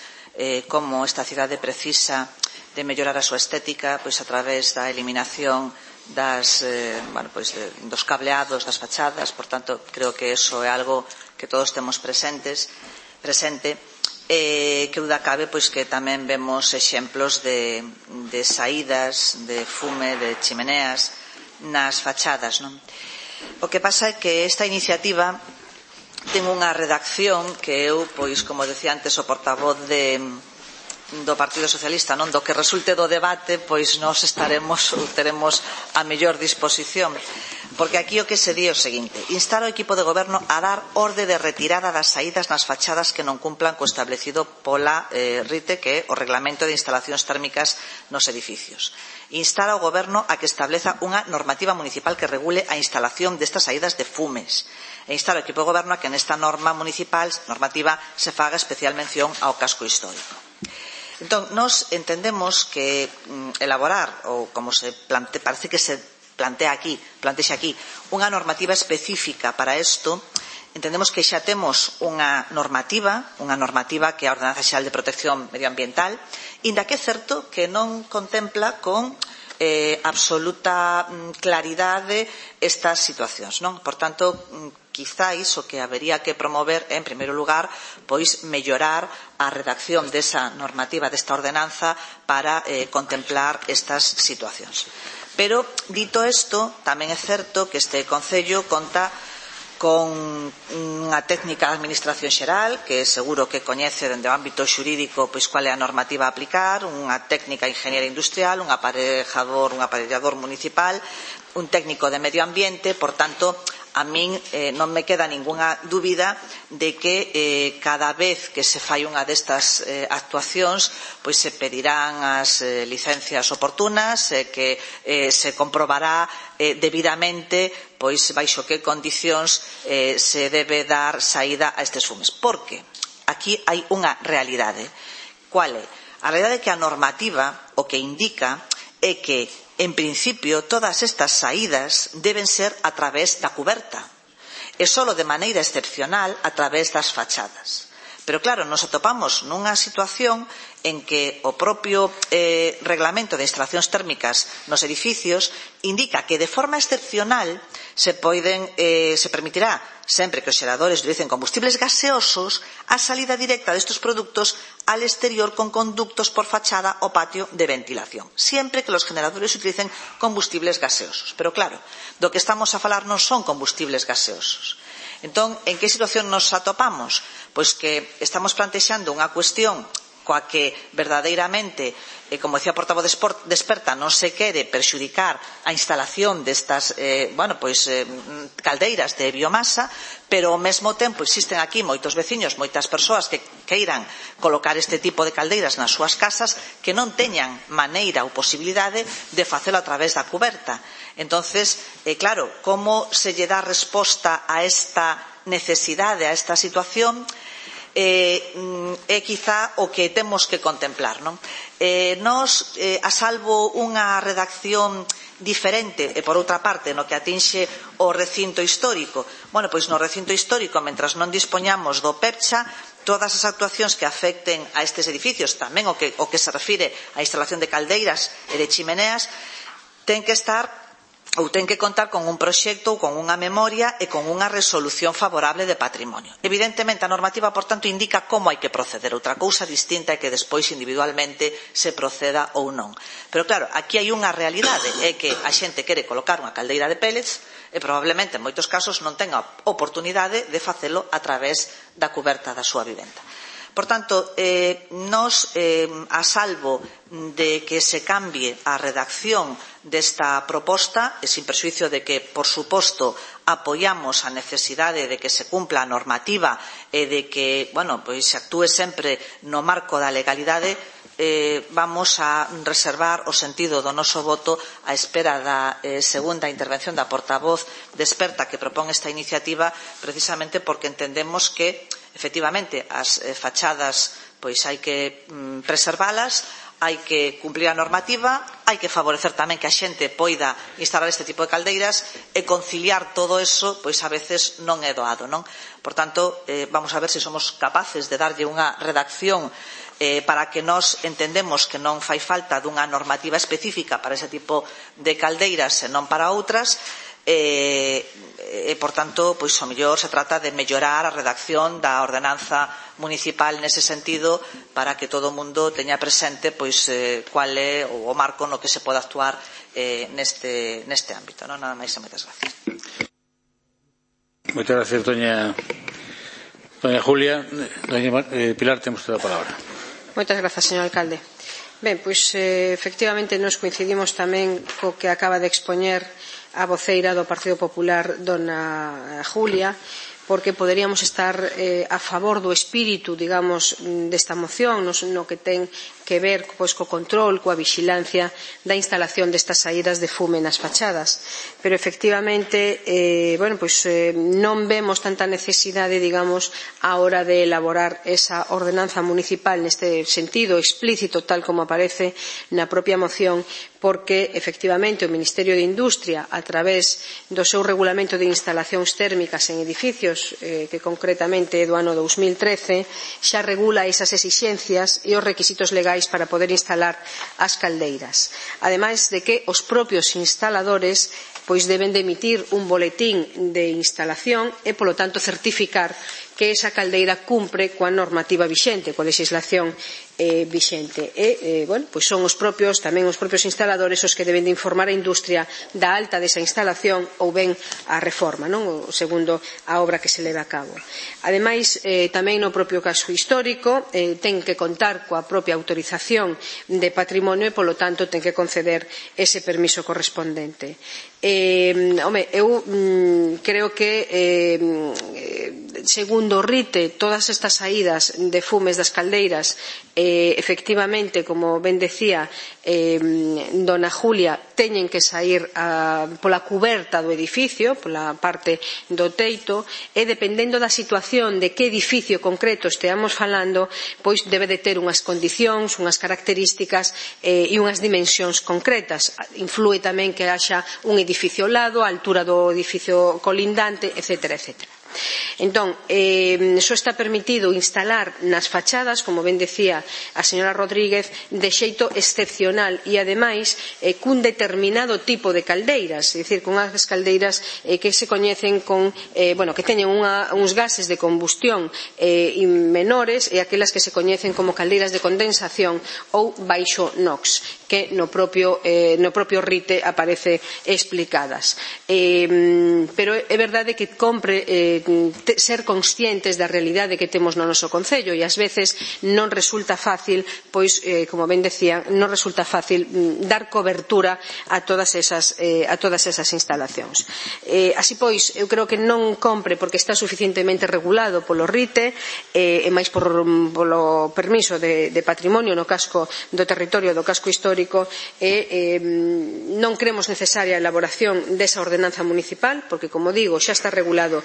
como esta cidade precisa de mellorar a súa estética pois a través da eliminación dos cableados das fachadas. Por tanto, creo que eso é algo que todos temos presente, que duda cabe pois que tamén vemos exemplos de saídas de fume de chimeneas nas fachadas, non? O que pasa é que esta iniciativa ten unha redacción que eu, pois, como decía antes o portavoz do Partido Socialista, non, do que resulte do debate, pois nós teremos a mellor disposición, porque aquí o que se di é o seguinte: instar ao equipo de goberno a dar orde de retirada das saídas nas fachadas que non cumplan co establecido pola RITE, que é o Reglamento de Instalacións Térmicas nos Edificios. Instar ao goberno a que estableza unha normativa municipal que regule a instalación destas saídas de fumes, e instar ao equipo de goberno a que nesta normativa se faga especial mención ao casco histórico. Entón, nós entendemos que elaborar, ou como parece que se plantexa aquí, unha normativa específica para isto, entendemos que xa temos unha normativa que é a Ordenanza Xeral de Protección Medioambiental, inda que é certo que non contempla con absoluta claridade estas situacións, non? Por tanto, quizáis o que habería que promover é, en primeiro lugar, pois mellorar a redacción desa normativa, desta ordenanza, para contemplar estas situacións. Pero, dito isto, tamén é certo que este Concello conta con unha técnica de administración xeral que seguro que coñece dende o ámbito xurídico pois cual é a normativa a aplicar, unha técnica de ingeniería industrial, un aparellador municipal, un técnico de medio ambiente. Por tanto, a min non me queda ningunha dúbida de que cada vez que se fai unha destas actuacións pois se pedirán as licencias oportunas, que se comprobará debidamente pois baixo que condicións se debe dar saída a estes fumes. Porque aquí hai unha realidade. Qual é? A realidade é que a normativa o que indica é que, en principio, todas estas saídas deben ser a través da cuberta e só de maneira excepcional a través das fachadas. Pero claro, nos atopamos nunha situación en que o propio Reglamento de Instalacións Térmicas nos edificios indica que de forma excepcional se permitirá, sempre que os xeradores utilicen combustibles gaseosos, a salida directa destes produtos al exterior con conductos por fachada o patio de ventilación, siempre que los generadores utilicen combustibles gaseosos. Pero claro, do que estamos a falar non son combustibles gaseosos. Entón, en que situación nos atopamos? Pois que estamos plantexando unha cuestión coa que verdadeiramente, como decía o portavoz Desperta, non se quere perxudicar a instalación destas caldeiras de biomasa, pero ao mesmo tempo existen aquí moitos veciños, moitas persoas que queiran colocar este tipo de caldeiras nas súas casas que non teñan maneira ou posibilidade de facelo a través da cuberta. Entonces, claro, como se lle dá resposta a esta necesidade, a esta situación, é quizá o que temos que contemplar, non? Nós, a salvo unha redacción diferente, e por outra parte, no que atinxe o recinto histórico, pois no recinto histórico, mentras non dispoñamos do PEPCHA, todas as actuacións que afecten a estes edificios, tamén o que se refire á instalación de caldeiras e de chimeneas, ten que estar ou ten que contar con un proxecto ou con unha memoria e con unha resolución favorable de patrimonio. Evidentemente, a normativa, por tanto, indica como hai que proceder. Outra cousa distinta é que despois individualmente se proceda ou non. Pero claro, aquí hai unha realidade, é que a xente quere colocar unha caldeira de pellets e probablemente en moitos casos non tenga oportunidade de facelo a través da cuberta da súa vivenda. Por tanto, nos, a salvo de que se cambie a redacción desta proposta, e sin prexuízo de que, por suposto, apoiamos a necesidade de que se cumpla a normativa e de que, se actúe sempre no marco da legalidade, vamos a reservar o sentido do noso voto á espera da segunda intervención da portavoz de experta que propón esta iniciativa, precisamente porque entendemos que, efectivamente, as fachadas hai que preservalas, hai que cumplir a normativa, hai que favorecer tamén que a xente poida instalar este tipo de caldeiras e conciliar todo eso, a veces non é doado, non? Por tanto, vamos a ver se somos capaces de darlle unha redacción para que nós entendemos que non fai falta dunha normativa específica para ese tipo de caldeiras e non para outras, por tanto, ao mellor se trata de mellorar a redacción da ordenanza municipal nese sentido para que todo o mundo teña presente cual é o marco no que se pode actuar neste ámbito. Nada máis e moitas gracias. Moitas gracias, doña Julia. Doña Pilar, temos toda a palabra. Moitas grazas, señor alcalde. Ben, efectivamente nos coincidimos tamén co que acaba de expoñer a voceira do Partido Popular, dona Julia, porque poderíamos estar a favor do espírito, digamos, desta moción, no que ten que ver co control, coa vixilancia da instalación destas saídas de fume nas fachadas. Pero, efectivamente, non vemos tanta necesidade, digamos, á hora de elaborar esa ordenanza municipal neste sentido explícito, tal como aparece na propia moción, porque, efectivamente, o Ministerio de Industria, a través do seu regulamento de instalacións térmicas en edificios, que concretamente é do ano 2013, xa regula esas exixencias e os requisitos legais para poder instalar as caldeiras. Ademais de que os propios instaladores deben de emitir un boletín de instalación e, polo tanto, certificar que esa caldeira cumpre coa normativa vixente, coa legislación vixente. Son tamén os propios instaladores os que deben de informar a industria da alta desa instalación ou ben a reforma, segundo a obra que se leva a cabo. Ademais, tamén no propio caso histórico ten que contar coa propia autorización de patrimonio e, polo tanto, ten que conceder ese permiso correspondente. Eu creo que segundo o RITE, todas estas saídas de fumes das caldeiras, efectivamente, como ben decía dona Julia, teñen que saír pola cuberta do edificio, pola parte do teito, e dependendo da situación de que edificio concreto esteamos falando, debe de ter unhas condicións, unhas características e unhas dimensións concretas. Inflúe tamén que haxa un edificio ao lado, a altura do edificio colindante, etcétera, etcétera. Entón, só está permitido instalar nas fachadas, como ben decía a señora Rodríguez, de xeito excepcional e, ademais, cun determinado tipo de caldeiras, é dicir, con as caldeiras que se coñecen que teñen uns gases de combustión menores e aquelas que se coñecen como caldeiras de condensación ou baixo NOx, que no propio RITE aparece explicadas. Pero é verdade que compre ser conscientes da realidade que temos no noso concello e ás veces non resulta fácil, como ben decía, non resulta fácil dar cobertura a todas esas instalacións. Así pois, eu creo que non compre porque está suficientemente regulado polo RITE e máis polo permiso de patrimonio no casco do territorio do casco histórico e non creemos necesaria a elaboración desa ordenanza municipal porque, como digo, xa está regulado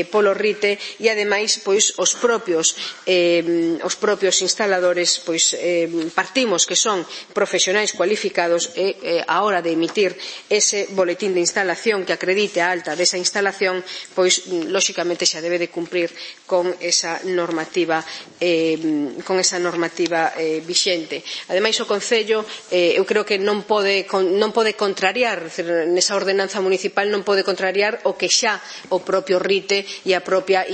polo RITE e ademais pois os propios instaladores pois partimos que son profesionais cualificados e a hora de emitir ese boletín de instalación que acredite a alta desa instalación pois lóxicamente xa debe de cumprir con esa normativa vixente. Ademais o Concello eu creo que non pode contrariar, nesa ordenanza municipal non pode contrariar o que xa o propio RITE e a propia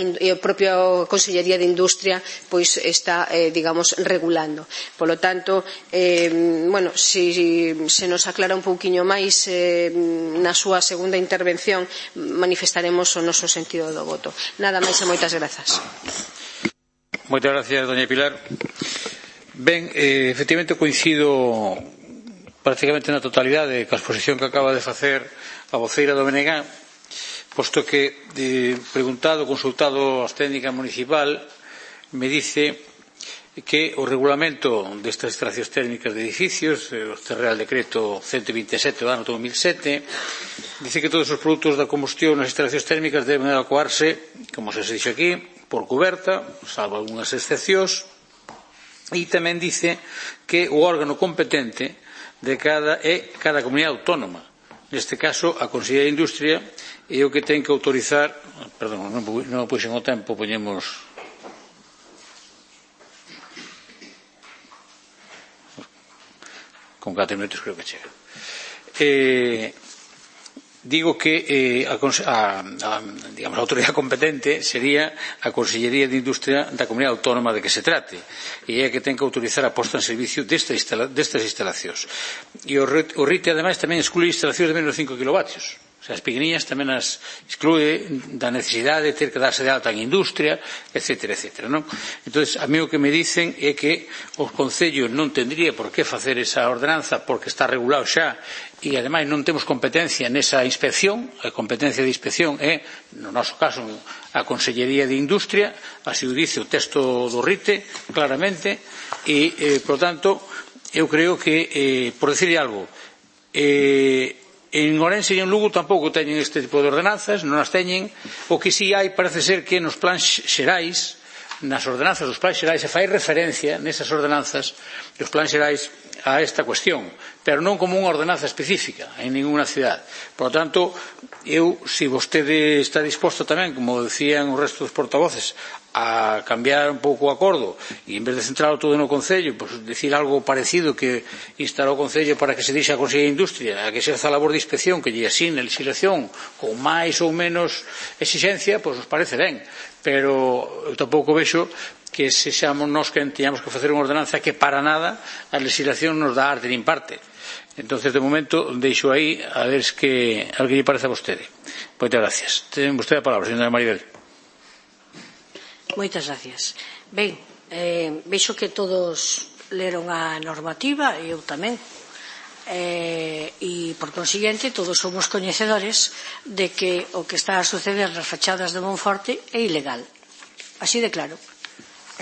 Consellería de Industria pois está, digamos, regulando. Polo tanto, se nos aclara un pouquiño máis na súa segunda intervención manifestaremos o noso sentido do voto. Nada máis e moitas grazas. Moitas gracias, doña Pilar. Ben, efectivamente coincido prácticamente na totalidade coa exposición que acaba de facer a voceira do BNG, posto que, consultado as técnicas municipal, me dice que o regulamento destas instalacións técnicas de edificios, este Real Decreto 127 do ano 2007, dice que todos os produtos da combustión nas instalacións térmicas deben evacuarse, como se dixo aquí, por cuberta, salvo algunhas excepcións, e tamén dice que o órgano competente de cada comunidade autónoma, neste caso a Consellería de Industria, é o que ten que autorizar, perdón, non puxen o tempo, poñemos con 4 minutos creo que chega. Digo que a autoridade competente sería a Consellería de Industria da Comunidade Autónoma de que se trate, e é a que ten que autorizar a posta en servicio destas instalacións. E o RITE ademais tamén exclui instalacións de menos de 5 kilovatios. O sea, as pequeniñas tamén as exclúe da necesidade de ter que darse de alta en industria, etcétera, etcétera, non? Entón, a mí o que me dicen é que o Concello non tendría por que facer esa ordenanza porque está regulado xa e, ademais, non temos competencia nesa inspección. A competencia de inspección é, no noso caso, a Consellería de Industria, así o dice o texto do RITE, claramente, e, por tanto, eu creo que, por decirle algo, en Ourense e en Lugo tampouco teñen este tipo de ordenanzas, non as teñen. O que si hai parece ser que nos plans xerais, nas ordenanzas dos plans xerais, se fai referencia nesas ordenanzas dos plans xerais a esta cuestión, pero non como unha ordenanza específica en ninguna cidade. Por lo tanto, se vostede está disposto tamén, como decían o resto dos portavoces, a cambiar un pouco o acordo e en vez de centrarlo todo no Concello, pues, decir algo parecido que instar o Concello para que se dixa a Consellería de Industria a que se haza a labor de inspección que lle asine a legislación con máis ou menos exixencia, pois nos parece ben, pero eu tampouco vexo que se xamos nós que teñamos que facer unha ordenanza que para nada a legislación nos dá arte nin parte. Entonces, de momento, deixo aí a ver que lle parece a vostede. Moitas gracias. Ten vostede a palabra, señora Maribel. Moitas gracias. Ben, vexo que todos leron a normativa e eu tamén. E, por consiguiente, todos somos coñecedores de que o que está a suceder nas fachadas de Monforte é ilegal. Así de claro.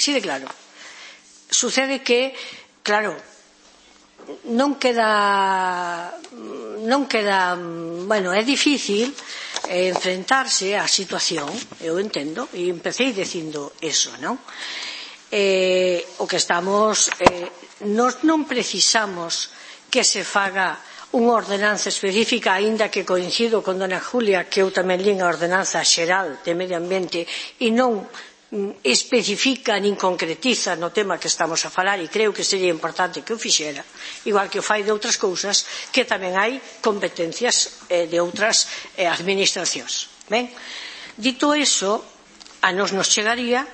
Así de claro. Sucede que, claro, non queda, bueno, é difícil enfrentarse á situación, eu entendo, e empecé dicindo eso, non? O que estamos, nós non precisamos que se faga unha ordenanza específica, aínda que coincido con dona Julia que eu tamén lín a ordenanza xeral de medio ambiente e non especifica nin concretiza no tema que estamos a falar, e creo que sería importante que o fixera, igual que o fai de outras cousas que tamén hai competencias de outras administracións. Ben, dito eso, a nos chegaría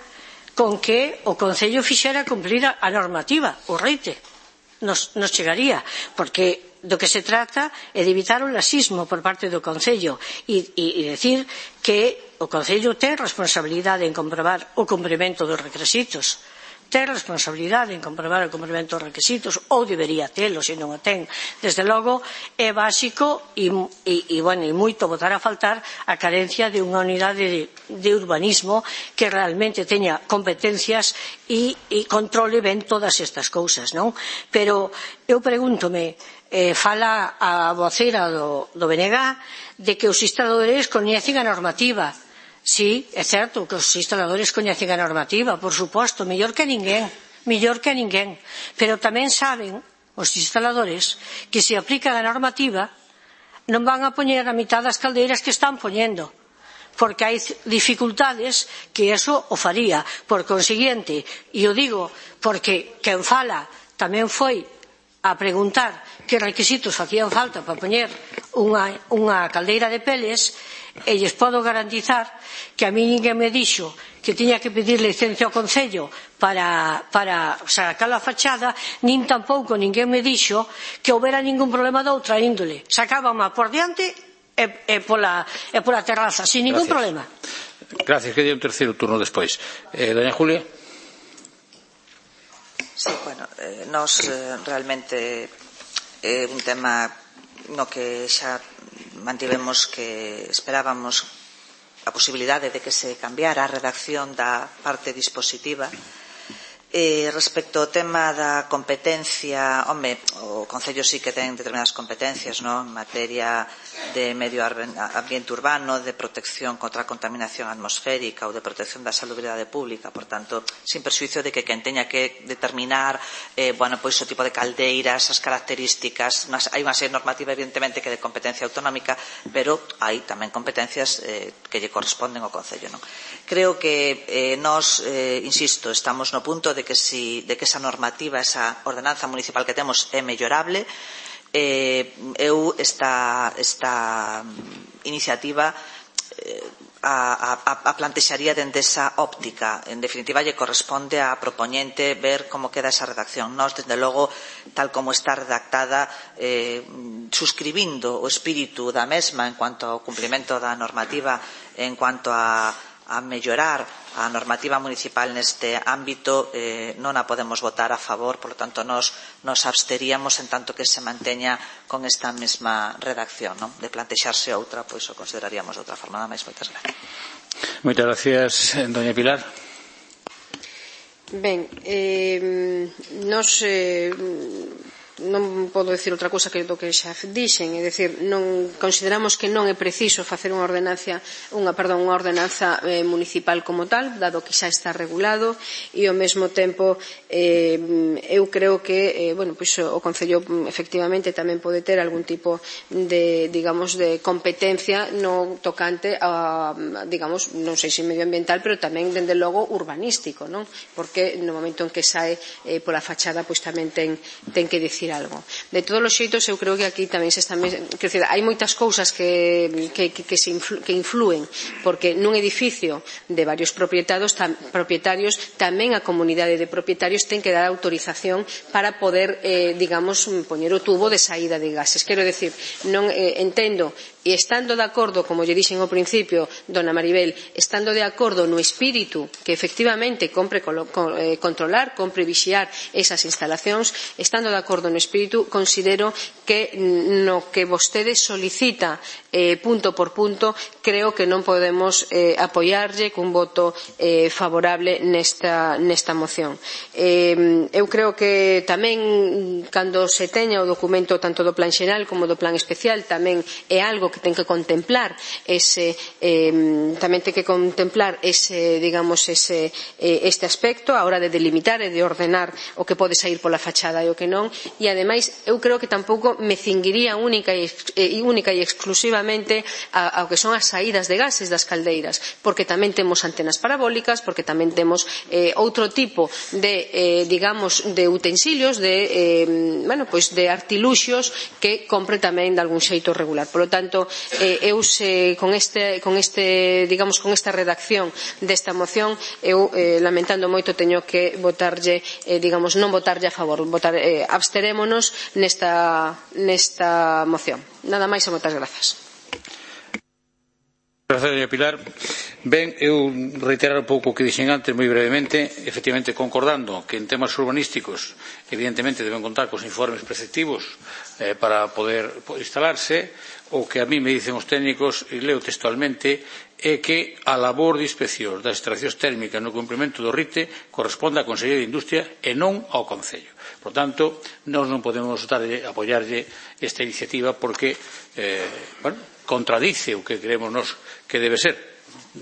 con que o Concello fixera cumplir a normativa, o RITE nos chegaría, porque do que se trata é de evitar o laxismo por parte do Concello e decir que o Concello ten responsabilidade en comprobar o cumprimento dos requisitos, ten responsabilidade en comprobar o cumprimento dos requisitos, ou debería telo, se non o ten. Desde logo é básico e moito botar a faltar a carencia de unha unidade de urbanismo que realmente teña competencias e controle ben todas estas cousas, non? Pero eu pregúntome, fala a voceira do BNG de que os instaladores coñecen a normativa. Sí, é certo que os instaladores coñecen a normativa, por suposto, mellor que ninguén, pero tamén saben os instaladores que se aplican a normativa non van a poñer a mitad das caldeiras que están poñendo, porque hai dificultades que eso o faría. Por consiguiente, e o digo porque quen fala tamén foi a preguntar que requisitos facían falta para poñer unha caldeira de peles, e lles podo garantizar que a mí ninguén me dixo que tiña que pedir licencia ao Concello para sacar a fachada, nin tampouco ninguén me dixo que houbera ningún problema de outra índole. Sacábama por diante e pola terraza, sin ningún problema. Gracias, que día un terceiro turno despois. Doña Julia. Sí, bueno, nos realmente é un tema no que xa mantivemos que esperábamos a posibilidade de que se cambiara a redacción da parte dispositiva. Respecto ao tema da competencia, o Concello sí que ten determinadas competencias, en materia de medio ambiente urbano, de protección contra a contaminación atmosférica ou de protección da salubridade pública. Por tanto, sin perxuízo de que quen teña que determinar pois o tipo de caldeiras, as características, hai unha serie normativa evidentemente que é de competencia autonómica, pero hai tamén competencias que lle corresponden ao Concello. Creo que nós, insisto, estamos no punto de que esa normativa, esa ordenanza municipal que temos é mellorable. Eu esta iniciativa a plantexaría dende esa óptica. En definitiva, lle corresponde á propoñente ver como queda esa redacción. Nós, desde logo, tal como está redactada, suscribindo o espírito da mesma en cuanto ao cumprimento da normativa, en cuanto a mellorar a normativa municipal neste ámbito, non a podemos votar a favor, por lo tanto nos absteríamos en tanto que se manteña con esta mesma redacción. De plantexarse outra, pois o consideraríamos de outra forma. Nada máis, moitas gracias. Moitas gracias, doña Pilar. Ben, nos non podo decir outra cousa que do que xa dixen, é dicir, non consideramos que non é preciso facer unha ordenanza municipal como tal, dado que xa está regulado, e ao mesmo tempo eu creo que o Concello efectivamente tamén pode ter algún tipo de, digamos, de competencia no tocante a, digamos, non sei se medioambiental, pero tamén dende logo urbanístico, non? Porque no momento en que sae pola fachada, pois tamén ten que dicir algo. De todos os xeitos, eu creo que aquí tamén se está, quer dizer, hai moitas cousas que influen, porque nun edificio de varios propietarios tamén a comunidade de propietarios ten que dar autorización para poder, digamos, poñer o tubo de saída de gases. Quero decir, non entendo, e estando de acordo, como lle dixen ao principio, dona Maribel, estando de acordo no espírito que efectivamente compre controlar, compre vixiar esas instalacións, estando de acordo no espírito, considero que no que vostede solicita punto por punto, creo que non podemos apoiarlle cun voto favorable nesta moción. Eu creo que tamén, cando se teña o documento tanto do plan xeral como do plan especial, tamén é algo que ten que contemplar este aspecto a hora de delimitar e de ordenar o que pode sair pola fachada e o que non, e ademais eu creo que tampouco me cinguiría única e exclusivamente ao que son as saídas de gases das caldeiras, porque tamén temos antenas parabólicas, porque tamén temos outro tipo de, digamos, de utensilios, de artiluxios que compre tamén de algún xeito regular. Por lo tanto, eu con esta redacción desta moción, eu lamentando moito teño que votarlle, digamos, non votarlle a favor, absterémonos nesta moción. Nada máis e moitas grazas. Gracias, doña Pilar. Ben, eu reiterar un pouco o que dixen antes moi brevemente, efectivamente concordando que en temas urbanísticos evidentemente deben contar cos informes preceptivos para poder instalarse. O que a mí me dicen os técnicos, e leo textualmente, é que a labor de inspección das extraccións térmicas no cumprimento do RITE corresponde á Consellería de Industria e non ao Concello. Por tanto, nós non podemos apoiarlle esta iniciativa porque contradice o que creemos nós que debe ser.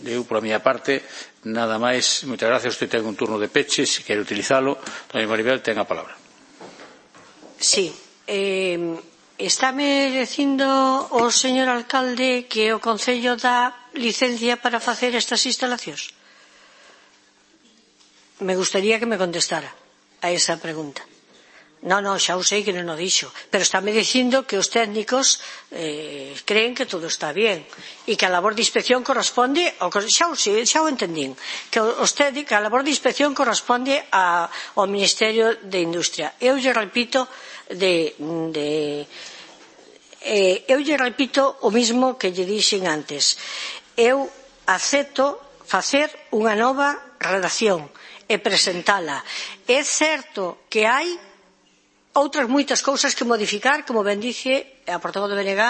Eu, pola miña parte, nada máis. Moitas gracias. Usted ten un turno de peche, se quere utilizalo. Doña Maribel, ten a palabra. Sí. Estáme dicindo o señor alcalde que o Concello dá licencia para facer estas instalacións? Me gustaría que me contestara a esa pregunta. Non, xa o sei que non o dixo, pero estáme dicindo que os técnicos creen que todo está bien e que a labor de inspección corresponde xa o entendín, que a labor de inspección corresponde ao Ministerio de Industria. Eu lle repito o mismo que lle dixen antes. Eu acepto facer unha nova redacción e presentala. É certo que hai outras moitas cousas que modificar, como ben dice a portavoz do BNG,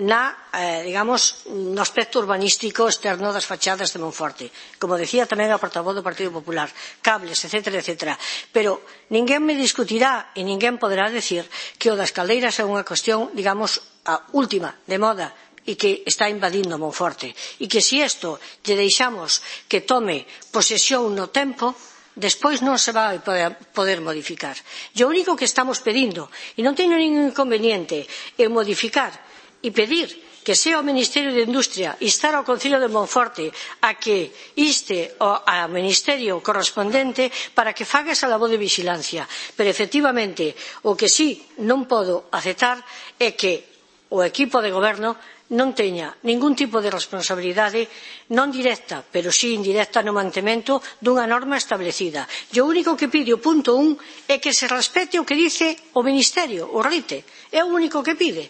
no aspecto urbanístico externo das fachadas de Monforte. Como decía tamén a portavoz do Partido Popular, cables, etcétera, etcétera. Pero ninguén me discutirá e ninguén poderá decir que o das caldeiras é unha cuestión, a última, de moda, e que está invadindo Monforte. E que se isto lle deixamos que tome posesión no tempo, despois non se vai poder modificar. E o único que estamos pedindo, e non teño ningún inconveniente en modificar e pedir que sea o Ministerio de Industria instar ao Concello de Monforte a que inste ao Ministerio correspondente para que faga esa labor de vixilancia. Pero, efectivamente, o que sí non podo aceptar é que o equipo de goberno non teña ningún tipo de responsabilidade, non directa, pero sí indirecta no mantemento dunha norma establecida. E o único que pide o punto 1 é que se respete o que dice o Ministerio, o RITE. É o único que pide.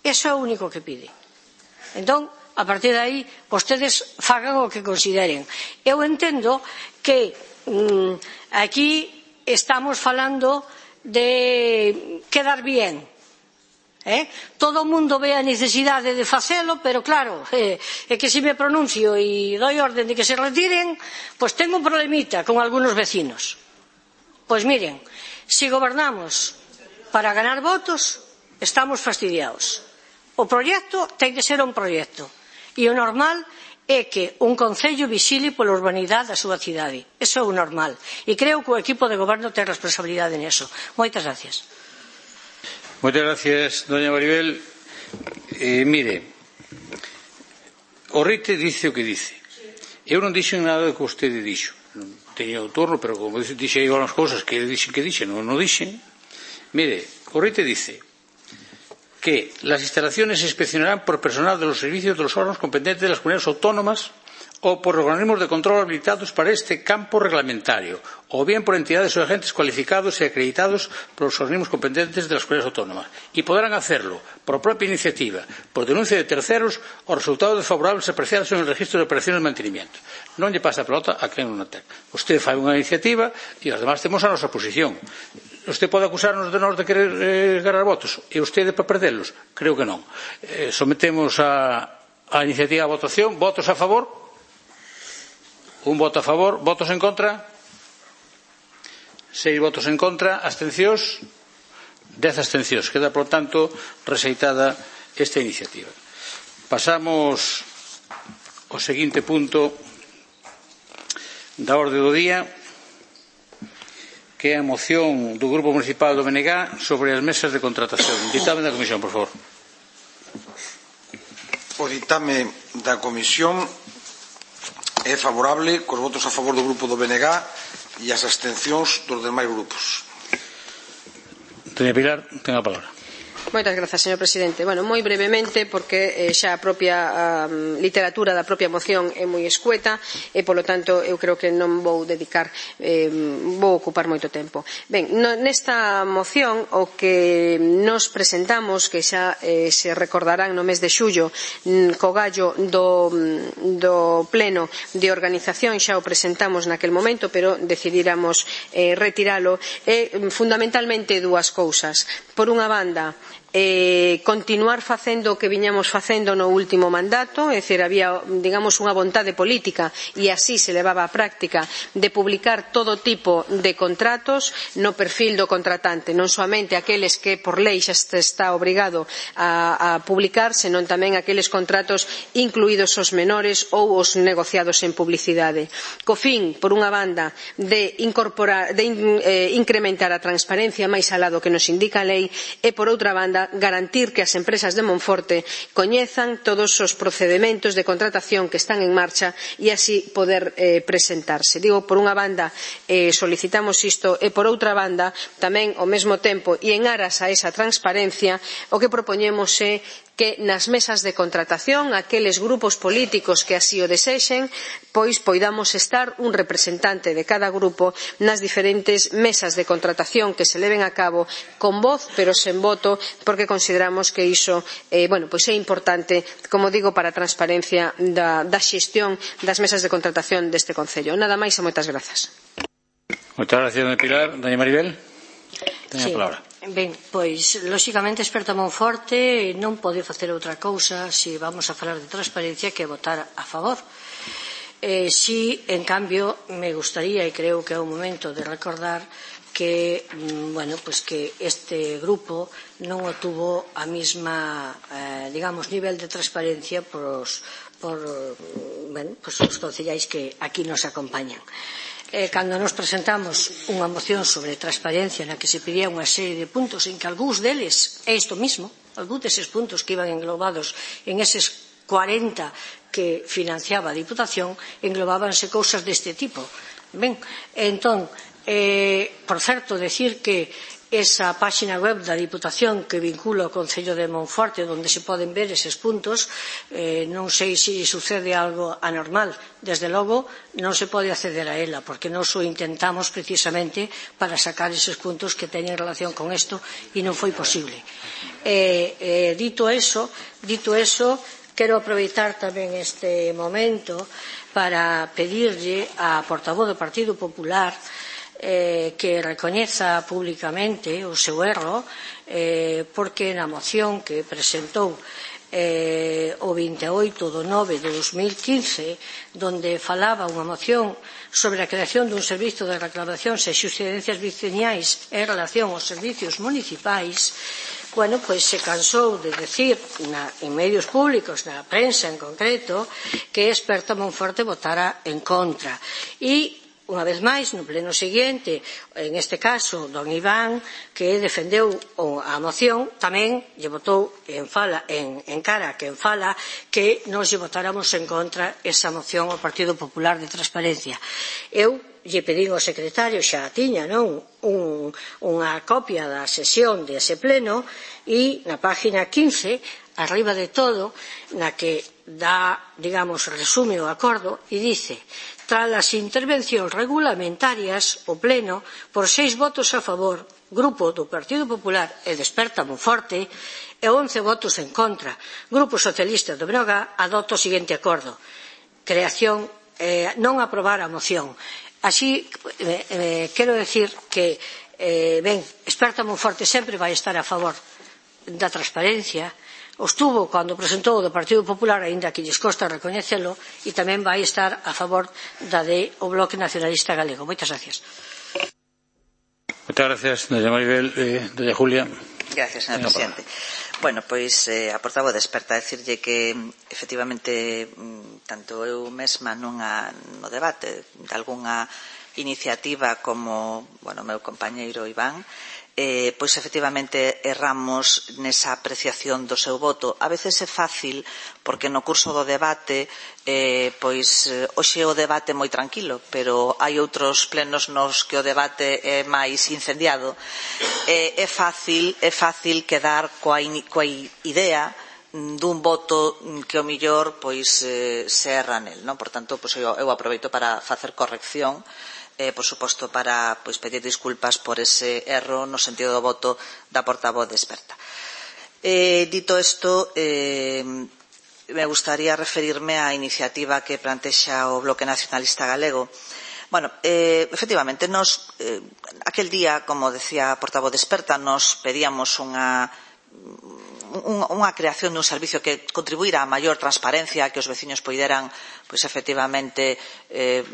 Eso é o único que pide. Entón, a partir de aí, vostedes fagan o que consideren. Eu entendo que aquí estamos falando de quedar bien. Todo o mundo ve a necesidade de facelo, pero claro, é que se me pronuncio e doi orden de que se retiren, pois tengo un problemita con algunos vecinos. Pois miren, se gobernamos para ganar votos, estamos fastidiados. O proxecto ten que ser un proxecto e o normal é que un concello vixile pola urbanidade da súa cidade. Eso é o normal. E creo que o equipo de goberno ten responsabilidade neso. Moitas gracias. Moitas gracias, doña Maribel. Mire, o RITE dice o que dice. Eu non dixen nada do que vostede dixo. Non teño o turno, pero como dixe aí unhas cousas que dixen, non dixen. Mire, o RITE dice que las instalaciones se inspeccionarán por personal de los servicios de los órganos competentes de las comunidades autónomas o por organismos de control habilitados para este campo reglamentario, o bien por entidades o agentes cualificados y acreditados por los organismos competentes de las comunidades autónomas. Y podrán hacerlo por propia iniciativa, por denuncia de terceros o resultados desfavorables apreciados en el registro de operaciones de mantenimiento. Non lle pasa a pelota a quen non a ten. Usted fai unha iniciativa e os demás temos a nosa posición. Usted pode acusarnos de nós de querer ganar votos e usted para perdelos? Creo que non. Sometemos a iniciativa a votación. Votos a favor? Un voto a favor. Votos en contra? 6 votos en contra. Abstencións? 10 abstencións. Queda, por tanto, rexeitada esta iniciativa. Pasamos ao seguinte punto da orde do día, que é a moción do Grupo Municipal do BNG sobre as mesas de contratación. Ditame da Comisión, por favor. O ditame da Comisión é favorable, cos votos a favor do Grupo do BNG e as abstencións dos demais grupos. Doña Pilar, ten a palabra. Moitas grazas, señor presidente. Bueno, moi brevemente, porque xa a propia literatura da propia moción é moi escueta e, polo tanto, eu creo que non vou dedicar, vou ocupar moito tempo. Ben, nesta moción, o que nos presentamos, que xa se recordarán no mes de xullo, co gallo do pleno de organización, xa o presentamos naquel momento, pero decidíramos retiralo, é fundamentalmente dúas cousas. Por unha banda, continuar facendo o que viñamos facendo no último mandato, é dicir, había, digamos, unha vontade política e así se levaba á práctica de publicar todo tipo de contratos no perfil do contratante, non soamente aqueles que por lei xa está obrigado a publicar, senón tamén aqueles contratos incluídos os menores ou os negociados en publicidade. Co fin, por unha banda, de incrementar a transparencia máis alá do que nos indica a lei e, por outra banda, garantir que as empresas de Monforte coñezan todos os procedementos de contratación que están en marcha e así poder presentarse. Digo, por unha banda, solicitamos isto e, por outra banda, tamén ao mesmo tempo e en aras a esa transparencia, o que propoñemos é que nas mesas de contratación aqueles grupos políticos que así o desexen, pois poidamos estar un representante de cada grupo nas diferentes mesas de contratación que se leven a cabo con voz pero sen voto, porque consideramos que iso é importante, como digo, para a transparencia da xestión das mesas de contratación deste Concello. Nada máis e moitas grazas. Moitas gracias, doña Pilar. Doña Maribel, teña a palabra. Ben, pois, lóxicamente, Experta Monforte non pode facer outra cousa se vamos a falar de transparencia que votar a favor. Si, en cambio, me gustaría, e creo que é o momento de recordar que, que este grupo non obtuvo a mesma, nivel de transparencia por os concellais que aquí nos acompañan. Cando nos presentamos unha moción sobre transparencia na que se pedía unha serie de puntos en que algúns deles é isto mismo, algúns deses puntos que iban englobados en eses 40 que financiaba a Diputación, englobábanse cousas deste tipo. Ben, entón, por certo, decir que esa páxina web da Diputación que vincula o Concello de Monforte, onde se poden ver eses puntos, non sei se sucede algo anormal. Desde logo, non se pode acceder a ela, porque nós o intentamos precisamente para sacar eses puntos que teñen relación con isto e non foi posible. Dito eso, quero aproveitar tamén este momento para pedirlle á portavoz do Partido Popular que recoñeza públicamente o seu erro, porque na moción que presentou o 28 de 9 de 2015, donde falaba unha moción sobre a creación dun servizo de reclamacións e xusticencias veciñais en relación aos servicios municipais, pois se cansou de decir en medios públicos, na prensa en concreto, que Experta Monforte votara en contra. E unha vez máis, no pleno seguinte, en este caso, don Iván, que defendeu a moción, tamén lle votou en cara quen fala que nos lle votáramos en contra esa moción ao Partido Popular de Transparencia. Eu lle pedín ao secretario, xa tiña, non, unha copia da sesión dese pleno e na página 15, arriba de todo, na que dá, resume o acordo e dice: tras as intervencións regulamentarias, o Pleno, por 6 votos a favor, Grupo do Partido Popular e de Experta Monforte, e 11 votos en contra, Grupo Socialista do Brogá, adopta o seguinte acordo: creación, non aprobar a moción. Así, quero decir que, Experta Monforte sempre vai estar a favor da transparencia, estuvo cando presentou o do Partido Popular, aínda que lles costa recoñecelo, e tamén vai estar a favor da o Bloque Nacionalista Galego. Moitas gracias. Moitas gracias, doña Maribel. Doña Julia. Gracias, señor presidente. Bueno, pois a portavoz de Experta decirlle que efectivamente tanto eu mesma no debate de algunha iniciativa como o meu compañeiro Iván, pois efectivamente erramos nesa apreciación do seu voto. A veces é fácil porque no curso do debate pois hoxe o debate é moi tranquilo, pero hai outros plenos nos que o debate é máis incendiado. É fácil quedar coa idea dun voto que o millor pois se erra nel, non? Por tanto, pois eu aproveito para facer corrección, por suposto para pedir disculpas por ese erro no sentido do voto da portavoz de Experta. Dito isto, me gustaría referirme á iniciativa que plantexa o Bloque Nacionalista Galego. Bueno, efectivamente, aquel día, como decía a portavoz de Experta, nos pedíamos unha creación dun servicio que contribuira a maior transparencia, que os veciños poideran, pois, efectivamente,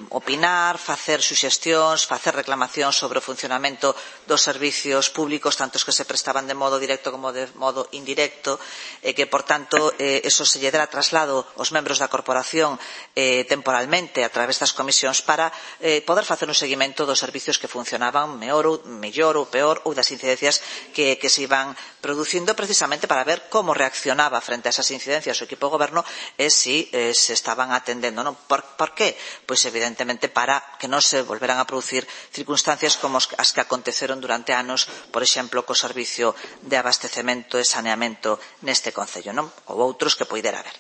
opinar, facer suxestións, facer reclamacións sobre o funcionamento dos servicios públicos, tanto os que se prestaban de modo directo como de modo indirecto, e que, por tanto, eso se lle dera traslado aos membros da corporación temporalmente a través das comisións para poder facer un seguimento dos servicios que funcionaban mellor ou peor, ou das incidencias que se iban producindo, precisamente para ver como reaccionaba frente a esas incidencias o equipo de goberno e se estaban atendendo. Non? Por qué? Pois, evidentemente, para que non se volveran a producir circunstancias como as que aconteceron durante anos, por exemplo, co servicio de abastecemento e saneamento neste concello, non? Ou outros que poidera haber.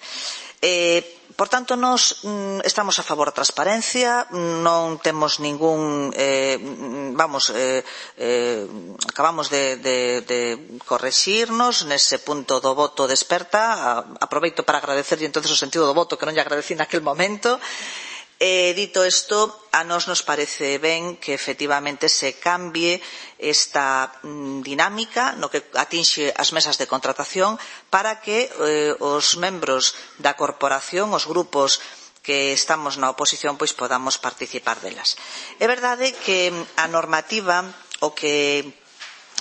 Por tanto, nós estamos a favor da transparencia, non temos ningún acabamos de correxirnos nese punto do voto desperta. Aproveito para agradecerlle entonces o sentido do voto que non lle agradecí naquel momento. Dito isto, a nós nos parece ben que efectivamente se cambie esta dinámica no que atinxe as mesas de contratación para que os membros da corporación, os grupos que estamos na oposición, pois podamos participar delas. É verdade que a normativa o que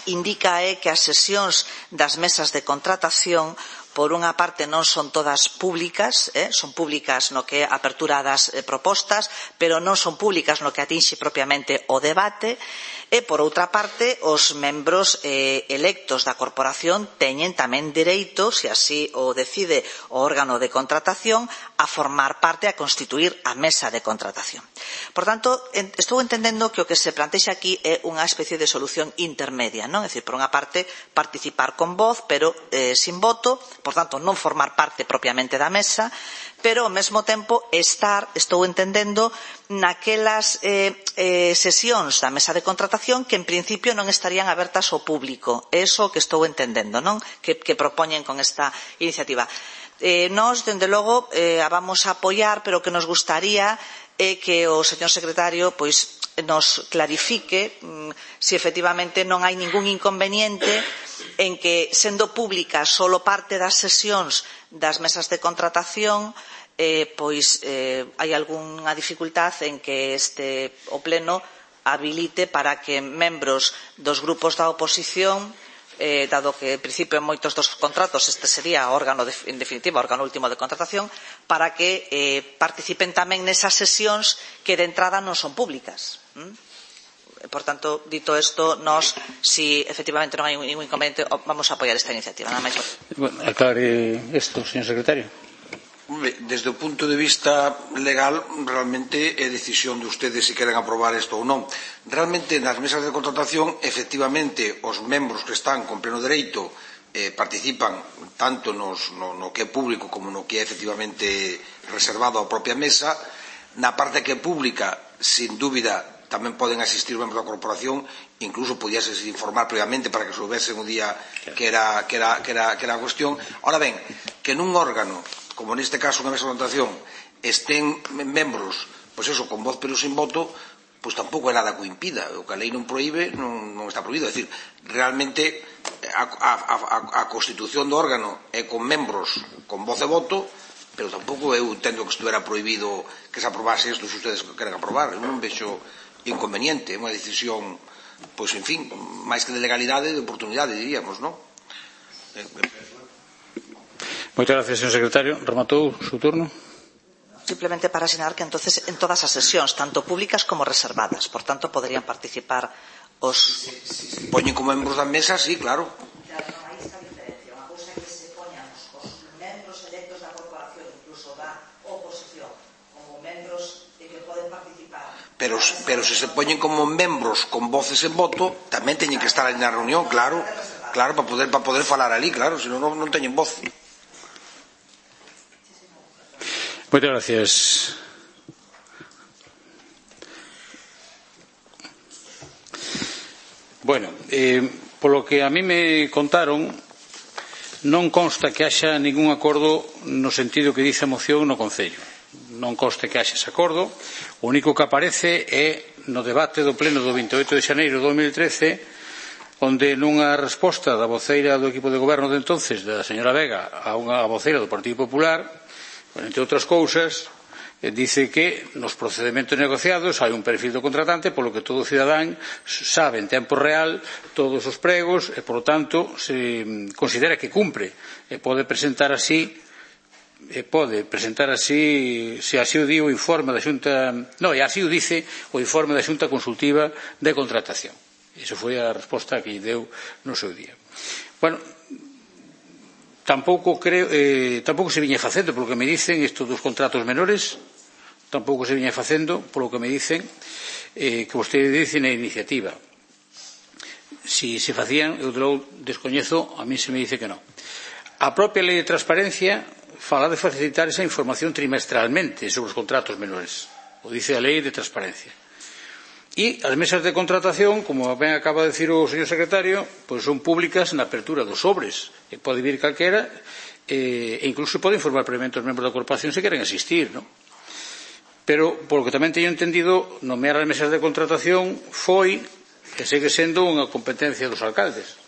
indica é que as sesións das mesas de contratación, por unha parte, non son todas públicas, son públicas no que é a apertura das propostas, pero non son públicas no que atinxe propiamente o debate, e, por outra parte, os membros electos da corporación teñen tamén dereito, se así o decide o órgano de contratación, a formar parte, a constituir a mesa de contratación. Por tanto, estou entendendo que o que se plantexa aquí é unha especie de solución intermedia, non? É dicir, por unha parte, participar con voz, pero sin voto, por tanto, non formar parte propiamente da mesa, pero ao mesmo tempo estou entendendo, naquelas sesións da mesa de contratación que en principio non estarían abertas ao público. É iso que estou entendendo, non? Que propoñen con esta iniciativa. Nós, dende logo, a vamos a apoiar, pero o que nos gustaría é que o señor secretario pois nos clarifique se efectivamente non hai ningún inconveniente en que, sendo pública solo parte das sesións das mesas de contratación, pois hai algunha dificultade en que o pleno habilite para que membros dos grupos da oposición, dado que en principio en moitos dos contratos este sería o órgano, en definitiva, o órgano último de contratación, para que participen tamén nesas sesións que de entrada non son públicas. Por tanto, dito isto, nós, si efectivamente non hai ningún inconveniente, vamos a apoiar esta iniciativa. Nada máis. Aclare isto, señor secretario. Desde o punto de vista legal, realmente é decisión de ustedes se queren aprobar isto ou non. Realmente, nas mesas de contratación, efectivamente, os membros que están con pleno dereito participan tanto no que é público como no que é efectivamente reservado á propia mesa. Na parte que é pública, sin dúbida, tamén poden asistir membros da corporación, incluso podíase informar previamente para que soubesen o día que era a cuestión. Ahora ben, que nun órgano, como neste caso unha mesa de contratación, estén membros, pois eso, con voz pero sin voto, pois tampouco é nada que o impida. O que a lei non proíbe, non está prohibido. É dicir, realmente a constitución do órgano é con membros con voz e voto, pero tampouco eu entendo que estuvera prohibido que se aprobase isto se ustedes queren aprobar. Eu non vexo inconveniente, é unha decisión, pois, en fin, máis que de legalidade, de oportunidade, diríamos, non? Moitas gracias, señor secretario. Rematou o seu turno. Simplemente para asinar que entonces en todas as sesións, tanto públicas como reservadas, por tanto, poderían participar os... Se poñen como membros da mesa, sí, claro. Claro, non hai esta diferencia. Unha cousa é que se poñan os membros electos da corporación, incluso da oposición, como membros que poden participar. Pero se se poñen como membros con voces en voto, tamén teñen que estar ali na reunión, claro, para poder falar ali, claro, senón non teñen voz. Moitas gracias. Bueno, polo que a mí me contaron, non consta que haxa ningún acordo no sentido que dice a moción no Concello. Non consta que haxa ese acordo. O único que aparece é no debate do pleno do 28 de xaneiro de 2013 onde nunha resposta da voceira do equipo de goberno de entonces, da señora Vega, a unha voceira do Partido Popular, entre outras cousas, dice que nos procedementos negociados hai un perfil do contratante polo que todo cidadán sabe en tempo real todos os pregos e, por lo tanto, se considera que cumpre e pode presentar así se así o di o informe da Xunta, e así o dice o informe da Xunta Consultiva de Contratación. Iso foi a resposta que lle deu no seu día. Bueno, tampouco se viña facendo, polo que me dicen, isto dos contratos menores, tampouco se viña facendo, polo que me dicen, que vostede dice na iniciativa. Si se facían, eu descoñezo, a mí se me dice que non. A propia lei de transparencia fala de facilitar esa información trimestralmente sobre os contratos menores. O dice a lei de transparencia. E as mesas de contratación, como ben acaba de decir o señor secretario, pois son públicas na apertura dos sobres. E pode vir calquera e incluso pode informar previamente os membros da corporación se queren asistir, non? Pero, polo que tamén teño entendido, nomear as mesas de contratación foi e segue sendo unha competencia dos alcaldes.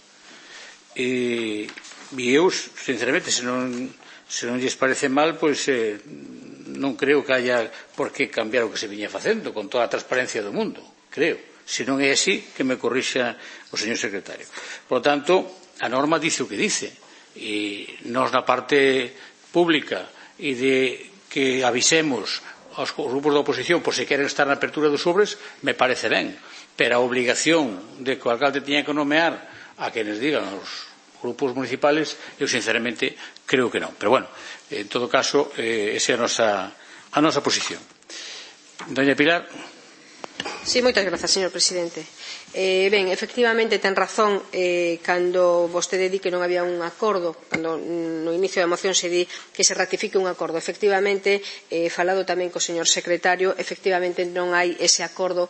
E eu, sinceramente, se non lles parece mal, pois non creo que haya por que cambiar o que se viña facendo con toda a transparencia do mundo, creo. Se non é así, que me corrixa o señor secretario. Por lo tanto, a norma dice o que dice. E nós na parte pública e de que avisemos aos grupos da oposición por se queren estar na apertura dos sobres, me parece ben. Pero a obligación de que o alcalde tiña que nomear a quenes digan os grupos municipales, eu sinceramente creo que non. Pero bueno, en todo caso, esa é a nosa posición. Doña Pilar. Sí, moitas grazas, señor presidente. Ben, efectivamente ten razón cando vostede di que non había un acordo, cando no inicio da moción se di que se ratifique un acordo. Efectivamente, falado tamén co señor secretario, efectivamente non hai ese acordo,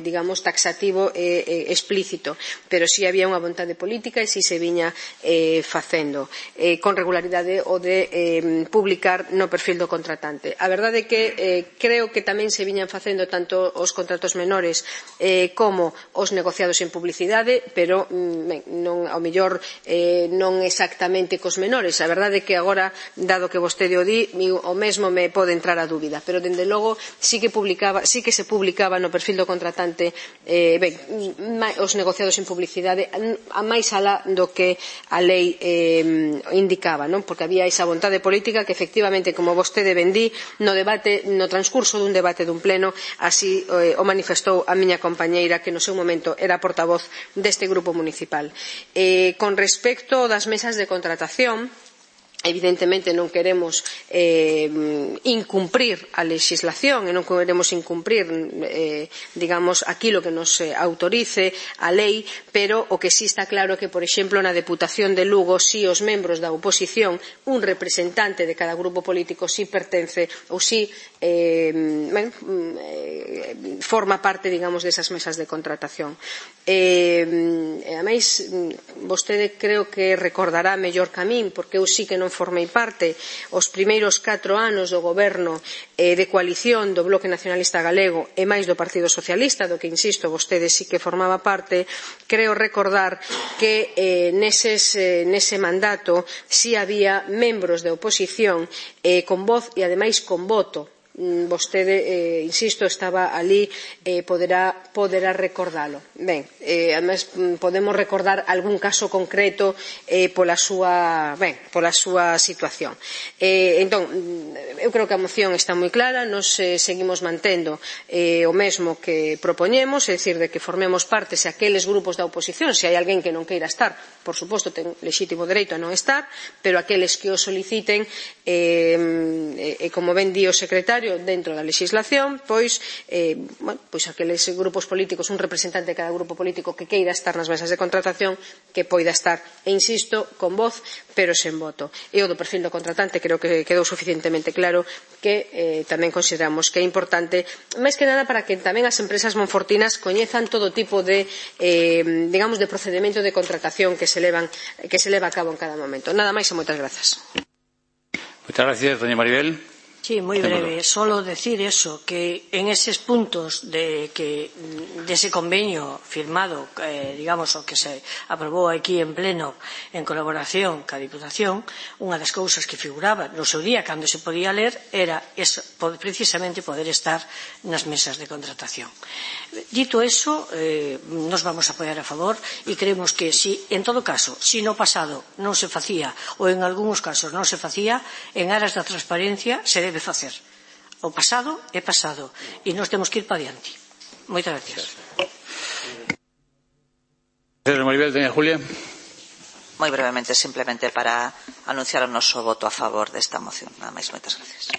digamos, taxativo e explícito, pero si había unha vontade política e si se viña facendo con regularidade o de publicar no perfil do contratante. A verdade é que creo que tamén se viñan facendo tanto os contratos menores como os negociados en publicidade, pero ao mellor non exactamente cos menores. A verdade é que agora, dado que vostede o di, o mesmo me pode entrar a dúbida, pero dende logo sí que se publicaba no perfil do contratante os negociados en publicidade a máis alá do que a lei indicaba, non? Porque había esa vontade política que efectivamente, como vostede ben di, no transcurso dun debate dun pleno, así o manifestou a miña compañeira, que no seu momento era portavoz deste grupo municipal. Con respecto das mesas de contratación, evidentemente non queremos incumprir a legislación e non queremos incumprir, digamos, aquilo que nos autorice a lei, pero o que sí está claro é que, por exemplo, na Deputación de Lugo, si os membros da oposición, un representante de cada grupo político si pertence ou si forma parte, digamos, desas mesas de contratación. Ademais, vostede creo que recordará mellor que a min, porque eu sí que non formei parte os primeiros 4 anos do goberno de coalición do Bloque Nacionalista Galego e máis do Partido Socialista, do que, insisto, vostede sí que formaba parte. Creo recordar que nese mandato si había membros de oposición con voz e ademais con voto. Vostede, insisto, estaba ali, poderá recordalo. Ben, además podemos recordar algún caso concreto pola súa situación. Entón, eu creo que a moción está moi clara, nos seguimos mantendo o mesmo que propoñemos, é dicir, de que formemos parte se aqueles grupos da oposición, se hai alguén que non queira estar, por suposto, ten lexítimo dereito a non estar, pero aqueles que o soliciten, como ben di o secretario, dentro da legislación, pois aqueles grupos políticos, un representante de cada grupo político que queira estar nas mesas de contratación, que poida estar, e insisto, con voz, pero sen voto. E o do perfil do contratante creo que quedou suficientemente claro que tamén consideramos que é importante, máis que nada para que tamén as empresas monfortinas coñezan todo tipo de, digamos, de procedimento de contratación que se leva a cabo en cada momento. Nada máis e moitas grazas. Moitas gracias, doña Maribel. Sí, muy breve. Solo decir eso, que en esos puntos de ese convenio firmado, digamos, o que se aprobou aquí en pleno en colaboración ca Diputación, unha das cousas que figuraba no seu día cando se podía ler era precisamente poder estar nas mesas de contratación. Dito eso, nos vamos a apoiar a favor e creemos que si, en todo caso, si no pasado non se facía ou en algúns casos non se facía, en aras da transparencia se debe facer. O pasado é pasado e nós temos que ir para diante. Moitas gracias. Maribel, doña Julia. Moi brevemente, simplemente para anunciar o noso voto a favor desta moción. Nada máis, moitas gracias.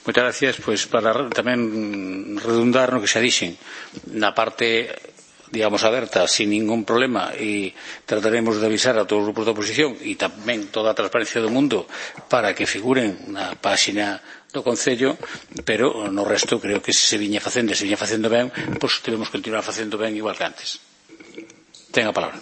Moitas gracias, pois para tamén redundar no que xa dixen na parte, digamos, aberta, sin ningún problema, e trataremos de avisar a todos os grupos da oposición e tamén toda a transparencia do mundo para que figuren na páxina do Concello, pero no resto creo que se viña facendo ben, pois debemos continuar facendo ben igual que antes. Ten a palabra.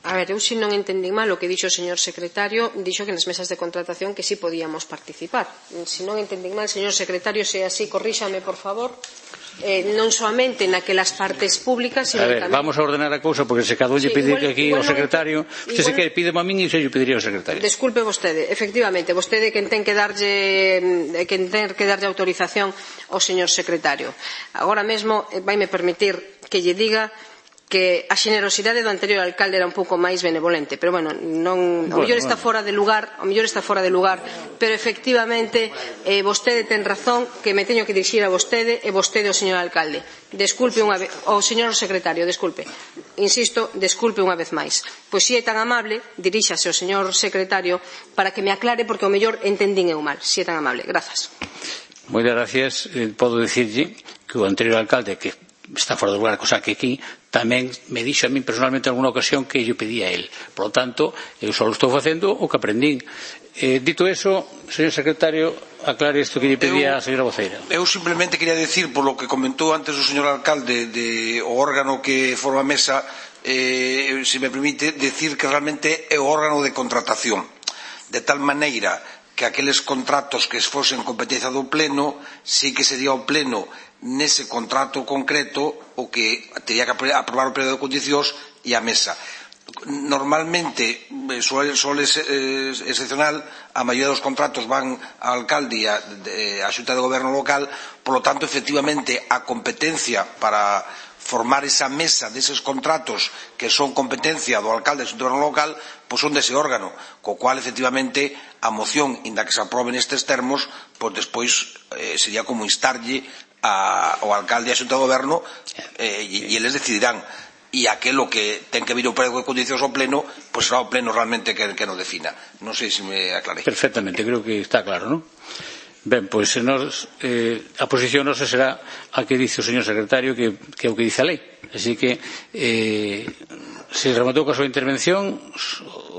A ver, eu se non entendín mal o que dixo o señor secretario, dixo que nas mesas de contratación que sí podíamos participar. Se non entendín mal, señor secretario, se así, corríxame, por favor. Non soamente naquelas partes públicas, sino tamén... Vamos a ordenar a cousa, porque se cada un lle pide aquí ao secretario, usted se quere, pide a min e se lle pediría ao secretario. Desculpe vostede, efectivamente, vostede quen ten que darlle autorización ao señor secretario. Agora mesmo vaime permitir que lle diga que a xenerosidade do anterior alcalde era un pouco máis benevolente, pero bueno, o mellor está fora de lugar, pero efectivamente vostede ten razón que me teño que dirixir a vostede e vostede ao señor alcalde. Desculpe unha vez, ao señor secretario, desculpe. Insisto, desculpe unha vez máis. Pois si é tan amable, diríxase ao señor secretario para que me aclare porque ao mellor entendín eu mal. Si é tan amable. Grazas. Moitas gracias. Podo dicirlle que o anterior alcalde, que está fora do lugar, cosa que aquí tamén me dixo a min personalmente en alguna ocasión que yo pedía a él. Por lo tanto, eu só estou facendo o que aprendín. Dito eso, señor secretario, aclare isto que lle pedía a señora voceira. Eu simplemente quería decir, por lo que comentou antes o señor alcalde de o órgano que forma a mesa, se me permite decir que realmente é o órgano de contratación, de tal maneira que aqueles contratos que fosen competencia do pleno, sí que sería o pleno nese contrato concreto o que teria que aprobar o período de condicións e a mesa. Normalmente, suele ser excepcional, a maioría dos contratos van ao alcalde e á xunta de goberno local, por lo tanto, efectivamente, a competencia para formar esa mesa deses contratos que son competencia do alcalde e do goberno local, pois son dese órgano, co cual, efectivamente, a moción, inda que se aprobe nestes termos, pois despois sería como instarlle ao alcalde e a xunta de goberno e eles decidirán. E aquelo que ten que vir o período de condicións ao pleno, pois será o pleno realmente que nos defina. Non sei se me aclarei. Perfectamente, creo que está claro, non? Ben, pois a posición nosa será a que dice o señor secretario, que é o que dice a lei. Así que se rematou coa súa intervención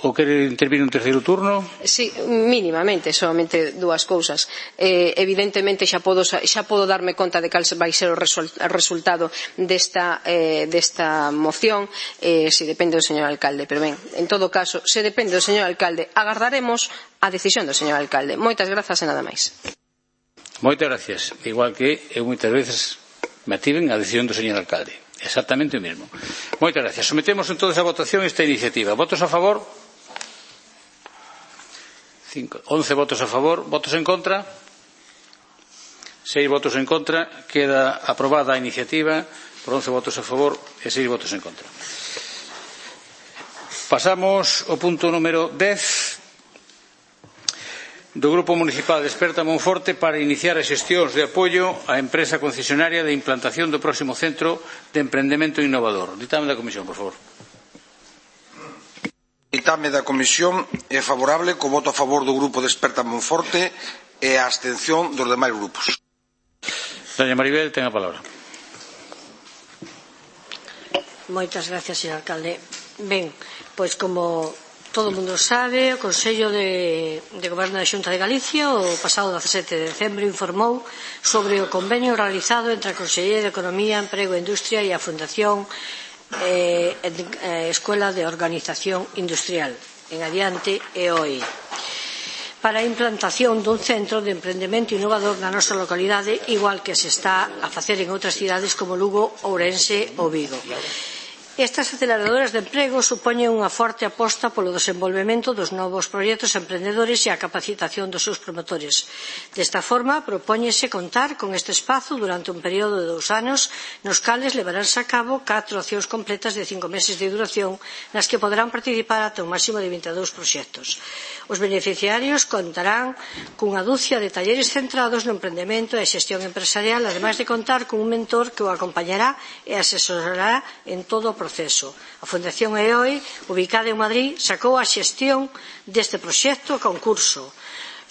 ou quere intervir un terceiro turno? Sí, mínimamente, solamente dúas cousas. Evidentemente xa podo darme conta de cal vai ser o resultado desta moción, se depende do señor alcalde, pero ben, en todo caso, se depende do señor alcalde, agardaremos a decisión do señor alcalde. Moitas grazas e nada máis. Moitas gracias. Igual que eu moitas veces me ativen a decisión do señor alcalde. Exactamente o mesmo. Moitas gracias. Sometemos entonces a votación esta iniciativa. Votos a favor? 11 votos a favor. Votos en contra? 6 votos en contra. Queda aprobada a iniciativa por 11 votos a favor e 6 votos en contra. Pasamos ao punto número 10 do Grupo Municipal de Esperta Monforte para iniciar as xestións de apoio á empresa concesionaria de implantación do próximo centro de emprendemento innovador. Ditame da Comisión, por favor. Ditame da Comisión é favorable, co voto a favor do Grupo de Esperta Monforte e a abstención dos demais grupos. Doña Maribel, ten a palabra. Moitas gracias, señor alcalde. Ben, pois como todo o mundo sabe, o Consello de Goberno da Xunta de Galicia o pasado 17 de decembro informou sobre o convenio realizado entre a Consellería de Economía, Emprego e Industria e a Fundación Escuela de Organización Industrial, en adiante EOI. para a implantación dun centro de emprendemento innovador na nosa localidade, igual que se está a facer en outras cidades como Lugo, Ourense ou Vigo. Estas aceleradoras de emprego supoñen unha forte aposta polo desenvolvemento dos novos proxectos emprendedores e a capacitación dos seus promotores. Desta forma, propóñese contar con este espazo durante un período de 2 anos, nos cales levaránse a cabo 4 accións completas de 5 meses de duración, nas que poderán participar ata un máximo de 22 proxectos. Os beneficiarios contarán cunha dúcia de talleres centrados no emprendemento e xestión empresarial, ademais de contar cun mentor que o acompañará e asesorará en todo o proceso. A Fundación EOI, ubicada en Madrid, sacou a xestión deste proxecto a concurso,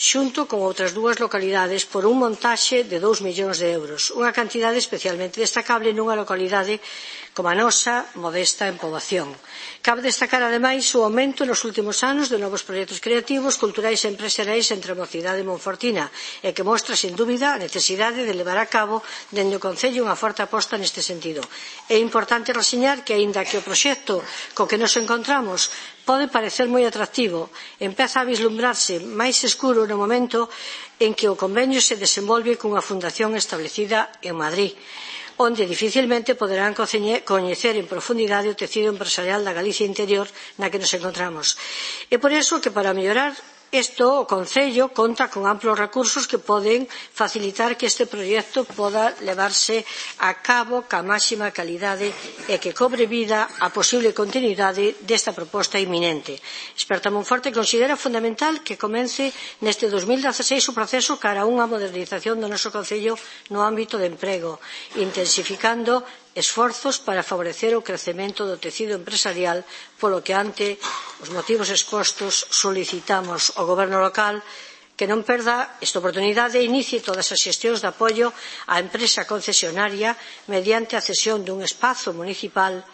xunto con outras 2 localidades por un montaxe de 2 millóns de euros, unha cantidade especialmente destacable nunha localidade como a nosa, modesta en poboación. Cabe destacar, ademais, o aumento nos últimos anos de novos proxectos creativos, culturais e empresariais entre a mocidade monfortina e que mostra, sin dúbida, a necesidade de levar a cabo dende o Concello unha forte aposta neste sentido. É importante reseñar que, aínda que o proxecto co que nos encontramos pode parecer moi atractivo, empeza a vislumbrarse máis escuro no momento en que o convenio se desenvolve cunha fundación establecida en Madrid, onde dificilmente poderán coñecer en profundidade o tecido empresarial da Galicia interior na que nos encontramos. É por iso que, para mellorar isto, o Concello conta con amplos recursos que poden facilitar que este proxecto poda levarse a cabo ca máxima calidade e que cobre vida a posible continuidade desta proposta inminente. Experta Monforte considera fundamental que comece neste 2016 o proceso cara a unha modernización do noso Concello no ámbito de emprego, intensificando esforzos para favorecer o crecemento do tecido empresarial, polo que, ante os motivos expostos, solicitamos ao Goberno local que non perda esta oportunidade e inicie todas as xestións de apoio á empresa concesionaria mediante a cesión dun espazo municipal,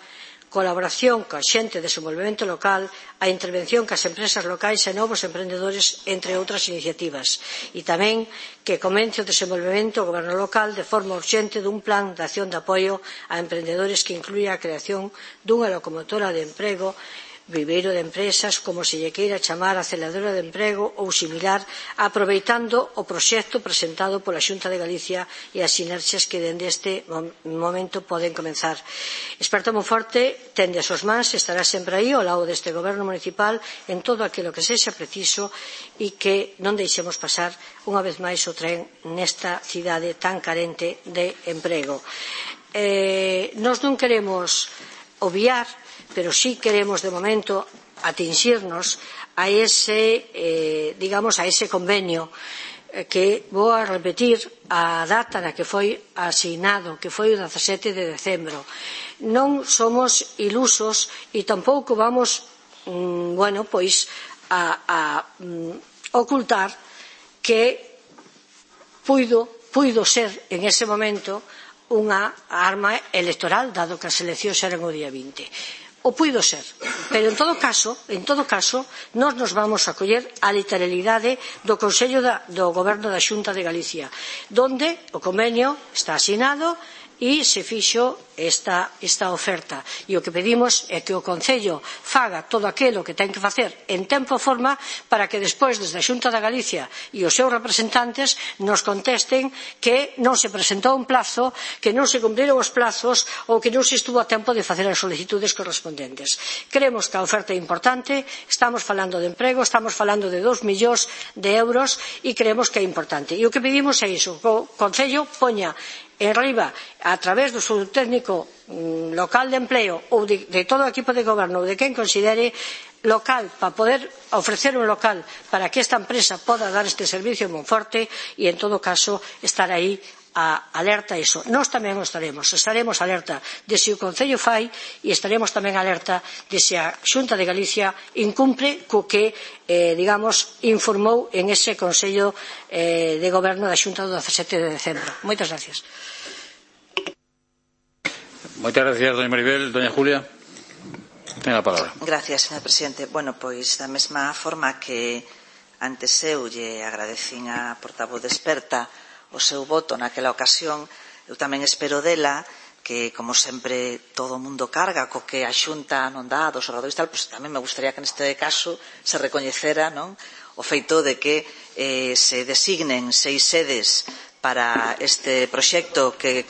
colaboración coa xente de desenvolvemento local, a intervención cas empresas locais e novos emprendedores, entre outras iniciativas. E tamén que comece o desenvolvemento do goberno local de forma urxente dun plan de acción de apoio a emprendedores que incluya a creación dunha locomotora de emprego, viveiro de empresas, como se lle queira chamar, aceleradora de emprego ou similar, aproveitando o proxecto presentado pola Xunta de Galicia e as sinerxias que dende este momento poden comenzar. Experta Monforte tende as súas mans, estará sempre aí ao lado deste goberno municipal en todo aquilo que sexa preciso e que non deixemos pasar unha vez máis o tren nesta cidade tan carente de emprego. Nós non queremos obviar, pero sí queremos de momento atinxirnos a ese, a ese convenio que vou a repetir a data na que foi asignado, que foi o 17 de decembro. Non somos ilusos e tampouco vamos, a ocultar que puido ser en ese momento unha arma electoral, dado que as eleccións eran o día 20. O puido ser, pero en todo caso, nós nos vamos a coller a literalidade do Consello do Goberno da Xunta de Galicia, donde o convenio está asinado e se fixo esta oferta. E o que pedimos é que o Concello faga todo aquilo que ten que facer en tempo e forma para que despois, desde a Xunta de Galicia e os seus representantes, nos contesten que non se presentou un plazo, que non se cumpriron os plazos ou que non se estuvo a tempo de facer as solicitudes correspondentes. Creemos que a oferta é importante, estamos falando de emprego, estamos falando de 2 millóns de euros e creemos que é importante. E o que pedimos é iso, que o Concello poña en riba, a través do seu técnico local de empleo ou de todo o equipo de goberno ou de quen considere local, para poder ofrecer un local para que esta empresa poda dar este servicio en Monforte e, en todo caso, estar aí alerta a iso. Nós tamén estaremos alerta de se o Concello fai e estaremos tamén alerta de se a Xunta de Galicia incumpre co que, informou en ese Consello de Goberno da Xunta do 17 de decembro. Moitas gracias. Moitas gracias, doña Maribel. Doña Julia, ten a palabra. Gracias, señor presidente. Bueno, pois da mesma forma que antes eu lle agradecín a portavoz experta o seu voto naquela ocasión, eu tamén espero dela que, como sempre, todo o mundo carga co que a Xunta non dá dos oradores tal, pois tamén me gustaría que neste caso se recoñecera, non, o feito de que se designen 6 sedes para este proxecto que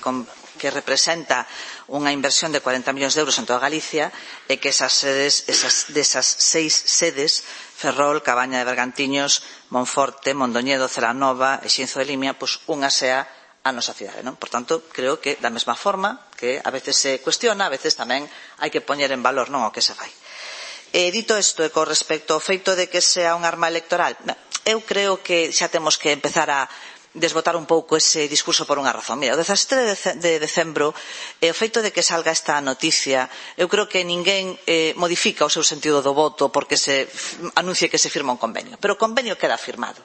representa unha inversión de 40 millóns de euros en toda Galicia e que desas 6 sedes, Ferrol, Cabaña de Bergantiños, Monforte, Mondoñedo, Celanova e Xinzo de Limia, pois unha sea a nosa cidade, non? Por tanto, creo que da mesma forma que a veces se cuestiona, a veces tamén hai que poñer en valor non o que se fai. Dito isto, e con respecto ao feito de que sea un arma electoral, eu creo que xa temos que empezar a desbotar un pouco ese discurso por unha razón. Mira, o 17 de decembro, o feito de que salga esta noticia, eu creo que ninguén modifica o seu sentido do voto porque se anuncie que se firma un convenio. Pero o convenio queda firmado.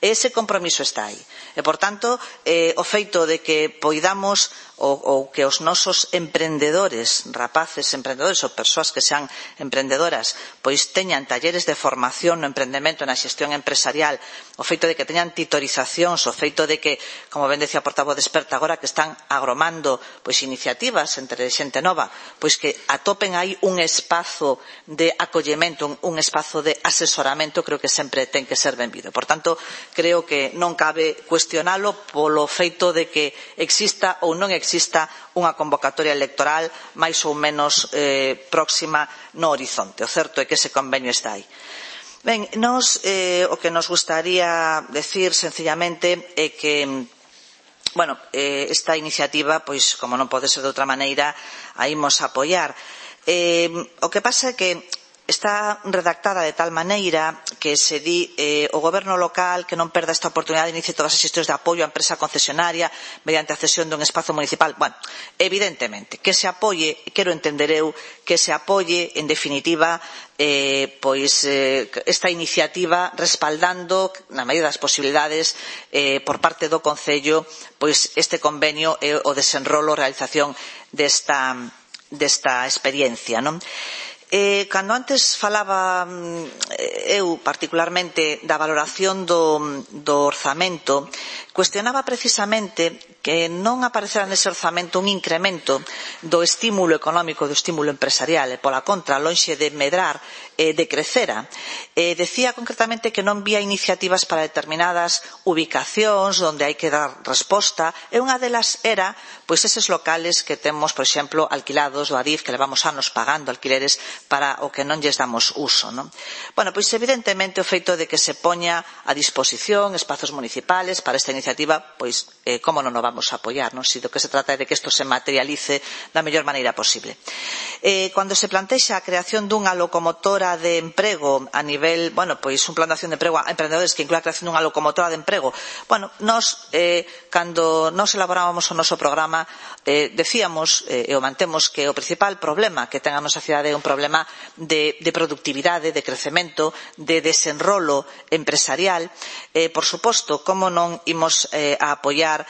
Ese compromiso está aí. E, por tanto, o feito de que poidamos ou que os nosos emprendedores, rapaces emprendedores ou persoas que sean emprendedoras, pois teñan talleres de formación no emprendemento, na xestión empresarial, o feito de que teñan titorizacións, o feito de que, como ben decía a portavoz de Experta, agora que están agromando pois iniciativas entre xente nova, pois que atopen aí un espazo de acollemento, un espazo de asesoramento, creo que sempre ten que ser benvido. Por tanto, creo que non cabe cuestionalo polo feito de que exista ou non exista unha convocatoria electoral máis ou menos próxima no horizonte. O certo é que ese convenio está aí. Ben, o que nos gustaría decir sencillamente é que esta iniciativa, pois, como non pode ser de outra maneira, a imos apoiar. O que pasa é que está redactada de tal maneira que se di o goberno local que non perda esta oportunidade de inicie todas as xestións de apoio á empresa concesionaria mediante a cesión dun espazo municipal. Bueno, evidentemente, que se apoie, quero entender eu, que se apoie, en definitiva, esta iniciativa respaldando, na medida das posibilidades, por parte do Concello, pois este convenio e o desenrolo, realización desta experiencia, non? Cando antes falaba eu particularmente da valoración do orzamento, cuestionaba precisamente que non aparecera nese orzamento un incremento do estímulo económico, do estímulo empresarial, e pola contra, lonxe de medrar, de crecera. Decía concretamente que non vía iniciativas para determinadas ubicacións onde hai que dar resposta, e unha delas era pois eses locales que temos, por exemplo, alquilados do Adif, que levamos anos pagando alquileres para o que non lles damos uso, non? Bueno, pois evidentemente o feito de que se poña a disposición espazos municipales para esta iniciativa, pois como non o vamos a apoiar, non? Si do que se trata é de que isto se materialice da mellor maneira posible. Cando se plantexa a creación dunha locomotora de emprego a nivel, pois un plan de acción de emprego a emprendedores que inclúa a creación dunha locomotora de emprego, nós, cando nos elaborábamos o noso programa, decíamos e o mantemos que o principal problema que ten a nosa cidade é un problema de productividade, de crecemento, de desenrolo empresarial. Por suposto, como non imos a apoiar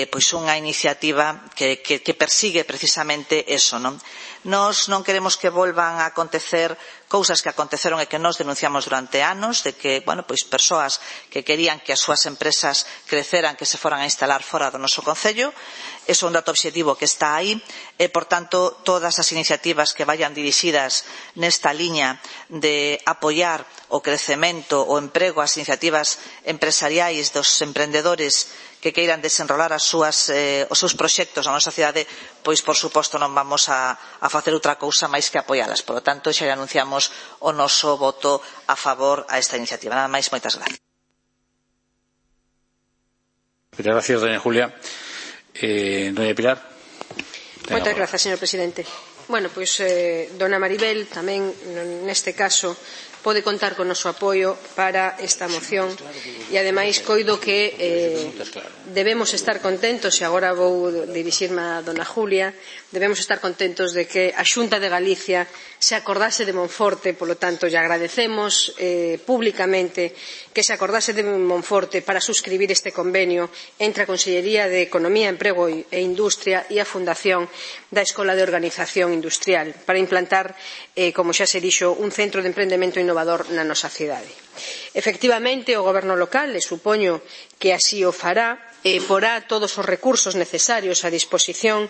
pois unha iniciativa que persigue precisamente eso, non? Nós non queremos que volvan a acontecer cousas que aconteceron e que nós denunciamos durante anos, de que, pois persoas que querían que as súas empresas creceran, que se foran a instalar fora do noso concello. Eso é un dato obxectivo que está aí e, por tanto, todas as iniciativas que vayan dirixidas nesta liña de apoiar o crecemento, o emprego, as iniciativas empresariais dos emprendedores que queiran desenrolar os seus proxectos na nosa cidade, pois, por suposto, non vamos a facer outra cousa máis que apoialas. Por lo tanto, xa anunciamos o noso voto a favor a esta iniciativa. Nada máis, moitas gracias. Gracias, doña Julia. Doña Pilar. Moitas grazas, señor presidente. Pois dona Maribel tamén neste caso pode contar con o noso apoio para esta moción e ademais coido que debemos estar contentos, e agora vou dirixirme a dona Julia, debemos estar contentos de que a Xunta de Galicia se acordase de Monforte, polo tanto lle agradecemos públicamente que se acordase de Monforte para suscribir este convenio entre a Consellería de Economía, Emprego e Industria e a Fundación da Escola de Organización Industrial para implantar, como xa se dixo, un centro de emprendemento innovador na nosa cidade. Efectivamente, o Goberno local, e supoño que así o fará, porá todos os recursos necesarios a disposición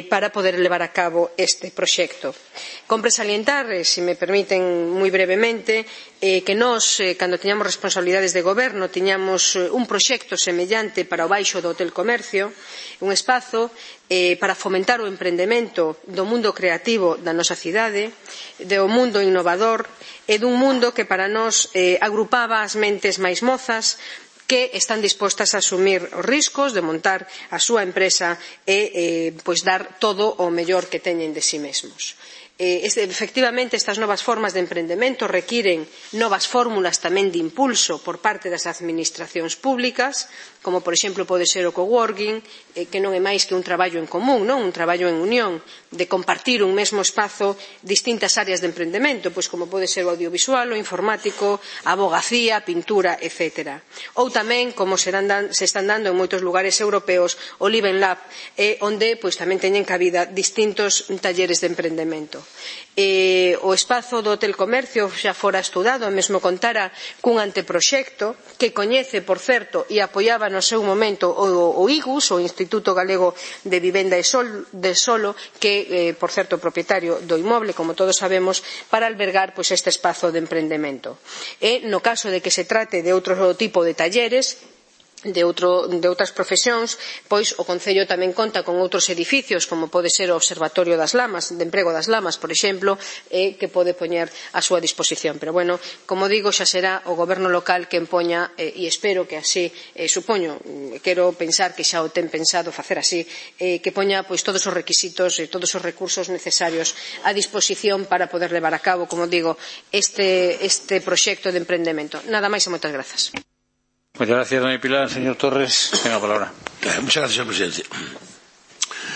para poder levar a cabo este proxecto. Compre salientar, se me permiten moi brevemente, que nós, cando tiñamos responsabilidades de goberno, tiñamos un proxecto semellante para o baixo do Hotel Comercio, un espazo para fomentar o emprendemento do mundo creativo da nosa cidade, do mundo innovador e dun mundo que para nós agrupaba as mentes máis mozas que están dispostas a asumir os riscos de montar a súa empresa e dar todo o mellor que teñen de si mesmos. Efectivamente, estas novas formas de emprendemento requiren novas fórmulas tamén de impulso por parte das administracións públicas, como por exemplo pode ser o coworking, que non é máis que un traballo en común, un traballo en unión, de compartir un mesmo espazo distintas áreas de emprendemento, pois como pode ser o audiovisual, o informático, a avogacía, a pintura, etc. Ou tamén, como se están dando en moitos lugares europeos, o Live Lab, onde tamén teñen cabida distintos talleres de emprendemento. O espazo do Hotel Comercio xa fora estudado, mesmo contara cun anteproxecto que coñece, por certo, e apoiaba no seu momento o IGUS, o Instituto Galego de Vivenda e Solo, que, por certo, propietario do inmoble, como todos sabemos, para albergar este espazo de emprendemento. E, no caso de que se trate de outro tipo de talleres, de outras profesións, pois o Concello tamén conta con outros edificios, como pode ser o Observatorio das Lamas, de Emprego das Lamas, por exemplo, que pode poñer a súa disposición. Pero, bueno, como digo, xa será o Goberno local quen poña, e espero que así, supoño, quero pensar que xa o ten pensado facer así, que poña todos os requisitos e todos os recursos necesarios a disposición para poder levar a cabo, como digo, este proxecto de emprendemento. Nada máis e moitas grazas. Muchas gracias, doña Pilar. Señor Torres, tenga la palabra. Muchas gracias, señor presidente.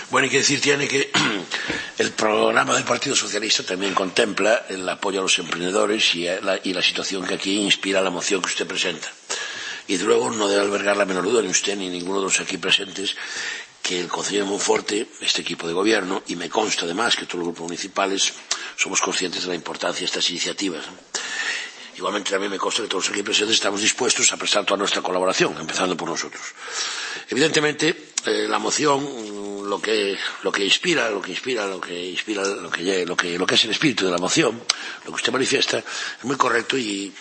Bueno, hay que decir que el programa del Partido Socialista también contempla el apoyo a los emprendedores y la situación que aquí inspira la moción que usted presenta. Y luego no debe albergar la menor duda ni usted ni ninguno de los aquí presentes que el Concello de Monforte, este equipo de gobierno, y me consta además que todos los grupos municipales somos conscientes de la importancia de estas iniciativas. Igualmente también me consta que todos aquí presentes estamos dispuestos a prestar toda nuestra colaboración, empezando por nosotros. Evidentemente, la moción, lo que es el espíritu de la moción, lo que usted manifiesta, es muy correcto y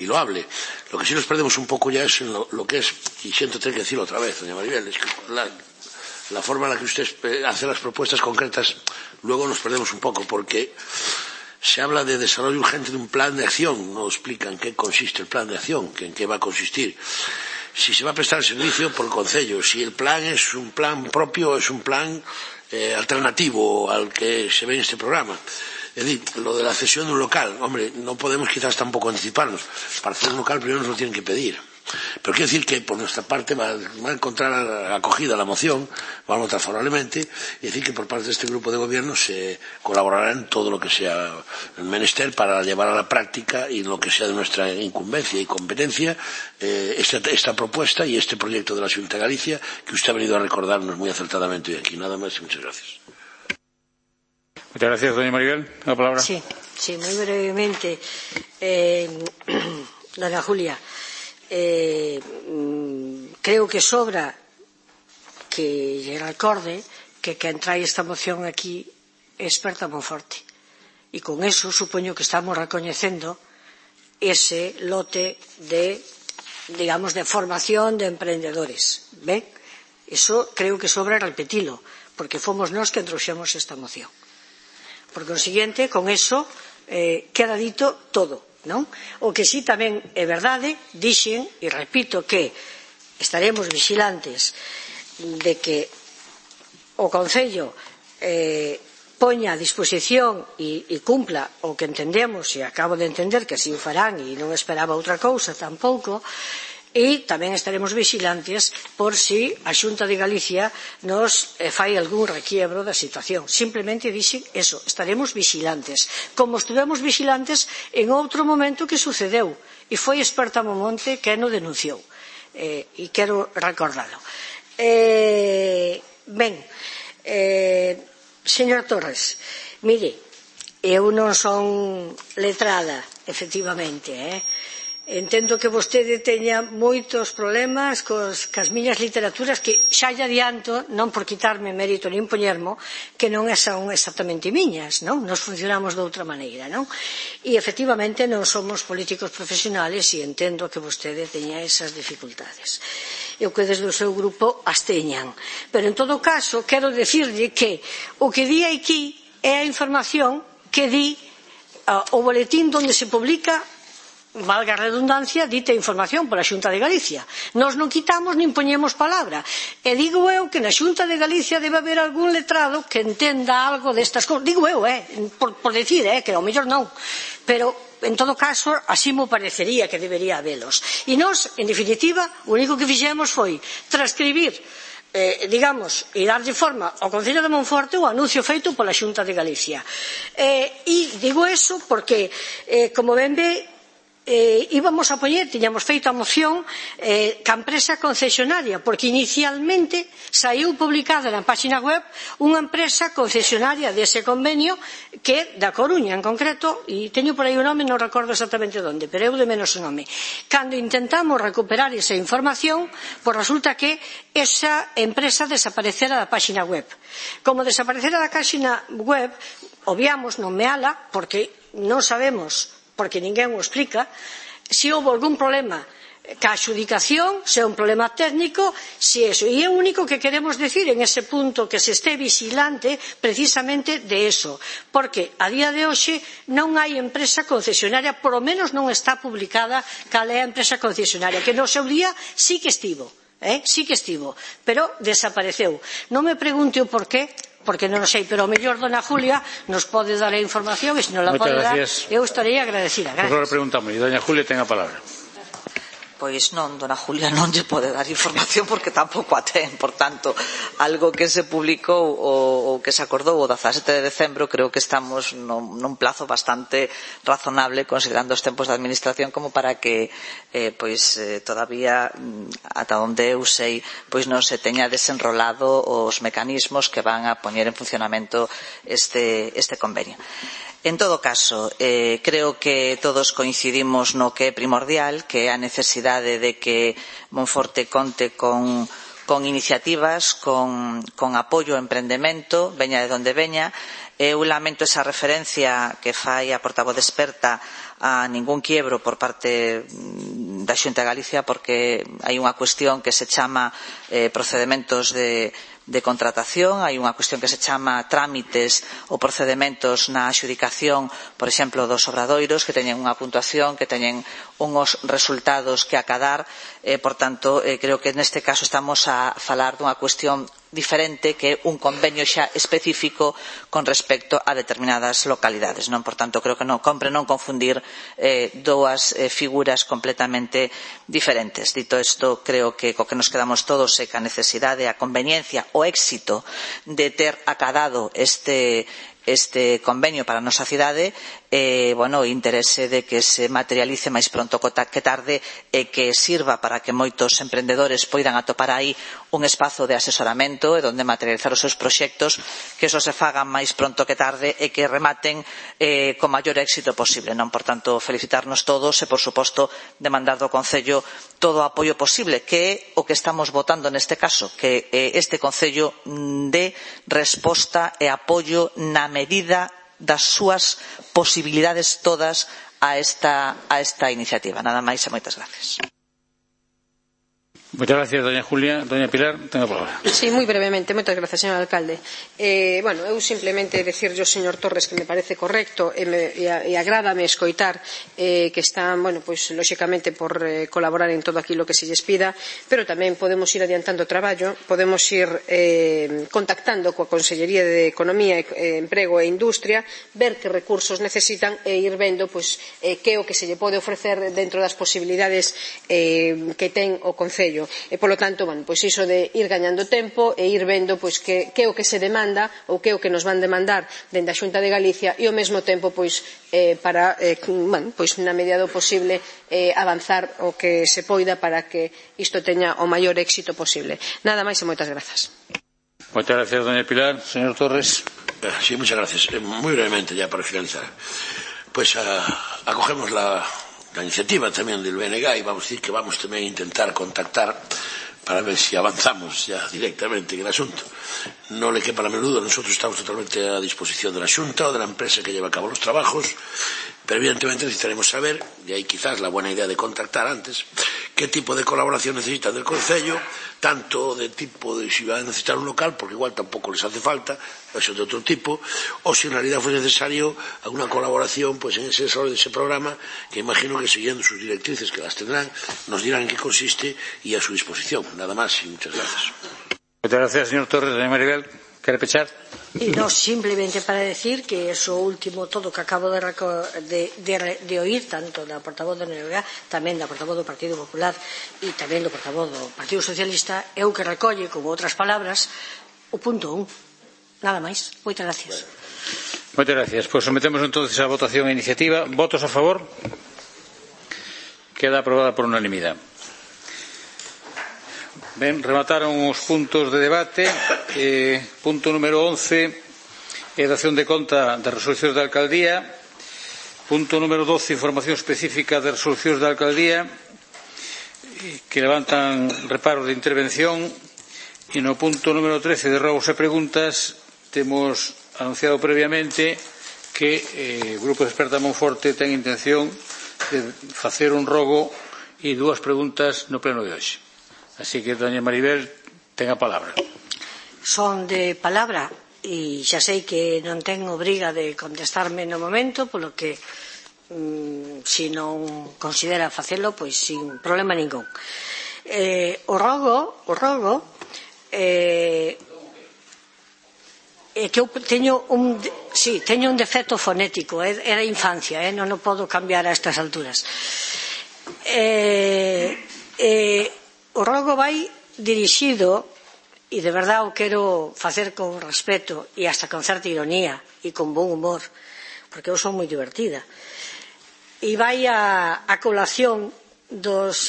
loable. Lo que sí nos perdemos un poco ya es en lo que es, y siento tener que decirlo otra vez, doña Maribel, es que la forma en la que usted hace las propuestas concretas, luego nos perdemos un poco, porque se habla de desarrollo urgente de un plan de acción, no explican en qué consiste el plan de acción, en qué va a consistir, si se va a prestar el servicio por el Concello, si el plan es un plan propio o es un plan alternativo al que se ve en este programa. Es decir, lo de la cesión de un local, hombre, no podemos quizás tampoco anticiparnos. Para hacer un local primero nos lo tienen que pedir. Pero quiero decir que por nuestra parte va a encontrar acogida la moción, va a votar favorablemente, y decir que por parte de este grupo de gobierno se colaborará en todo lo que sea el menester para llevar a la práctica y lo que sea de nuestra incumbencia y competencia esta propuesta y este proyecto de la Xunta de Galicia que usted ha venido a recordarnos muy acertadamente hoy aquí. Nada más y muchas gracias. Muchas gracias, doña Maribel. La palabra. Sí, muy brevemente. Doña Julia, creo que sobra que lle recorde que quen trae esta moción aquí é experta Monforte. E con eso supoño que estamos recoñecendo ese lote de, digamos, de formación de emprendedores. ¿Ven? Eso creo que sobra repetilo, porque fomos nós que trouxemos esta moción. Por consiguiente, con eso queda dito todo, non? O que si tamén é verdade, dixen, e repito, que estaremos vixilantes de que o Concello poña a disposición e cumpla o que entendemos, e acabo de entender que así o farán e non esperaba outra cousa tampouco. E tamén estaremos vixilantes por si a Xunta de Galicia nos fai algún requiebro da situación. Simplemente dixen eso, estaremos vixilantes. Como estivemos vixilantes en outro momento que sucedeu, e foi Experta Monforte que no denunciou. E quero recordalo. Ben, señor Torres, mire, eu non son letrada, efectivamente, Entendo que vostede teña moitos problemas cas miñas literaturas que xa lle adianto, non por quitarme mérito nin poñermo, que non son exactamente miñas, non? Nos funcionamos de outra maneira, non? E efectivamente non somos políticos profesionales e entendo que vostede teña esas dificultades. Eu que desde o seu grupo as teñan. Pero en todo caso, quero dicirlle que o que di aquí é a información que di o boletín onde se publica, valga a redundancia, dita información pola Xunta de Galicia. Nós non quitamos nin poñemos palabra. E digo eu que na Xunta de Galicia debe haber algún letrado que entenda algo destas cousas. Digo eu, por decir, que ao mellor non. Pero, en todo caso, así me parecería que debería habelos. E nós, en definitiva, o único que fixemos foi transcribir digamos, e darlle forma ao Concello de Monforte o anuncio feito pola Xunta de Galicia. E digo eso porque, como ben ve, íbamos a poñer, tiñamos feito a moción ca empresa concesionaria, porque inicialmente saiu publicada na página web unha empresa concesionaria dese convenio que é da Coruña en concreto, e teño por aí o nome, non recordo exactamente onde, pero eu de menos o nome. Cando intentamos recuperar esa información, pois resulta que esa empresa desaparecera da página web. Como desaparecera da página web, obviamos nomeala porque non sabemos, porque ninguén o explica, se houve algún problema ca adxudicación, se é un problema técnico, se é eso. E é o único que queremos decir en ese punto, que se este vigilante precisamente de eso, porque a día de hoxe non hai empresa concesionaria, por lo menos non está publicada cal é a empresa concesionaria, que no seu día sí que estivo, pero desapareceu. Non me pregunte o porqué, porque non o sei, pero o mellor dona Julia nos pode dar a información e se non la pode dar, eu estarei agradecida. Agora preguntamos, e doña Julia ten a palabra. Pois non, dona Julia non lle pode dar información porque tampouco a ten, por tanto, algo que se publicou ou que se acordou o 17 de decembro, creo que estamos nun plazo bastante razonable considerando os tempos de administración como para que todavía ata onde eu sei pois non se teña desenrolado os mecanismos que van a poñer en funcionamento este convenio. En todo caso, creo que todos coincidimos no que é primordial, que é a necesidade de que Monforte conte con iniciativas, con apoio ao emprendemento, veña de onde veña. Eu lamento esa referencia que fai a portavoz experta a ningún quiebro por parte da Xunta de Galicia, porque hai unha cuestión que se chama procedementos de contratación, hai unha cuestión que se chama trámites ou procedementos na adxudicación, por exemplo, dos obradoiros, que teñen unha puntuación, que teñen unhos resultados que acadar, por tanto, creo que neste caso estamos a falar dunha cuestión diferente, que é un convenio xa específico con respecto a determinadas localidades, non? Por tanto, creo que non compre non confundir dúas figuras completamente diferentes. Dito isto, creo que co que nos quedamos todos é que a necesidade, a conveniencia, o éxito de ter acadado este convenio para a nosa cidade, o interese de que se materialice máis pronto que tarde e que sirva para que moitos emprendedores poidan atopar aí un espazo de asesoramento e donde materializar os seus proxectos, que eso se faga máis pronto que tarde e que rematen co maior éxito posible, non? Por tanto, felicitarnos todos e, por suposto, demandar do Concello todo o apoio posible, que é o que estamos votando neste caso, que este Concello dé resposta e apoio na medida das súas posibilidades todas a esta iniciativa. Nada máis e moitas gracias. Muchas gracias, doña Julia. Doña Pilar, ten a palabra. Sí, moi brevemente. Moitas gracias, señor alcalde. Eu simplemente decirlle ao señor Torres que me parece correcto e agrádame escoitar que están, lóxicamente por colaborar en todo aquilo que se lles pida, pero tamén podemos ir adiantando o traballo, podemos ir contactando coa Consellería de Economía, Emprego e Industria, ver que recursos necesitan e ir vendo que é o que se lle pode ofrecer dentro das posibilidades que ten o Concello. E, polo tanto, iso de ir gañando tempo e ir vendo que é o que se demanda ou que é o que nos van demandar dende a Xunta de Galicia e, ao mesmo tempo, para, na medida do posible, avanzar o que se poida para que isto teña o maior éxito posible. Nada máis e moitas grazas. Muchas gracias, doña Pilar. Señor Torres. Sí, muchas gracias. Muy brevemente, ya para finalizar. Pues acogemos iniciativa tamén del BNG, e vamos a decir que vamos tamén a intentar contactar para ver si avanzamos ya directamente en el asunto. No le quepa la menor duda, nosotros estamos totalmente a disposición de la Xunta o de la empresa que lleva a cabo los trabajos, pero evidentemente necesitaremos saber, y ahí quizás la buena idea de contactar antes, qué tipo de colaboración necesitan del Concello, tanto de tipo de si van a necesitar un local, porque igual tampoco les hace falta, eso de otro tipo, o si en realidad fue necesario alguna colaboración pues en ese desarrollo de ese programa, que imagino que siguiendo sus directrices, que las tendrán, nos dirán en qué consiste y a su disposición. Nada más y muchas gracias. Muchas gracias, señor Torres. Doña Maribel, ¿quiere pechar? Y no, simplemente para decir que eso último, todo que acabo de oír, tanto da portavoz da NVA, tamén da portavoz do Partido Popular e tamén do portavoz do Partido Socialista, é o que recolle, con outras palabras, o punto 1. Nada máis. Moitas gracias. Moitas gracias. Pues sometemos entonces a votación a iniciativa. ¿Votos a favor? Queda aprobada por unanimidade. Ben, remataron os puntos de debate. Punto número 11 é dación de conta das resolucións da alcaldía. Punto número 12, información específica das resolucións da alcaldía que levantan reparos de intervención. E no punto número 13 de rogos e preguntas temos anunciado previamente que o Grupo de Experta Monforte ten intención de facer un rogo e 2 preguntas no pleno de hoxe. Así que, doña Maribel, ten a palabra. Son de palabra e xa sei que non ten obriga de contestarme no momento, polo que se non considera facelo, pois sin problema ningún. O rogo é que eu teño un defecto fonético, é da infancia, non o podo cambiar a estas alturas. O rogo vai dirixido, e de verdade o quero facer con respeto e hasta con certa ironía e con bon humor, porque eu son moi divertida, e vai a colación dos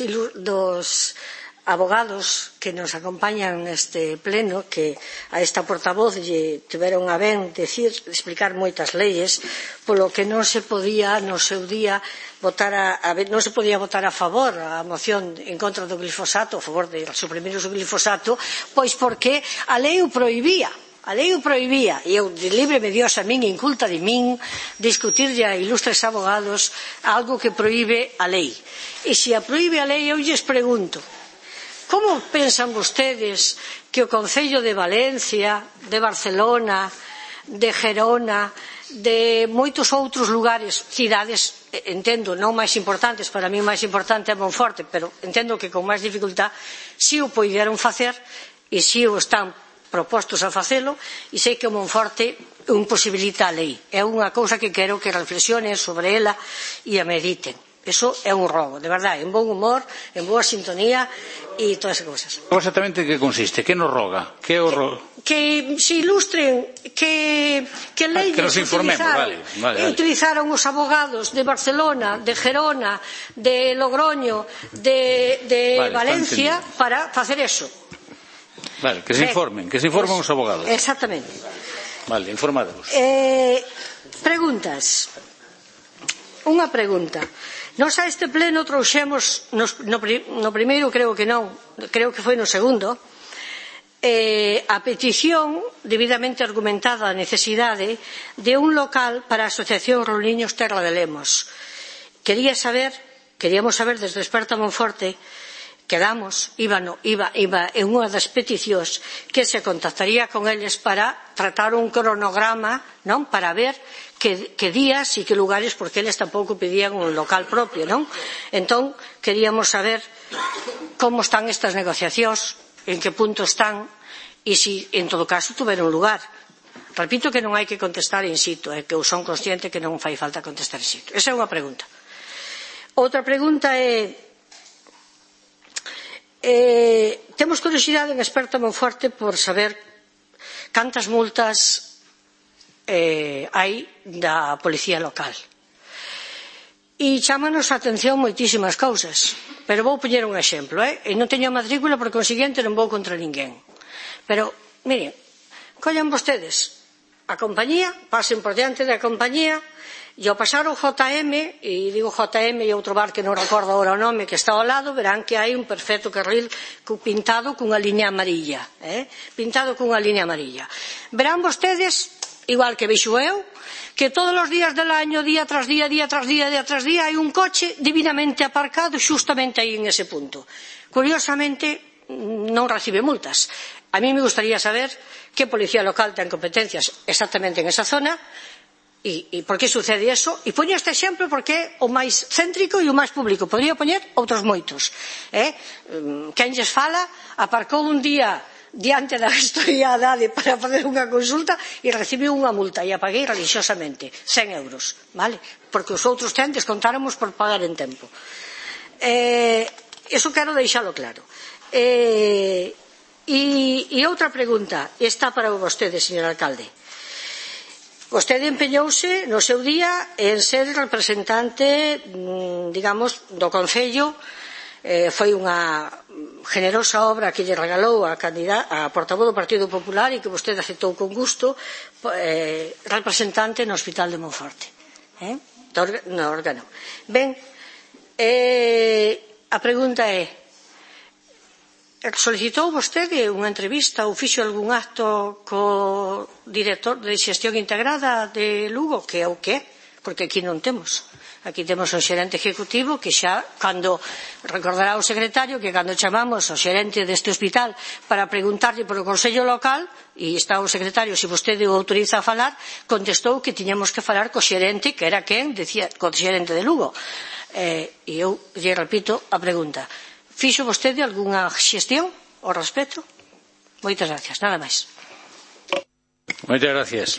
abogados que nos acompañan neste pleno, que a esta portavoz lle tiveron a ben explicar moitas leyes, polo que non se podía no seu día non se podía votar a favor a moción en contra do glifosato, a favor de suprimir o glifosato, pois porque a lei o prohibía. A lei o prohibía, e eu de libre me dios a min, inculta de min, discutirlle a ilustres abogados algo que prohíbe a lei. E se a prohíbe a lei, eu lles pregunto, como pensan vostedes que o Concello de Valencia, de Barcelona, de Gerona, de moitos outros lugares, cidades, entendo, non máis importantes, para mí o máis importante é Monforte, pero entendo que con máis dificultad, si o poideron facer e si o están propostos a facelo, e sei que o Monforte imposibilita a lei. É unha cousa que quero que reflexionen sobre ela e a mediten. Eso é un robo, de verdade, en bon humor, en boa sintonía e todas as cousas. Exactamente que consiste? Que nos roga? Que se ilustren que leyes utilizaron os abogados de Barcelona, de Gerona, de Logroño, de Valencia para facer eso. Vale, que se informen os abogados. Exactamente. Vale, informademos. Preguntas. Unha pregunta. Nos a este pleno trouxemos no primeiro, creo que non, creo que foi no segundo, a petición debidamente argumentada a necesidade de un local para a Asociación Rouliños Terra de Lemos. Queríamos saber desde Experta Monforte, iba en unha das peticións que se contactaría con eles para tratar un cronograma, non, para ver que días e que lugares, porque eles tampouco pedían un local propio, non? Entón, queríamos saber como están estas negociacións, en que punto están, e se, en todo caso, tuveron lugar. Repito que non hai que contestar in situ, que eu son consciente que non fai falta contestar in situ. Esa é unha pregunta. Outra pregunta é, temos curiosidade en Experta Monforte por saber cantas multas hai da policía local. E chámanos a atención moitísimas cousas, pero vou poñer un exemplo, e non teño a matrícula, por consiguiente non vou contra ninguén. Pero, miren, collan vostedes a compañía, pasen por diante da compañía E ao pasar o JM, e digo JM e outro bar que non recordo agora o nome que está ao lado, verán que hai un perfecto carril pintado cunha liña amarilla, pintado cunha liña amarilla. Verán vostedes, igual que vexo eu, que todos os días del año, día tras día, día tras día, día tras día, hai un coche divinamente aparcado xustamente aí en ese punto. Curiosamente, non recibe multas. A mí me gustaría saber que policía local ten competencias exactamente en esa zona e por que sucede eso. E poño este exemplo porque é o máis céntrico e o máis público. Podría poñer outros moitos. Quen lles fala aparcou un día diante da historiadade para facer unha consulta e recibiu unha multa e a paguei religiosamente, 100 euros, vale? Porque os outros descontáramos por pagar en tempo. Eso quero deixalo claro. E outra pregunta, está para vostede, señor alcalde. Vostede empeñouse no seu día en ser representante, digamos, do Concello. Foi unha generosa obra que lle regalou a portavoz do Partido Popular e que vostede aceptou con gusto, representante no Hospital de Monforte, no órgano. Ben, a pregunta é: solicitou vostede unha entrevista ou fixo algún acto co director de xestión integrada de Lugo, que é o que é? Porque aquí non temos. Aquí temos o xerente ejecutivo que xa, cando recordará o secretario que cando chamamos o xerente deste hospital para preguntarlle por o Consello Local, e está o secretario, se vostede o autoriza a falar, contestou que tiñamos que falar co xerente, que era quen, decía, co xerente de Lugo. E eu lle repito a pregunta: fixo vostede algunha xestión ao respecto? Moitas gracias, nada máis. Moitas gracias.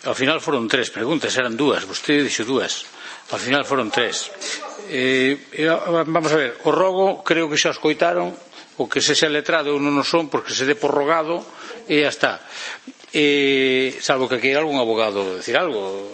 Ao final foron 3 preguntas, eran 2, vostede dixo 2. Ao final foron 3. Vamos a ver, o rogo creo que xa os coitaron, o que se xa letrado non o son porque se dé por rogado e ya está. Salvo que queira algún abogado decir algo.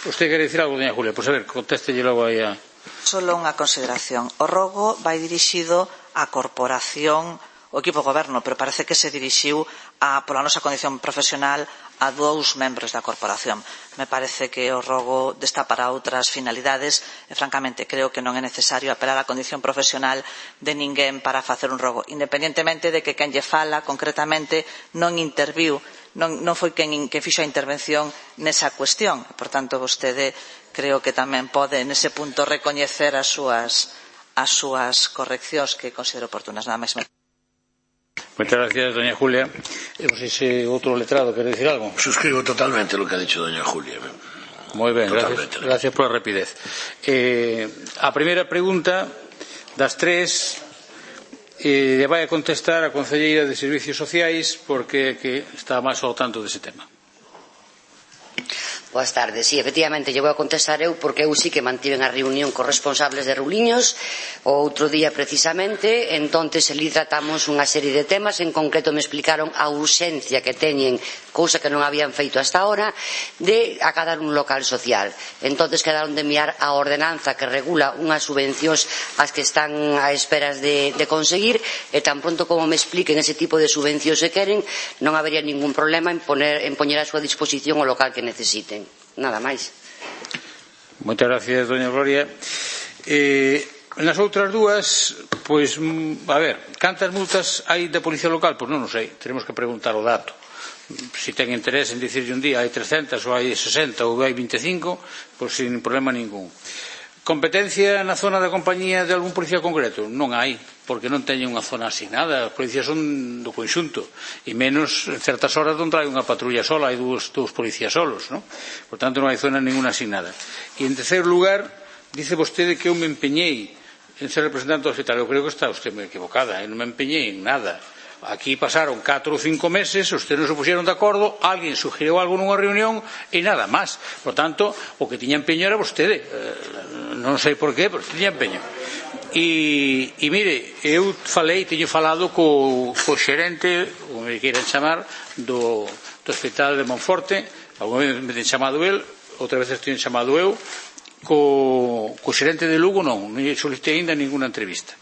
Usted quere decir algo, doña Julia? Pois a ver, contéstelle logo aí a... Solo unha consideración. O rogo vai dirixido á corporación, o equipo de goberno, pero parece que se dirixiu pola nosa condición profesional a 2 membros da corporación. Me parece que o rogo está para outras finalidades e, francamente, creo que non é necesario apelar á condición profesional de ninguén para facer un rogo, independentemente de que quen lle fala concretamente non interviu, non foi quen fixo a intervención nesa cuestión. Por tanto, vostede creo que tamén pode nese punto recoñecer as súas correccións que considero oportunas. Nada máis. Moitas gracias, doña Julia. Non sei se outro letrado quere decir algo. Suscribo totalmente lo que ha dicho doña Julia. Moi ben, gracias pola rapidez. A primeira pregunta das 3 lle vai a contestar a concelleira de Servicios Sociais porque está máis ao tanto dese tema. Boas tardes. Sí, efectivamente, lle vou a contestar eu porque eu sí que mantiven a reunión cos responsables de Ruliños o outro día precisamente, entonces ali tratamos unha serie de temas, en concreto me explicaron a urxencia que teñen, cousa que non habían feito hasta ahora, de acadar un local social. Entonces quedaron de enviar a ordenanza que regula unhas subvencións as que están a esperas de conseguir e tan pronto como me expliquen ese tipo de subvencións se queren, non habería ningún problema en poñer a súa disposición o local que necesiten. Nada máis. Moitas gracias, doña Gloria. Nas outras 2, pois, a ver, cantas multas hai da Policía Local? Pois non o sei, teremos que preguntar o dato. Se ten interés en dicirlle un día hai 300 ou hai 60 ou hai 25, pois sin problema ningún. Competencia na zona da compañía de algún policía concreto? Non hai, porque non teñen unha zona asignada. As policías son do conxunto e menos en certas horas non trae unha patrulla sola, hai dous policías solos, non? Por tanto non hai zona ninguna asignada. E en terceiro lugar, dice vostede que eu me empeñei en ser representante do hospital. Eu creo que está usted moi equivocada, eu non me empeñei en nada. Aquí pasaron 4 ou 5 meses, ustedes non se puxeron de acordo, alguén sugeriu algo nunha reunión e nada máis. Por tanto, o que tiña empeño era vostede. Non sei por qué, pero tiña empeño. E mire, eu teño falado co xerente, como me queiran chamar, do Hospital de Monforte. Alguna vez me ten chamado el, outra vez teño chamado eu. Co xerente de Lugo non solicitei ainda ninguna entrevista.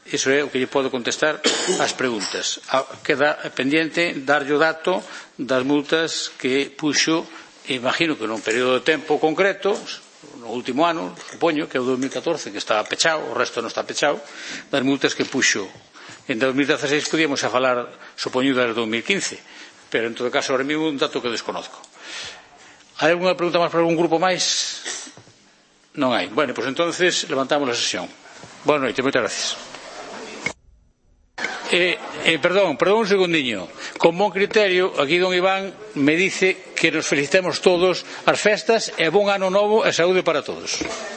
Iso é o que lle podo contestar ás preguntas. Queda pendiente darlle o dato das multas que puxo imagino que nun período de tempo concreto, no último ano, supoño, que é o 2014, que está pechado, o resto non está pechado, das multas que puxo en 2016 podíamos a falar, supoño, das 2015, pero en todo caso, ahora mismo un dato que desconozco. Hai alguna pregunta máis para algún grupo máis? Non hai. Bueno, pues entonces levantamos a sesión. Boa noite, moitas gracias. Perdón un segundiño. Con bon criterio, aquí don Iván me dice que nos felicitemos todos as festas e bon ano novo e saúde para todos.